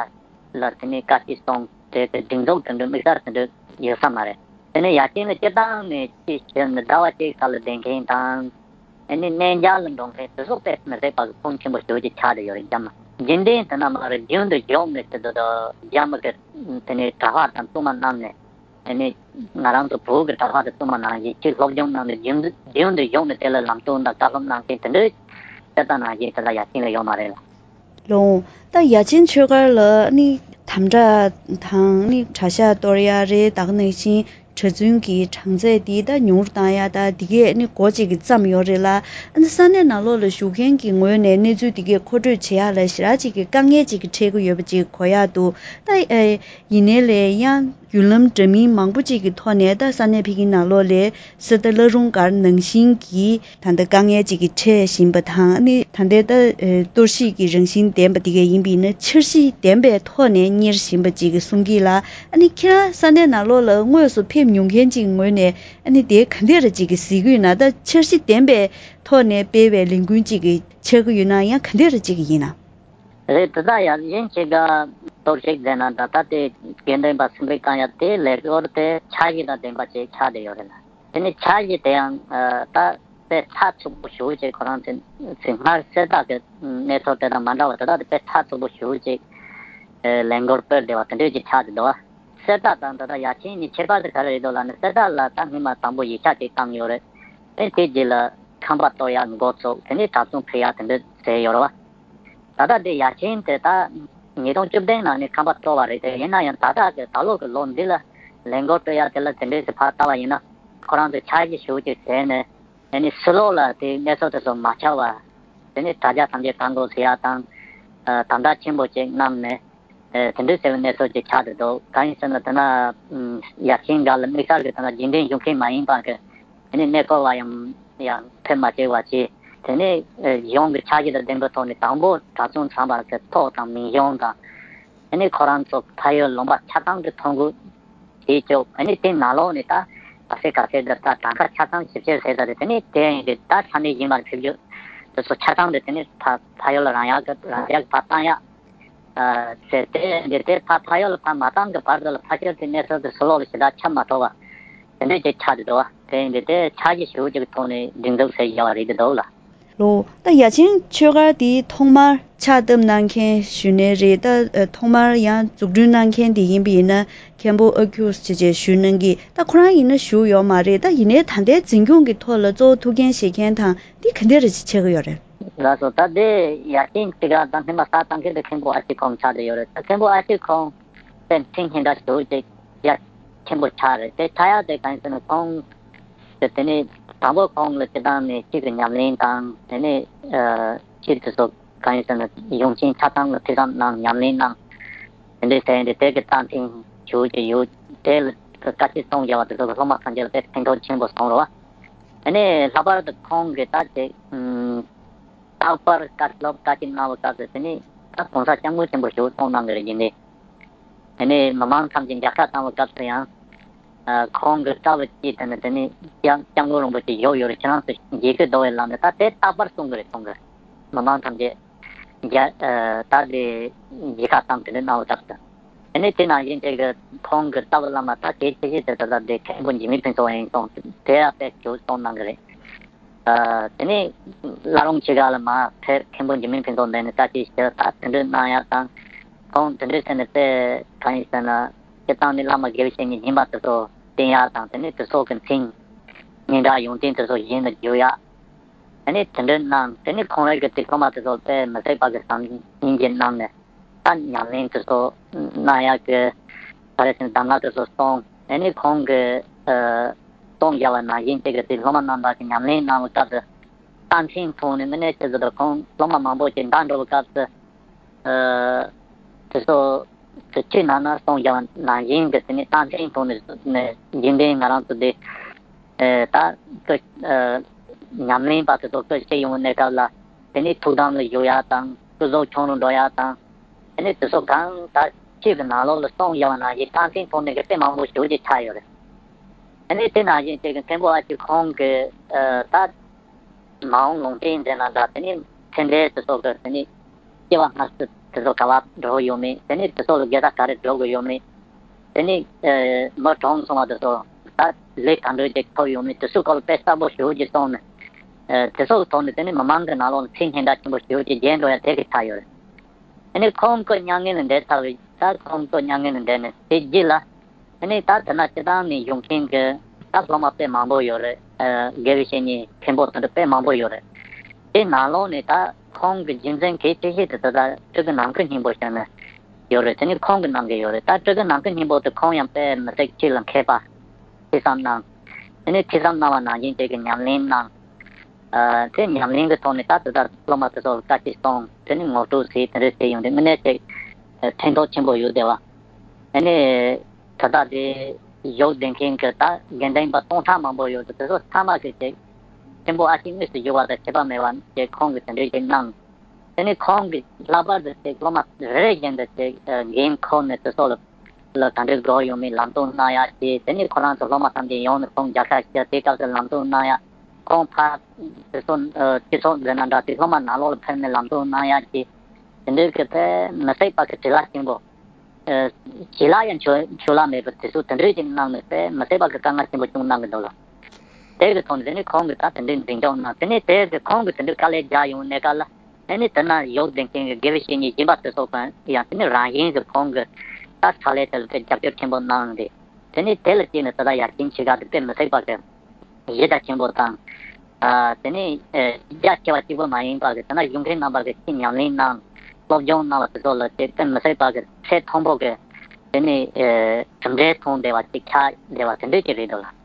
ལ་དེ་ནས་བཀའ་ཁྲིད་གསུང་དེ་གི་སྒྲིག་འཛུགས་དེ་འདྲ་དམིགས་བསལ་དེ་འདྲ་ཡོད་ས་མ་རེད། དེ་ནས་ཡ་ཆེན་ལ་སྤྱིར་བཏང་ནས་ཅིག་ཞུ་ན་ཟླ་བ་གཅིག་ཁ་ལ་བསྡད་མཁན་དང་། ཨ་ནི་གནས་མཇལ་ལ་འགྲོ་མཁན་དེ་ཚོ་དཔེ་མི་སྲིད་པ་གི་ཁོངས་ཆེན་པོ་ཞེ་པོ་ཅིག་ཆགས་བསྡད་ཡོད་རེད། རྒྱ་མི་རྒྱུན་ལྡན་དེ་ན་མ་རེད། རྒྱུན་དུ་བཞུགས་ནས་དེ་ཚོ་རྒྱ་མི་གི་དེ་ནས་གྲྭ་པ་དང་བཙུན་མ་རྣམས་ནས། ཨ་ནི་ང་རང་ཚོ་བོད་ཀྱི་གྲྭ་པ་དང་བཙུན་མ་ནང་བཞིན་ཅིག་སློབ་སྦྱོང་གནང་ནས་རྒྱུན་རྒྱུན་དུ་བཞུགས་ནས་དེ་ལ་ལམ་སྟོན་དང་བཀའ་སློབ་གནང་མཁན་དེ་འདྲའི་གསེར་རྟ་ནང་བཞིན་དེ་ལ་ཡ་ཆེན་ལ་ཡོད་མ་རེད་ལ། ལོང་། ད་ཡ་ཆེན་ཆོས་སྒར་ལ་ནི་དམ་དྲག་དང་ནི་གྲྭ་ཤག་གཏོར་ཡ་རེད། ད་ག་ནང་བཞིན་གྲྭ་བཙུན་གྱི་གྲངས་ཚད་འདི་ད་ཉུང་རུ་བཏང་ཡ་ད་འདི་གས་ནི་འགོ་གཅིག་གི་བརྩམས་ཡོད་རེད་ལ། ཨ་ནི་ས་གནས་ནང་ལོགས་ལ་བཞུགས་མཁན་གྱི་ངོས་ནས་གནས་ཚུལ་འདི་གས་མཁོ་སྤྲོད་བྱེད་ཡ་ལ་ཞེ་དྲག་ཅིག་གི་དཀའ་ངལ་ཅིག་གི་འཕྲད་ཀྱི་ཡོད་པ་ཅིག་གོ་ཡ་འདུག་ད་ཨེ། ཡིན་ནའི་ལས་ཡང་བརྒྱུད་ལམ་འདྲ་མིན་མང་པོ་ཅིག་གི་ཐོག་ནས་ད་ས་གནས་ཕ་གིའི་ནང་ལོགས་ལས་གསེར་རྟ་བླ་རུང་སྒར་ནང་བཞིན་གྱི་ད་ལྟ་དཀའ་ངལ་ཅིག་གི་འཕྲད་བཞིན་པ་དང་། ཨ་ནི་ད་ལྟའི་ད་ཨེ་གཏོར་བཤིག་གི་རང་བཞིན་ལྡན་པ་དེ་གས་ཡིན་པ་ཡིན་ན་འཆར་གཞི་ལྡན་པའི་ཐོག་ནས་གཉེར་བཞིན་པ་ཅིག་གི་གསུང་གི་ལ། ཨ་ནི་ཁྱེད་རང་ས་གནས་ནང་ལོགས་ལ་དངོས་སུ་ཕེབས་མྱོང་མཁན་ཅིག་ངོས་ནས་ཨ་ནི་དེ་ག་འདྲ་རེ་ཅིག་གི་གཟིགས་ཡོད་ན། ད་འཆར་གཞི་ལྡན་པའི་ཐོག་ནས་སྤེལ་བའི་ལས་འགུལ་ཅིག་གི་ཆགས་ཀྱི་ཡོད་ན་ཡང་ག་འདྲ་རེ་ཅིག་གི་ཡིན་ན། རེད། དེ་དག་ཡང་གཞན་ཞིག་ག་གཏོར་བཤིག་མཛད་ན་འདྲ། ད་དེ་དགེ་འདུན་པ་སེམས་པའི་བཀང་ཡ་དེ་ལས་སྐོར་དེ་འཆར་གཞི་དང་ལྡན་པ་ཅིག་ཆགས་བསྡད་ཡོད་རེད་ལ། དེ་ནས་འཆར་གཞི་དེ་ཡང་ད་དཔེ་ཚགས་ཚུད་པོ་ཞེ་པོ་ཅིག་ཁོ་རང་ཚོས་ཚེ་སྔར་གསེར་རྟ་གི་གནས་ཚུལ་དེ་དང་མ་འདྲ་བ་དེ་དག་དེ་དཔེ་ཚགས་ཚུད་པོ་ཞེ་པོ་ཅིག་ ལས་འགུལ་སྤེལ་བསྡད་པ་དེ་འདྲས་ཅིག་ཆགས་བསྡད་འདུག་བ། གསེར་རྟ་དང་ད་ལྟ་ཡ་ཆེན་གཉིས་ཁྱད་པར་དེ་ག་རེ་རེད་འདུག་ལབ་ན། གསེར་རྟ་ལ་ད་སྔོན་མ་དང་པོ་ཡིག་ཆ་ཅིག་བཏང་ཡོད་རེད། ཨེ་དེ་རྗེས་ལ་ཁང་པ་གཏོར་ཡག་འགོ་ཚུགས། དེ་ནས་གྲྭ་བཙུན་ཕུད་ཡག་དེ་འདྲས་བཟོས་ཡོད་རེད་བ། ད་ལྟ་དེ་ཡ་ཆེན་དེ་ད་ཉིས་སྟོང་བཅུ་བདུན་ནང་ནས་ཁང་པ་གཏོར་བ་རེད་དེ། ཡིན་ན་ཡང་ད་ལྟ་གི་ད་ལོ་གི་ལོ་འདི་ལ་ལས་འགུལ་སྤེལ་ཡག་དེ་ལ་དེ་འདྲས་ཀྱི་ཕར་ལྟ་བ་ཡིན་ན། ཁོ་རང་ཚོས་འཆར་གཞི་ཞེ་པོ་ཅིག་བཟོས་ནས། དེ་ནས་ཕྱི་ལོགས་ལ་དེ་གནས་ཚུལ་དེ་ཚོ་མ་ཁྱབ་པ། དེ་ནས་དྲ་རྒྱ་ཐམས་ཅད་བཀག་འགོག་བྱེད་ཡག་དང་། ཨ་དམ་དྲག་ཆེན་པོ་ཅིག་གནང་ནས། ཨ་དེ་འདྲ་ཟེར་བའི་གནས་ཚུལ་ཅིག་ཆགས་བསྡད་འདུག་གང་ཡིན་ཟེར་ན། དེ་ན་ཨམ་ཡ་ཆེན་སྒང་ལ་དམིགས་བསལ་གྱི་དེ་ན་རྒྱུན་ལྡན་བཞུགས་མཁན་མ་ཡིན་པ་གི་དེ་ནས་གནས་སྐོར་བ་ཡང་ཡང་ཕེབས་མ་བྱས་པ་བྱས། དེ་ནས་ཨ་གཞུང་གི་འཆར་གཞི་དང་ལྡན་པའི་ཐོག་ནས་དང་པོ་གྲྭ་བཙུན་ཚང་མ་གི་ཐོག་དང་མིང་གཞུང་དང་། དེ་ནས་ཁོ་རང་ཚོ་ཕ་ཡུལ་ལུང་པ་ཆ་ཚང་གི་ཐོ་འགོད་བྱེད་ཆོག་ཨ་ནི་དེ་ནང་ལོགས་ནས་ད་ག་ཚད་ག་ཚད་འདིར་ད་གྲངས་ཀ་ཆ་ཚང་ཞིབ་བཤེར་བྱས་ད་རེད། དེ་ནས་དེ་ཡིན་དུས་ད་ས་གནས་གཞན་པར་ཕེབས་རྒྱུ་དེ་ཚོ་ཆ་ཚང་དེ་དེ་ནས་ཕ་ཕ་ཡུལ་ལ་རང་ཡག་གི་རང་ཡག་གི་ཕར་བཏང་ཡག་ཨ་ཟེར་ཏེ། འདི་དེ་ཕ་ཕ་ཡུལ་ལ་ཕར་མ་བཏང་གི་བར་དུ་ལ་ཕ་ཤུལ་དེ་གནས་ཚུལ་དེ་ཕྱི་ལོགས་ལ་ཞེ་དྲག་ཁྱབ་མ་ཐུབ་པ་དེ་འདྲས་ཅིག་ཆགས་འདུག་བ། དེ་ཡིན་དུས་དེ་འཆར་གཞི་ཞེ་པོ་ཅིག་གི་ཐོག་ནས་སྒྲིག་འཛུགས་བྱས་བཞག་པ་རེད་འདུག་ལ། ལོ། ད་ཡ་ཆེན་ཆོས་སྒར་འདི་ཐོག་མར་ཕྱག་བཏབ་གནང་མཁན་ཞུས་ནའི་རེད། ད་ཨ་ཐོག་མར་ཡང་འཛུགས་སྐྲུན་གནང་མཁན་དེ་ཡིན་པ་ཡིན་ན། མཁན་པོ་ཨ་ཁུ་བྱས་བྱས་ཞུས་གནང་གི། ད་ཁོ་རང་ཡིན་ན་བཞུགས་ཡོད་མ་རེད། ད་ཡིན་ནའི་ད་ལྟའི་འཛིན་སྐྱོང་གི་ཐོག་ལ་གཙོ་བོ་ཐུགས་འགན་བཞེས་མཁན་དང་འདི་ག་འདྲ་རེ་ཅིག་ཆགས་ཀྱི་ཡོད་རེད། ལགས་སོ། ད་དེ་ཡ་ཆེན་ཆོས་སྒར་ད་སྔོན་མ་ཕྱག་བཏབ་མཁན་དེ་མཁན་པོ་ཨ་ཅེ་ཁོང་ཆགས་བསྡད་ཡོད་རེད། ད་མཁན་པོ་ཨ་ཅེ་ཁོང་དེ་མཚན་སྙན་གྲགས་ཞེ་པོ་ཅིག་ཡ་ཆེན་པོ་ཆགས་རེད། དེ་ཆགས་ཡག་དེ་གང་ཡིན་ཟེར་ན། ཁོང་དེ་དེ་ནས་དང་པོ་ཁོང་ལ་སྤྱིར་བཏང་ནས་ཆོས་ཀྱི་ཉམས་ལེན་དང་། དེ་ནས་ཨ་ཆོས་དེ་ཚོ་གང་ཡིན་ཟེར་ན་གཞུང་ཆེན་ཆ་ཚང་ལ་ཐོས་བསམ་གནང་། ཉམས་ལེན་གནང་། དེ་འདྲའི་ཟེར་ཡིན་དུས་དེ་གི་རྩ་ཕན་ཞེ་པོ་ཅིག་ཡོད། དེ་ལ་བཀའ་ཆོས་གསུང་རྒྱག་པ་དེ་ཚོ་གི་སློབ་མ་ཐམས་ཅད་ལ་དཔེ་ཕན་ཐོགས་ཆེན་པོ་སོང་རེད་བ། དེ་ནས་ལྷག་པར་དུ་ཁོང་གིས་ད་ཅིག་ཨམ། རྟག་པར་བཀའ་སློབ་བཀའ་ཆོས་གནང་བའི་སྐབས་སུ་དེ་ནས་ད་གོང་ས་སྐྱབས་མགོན་ཆེན་པོ་ཞེ་པོ་གསུངས་གནང་གི་རེད། རྒྱུན་ལྡན། དེ་ནས་མི་མང་ཐམས་ཅད་མཇལ་ཁ་བཏང་བའི་སྐབས་སུ་ཡང་ཨ་ཁོང་གི་རྩ་བ་གཅིག་དེ་ནི་དེ་ནས་སྐྱབས་སྐྱབས་མགོན་རིན་པོ་ཆེ་བཞུགས་ཡོད་རེད། ཁྱེད་རང་ཚོ་མཇལ་ཁ་བསྡུ་བའི་ལམ་ནས། ད་དེ་རྟག་པར་གསུང་གི་རེད། གསུང་གི། མི་མང་ཐམས་ཅད་མཇལ་ཨ་ད་དེ་མཇལ་ཁ་བཏང་དེ་འདྲ་གནང་བའི་སྐབས་སུ། དེ་ནས་དེ་ནང་བཞིན་དེ་གི་ཁོང་གི་རྩ་བའི་བླ་མ་ད་གལ་ཆེ་ཤོས་དེ་ད་ལྟ་དེ་མཁན་པོ་འཇིགས་མེད་ཕུན་ཚོགས་ཡིན་གསུངས། དེ་ཡང་དཔེ་ཞེ་པོ་གསུངས་གནང་གི་རེད། ཨ་དེ་ནས་བླ་རུང་ཆོས་སྒར་ལ་མར་ཕེབས། མཁན་པོ་འཇིགས་མེད་ཕུན་ཚོགས་མདུན་ནས་བཀའ་ཆོས་ཞུ། ད་དེ་འདྲ་གནང་ཡག་དང་། ཁོང་དེ་འདྲ་ཟེར་ནས་དཔེ་གང་ཡིན་ཟེར་ན། སྤྱིར་བཏང་ནས་བླ་མ་དགེ་བའི་བཤེས་གཉེན་ཡིན་པ་དེ་ཚོ་བསྟེན་ཡག་དང་། དེ་ནས་དེ་ཚོ་གི་མཚན་སྙན་གྲགས་ཡོན་ཏན་དེ་ཚོ་གཞན་ལ་བརྗོད་ཡག། དེ་ནས་དེ་འདྲ་གནང་། དེ་ནས་ཁོང་རང་གི་དེ་སློབ་མ་དེ་ཚོ་དཔེ་མི་ཟད་པ་གི་བཟང་སྙིང་རྗེ་གནང་ནས། ད་ཉམས་ལེན་དེ་ཚོ་གནང་ཡག་གི་ག་རེ་ཟེར་ན་གདམས་ངག་དེ་ཚོ་གསུངས། དེ་ནས་ཁོང་གི་ཨ་གསུང་རྒྱག་པ་ནང་བཞིན་དེ་གི་དེ་སློབ་མ་རྣམ་པ་གི་ཉམས་ལེན་གནང་བའི་སྐབས་སུ་རྟ་མཆན་ཐོག་ནས་དངོས་གནས་ཆེད་དུ་ཁོང་སློབ་མ་མང་པོ་ཞིག་འདྲ་འགྲོ་བའི་སྐབས་སུ། ཨ་དེ་ཚོ་དེ་ཆོས་ནང་ན་གསུང་རྒྱག་པ་ནང་བཞིན་གི་དེ་ནས་རྟ་མཆན་ཐོག་ནས་ནས་རྒྱུན་ལྡན་ང་རང་ཚོ་དེ་ཨ་ད་སྐུ་ཨ་ཉམས་ལེན་པ་དེ་ཚོ་སྐུ་ཞིག་ཡོང་བའི་གནས་སྐབས་ལ། དེ་ནས་ཐུགས་དམ་ལ་བཞུགས་ཡག་དང་། སྐུ་གཟུགས་ཆུང་རུ་འགྲོ་ཡག་དང་། དེ་ནས་དེ་ཚོ་གང་ད་ཆོས་ཀྱི་ནང་ལོགས་ལ་གསུང་རྒྱག་པ་ནང་བཞིན་རྟ་མཆན་ཐོག་ནས་གི་དཔེ་མང་པོ་ཞེ་པོ་ཅིག་ཆགས་ཡོད་རེད། དེ་ནས་དེ་ནང་བཞིན་དེ་གི་མཁན་པོ་ཨ་ཅེ་ཁོང་གི་ཨ་ད་མ་འོངས་ལུང་བསྟན་མཛད་ན་འདྲ། དེ་ནས་མཚན་འབྲེལ་དེ་ཚོ་གི་དེ་ནས་སྐྱེ་བ་སྔ་ཕྱི་དེ་ཚོ་ག་པར་འགྲོ་ཡོད་མེད། དེ་ནས་དེ་ཚོ་ལ་དགེ་རྩ་ག་རེ་སྒྲུབ་དགོས་ཡོད་མེད། དེ་ནས་ཨ་མི་གྲོངས་སོང་བ་དེ་ཚོ་ད་ལས་ག་འདྲ་ཅིག་ཐོབ་ཡོད་མེད། དེ་ཚོའི་སྐོར་ལ་དཔེ་གསལ་པོ་ཞེ་པོ་ཅིག་གསུངས་ནས། ཨ་དེ་ཚོ་གི་ཐོག་ནས་དེ་ནས་མི་མང་གི་ནང་ལོགས་ལ་མཚན་སྙན་གྲགས་ཆེན་པོ་ཞེ་པོ་ཅིག་རྒྱས་འགྲོ་ཡག་དེ་གི་ཆགས་ཡོད་རེད། དེ་ནས་ཁོང་སྐུ་མྱ་ངན་ལས་འདས་ཚར་བའི། ད་ཁོང་སྐུ་མྱ་ངན་ལས་འདས་ནས་དེ་རྗེས་ལ། དེ་ནས་ད་དེ་ན་སྤྱིར་བཏང་ནས་བཞུགས་མཁན་གྱི་ད་སློབ་མ་དཔེ་མང་པོ་ཡོད་རེད། ཨ་དགེ་བའི་བཤེས་གཉེན་མཁན་པོ་དེ་འདྲ་དཔེ་མང་པོ་ཡོད་རེད། དེ་ནང་ལོགས་ནས་ད་ཁོང་གི་རྒྱུན་འཛིན་གལ་ཆེ་ཤོས་དེ་ད་ལྟ་སྤྲུལ་སྐུ་ནམ་མཁའི་སྙིང་པོ་ཞེས་ནས་ཡོད་རེད། དེ་ནས་ཁོང་གིས་གནང་གི་ཡོད་རེད། ད་སྤྲུལ་སྐུ་ནམ་མཁའི་སྙིང་པོ་དེ་ཁོང་ཡང་དཔེ་མི་སྲིད་ཆོས་ལ་མཁས་པ། ཐོས་བསམ་གནང་། དེ་ནས་ཐོས་བསམ་གནང་བ་ནང་བཞིན་དེ་གི་ཉམས་ལེན་གནང་། ཨ་དེ་ཉམས་ལེན་གྱི་ཐོག་ནས་ད་དེ་དག་སློབ་མ་དེ་ཚོ་ལ་བཀའ་ཆོས་གསུངས། དེ་ནས་ངོ་སྤྲོད་བྱས། དེ་འདྲ་བྱས་ཡོང་དུས་དངོས་གནས་ཅིག་ཕན་ཐོགས་ཆེན་པོ་ཡོད་བསྡད་པ། དེ་ནས་ད་ལྟ་དེ་བཞུགས་བསྡད་མཁན་གྱི་ད་དགེ་འདུན་པ་སྟོང་ཕྲག་མང་པོ་ཡོད་དུས། དེ་ཚོ་ཚང་མ་གིས་ཅིག་མཁན་པོ་ཨ་ཅེ་དངོས་སུ་བཞུགས་པ་དང་ཁྱད་པར་མེད་པ་ཅིག་ཁོང་གིས་དེ་འདྲ་ཅིག་གནང་། དེ་ནས་ཁོང་གིས་ལྷག་པར་དུ་ཅིག་སློབ་མ་རེ་རེ་བཞིན་དུ་ཅིག་ཨ་འགན་འཁུར་ནས་དེ་ཚོ་ལ་ལ་ག་འདྲ་དགོས་ཡོད་མེད་ལམ་སྟོན་གནང་ཡག་བྱས། དེ་ནས་ཁོ་རང་ཚོ་སློབ་མ་ཐམས་ཅད་ཡོང་ནས་ཁོང་མཇལ་ཁ་བྱས། དེ་སྐབས་སུ་ལམ་སྟོན་གནང་ཡག། ཁོང་ཕར་དེ་ཚོ་ཨ་སྤྱི་ཚོགས་མཛད་ན་འདྲ། དེ་སློབ་མ་ནང་ལོགས་ལ་ཕེབས་ནས་ལམ་སྟོན་གནང་ཡག་བྱས། དེ་འདྲའི་གི་དཔེ་མི་སྲིད་པ་གི་བྱིན་རླབས་ཆེན་པོ། ཨ་བྱིན་རླབས་ཡང་བྱིན་བྱིན་རླབས་མེད་པ་དེ་ཚོ་དེ་འདྲའི་ཅིག་གནང་ནས་དཔེ་མི་སྲིད་པ་གི་དཀའ་ངལ་ཆེན་པོ་བྱུང་གནང་གི་འདུག་ལ། དེ་གི་ཐོག་ནས་དེ་ནས་ཁོང་གིས་ད་དེ་འདྲའི་འཛིན་སྐྱོང་གནང་། དེ་ནས་དེ་གི་ཁོང་གིས་དེ་འདྲའི་དཀའ་ལས་རྒྱག་ཡོང་གནས་སྐབས་ལ། ཨ་ནི་དེ་ན་ཡོག་འདོན་མཁན་གྱི་དགེ་བའི་བཤེས་གཉེན་གཞན་པ་དེ་ཚོ་གང་ཡང་དེ་ནི་རང་བཞིན་གྱི་ཁོང་གི་ད་ཕྱག་ལས་དེ་ལ་དཔེ་རྒྱབ་སྐྱོར་ཆེན་པོ་གནང་རེད། དེ་ནི་དེ་ལ་བརྟེན་ནས་ད་ལྟ་ཡར་རྒྱས་ཆེ་ག་དེ་དཔེ་མི་སྲིད་པ་གི་གཞི་རྒྱ་ཆེན་པོ་དང་། ཨ་དེ་ནི་ཨ་རྒྱ་ཆེ་བ་གཅིག་པུ་མ་ཡིན་པ་གི་དེ་ན་གཞུང་འབྲེལ་རྣམ་པ་གི་ཅི་ཉམས་ལེན་གནང་། སློབ་སྦྱོང་གནང་བ་དེ་ཚོ་ལ་དེ་དཔེ་མི་སྲིད་པ་གི་ཚད་མཐོན་པོ་གི་དེ་ནི་ཨ་གྲུབ་འབྲས་མཐོང་བསྡད་པ་ཅིག་ཆགས་བསྡད་པ་དེ་འདྲ་ཅིག་རེད་འདུག་ལ།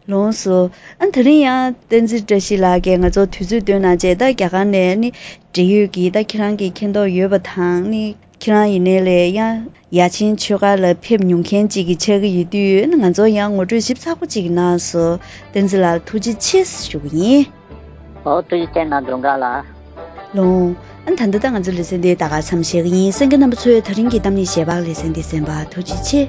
ལགས་སོ། ཨ་དེ་རིང་ཡང་བསྟན་འཛིན་བཀྲ་ཤིས་ལགས་ཀྱིས་ང་ཚོར་དུས་ཚོད་བཏོན་གནང་བྱས། ད་རྒྱ་གར་ནས་ནི་འབྲེལ་ཡོད་ཀྱི་ད་ཁྱེད་རང་གིས་མཁྱེན་རྟོགས་ཡོད་པ་དང་ནི་ཁྱེད་རང་ཡིན་ནའི་ལས་ཡང་ཡར་ཆེན་ཆོས་སྒར་ལ་ཕེབས་མྱོང་མཁན་ཅིག་གི་ཆགས་ཀྱི་ཡོད་དུས་ནི་ང་ཚོར་ཡང་ངོ་སྤྲོད་ཞིབ་ཚགས་པོ་ཅིག་གནང་སོང་། བསྟན་འཛིན་ལགས་ཐུགས་རྗེ་ཆེ་ཞུ་གི་ཡིན། ཨོ་ཐུགས་རྗེ་ཆེ་གནང་། སྒྲོལ་དཀར་ལགས། ལགས། ཨ་ད་ལྟ་ད་ང་ཚོ་ལེ་ཚན་འདི་ད་ག་མཚམས་བཞག་གི་ཡིན། གསན་མཁན་རྣམ་པ་ཚོས་ད་རིང་གི་གཏམ་གླེང་ཞལ་འབག་ལེ་ཚན་འདི་གསན་པར་ཐུགས་རྗེ་ཆེ།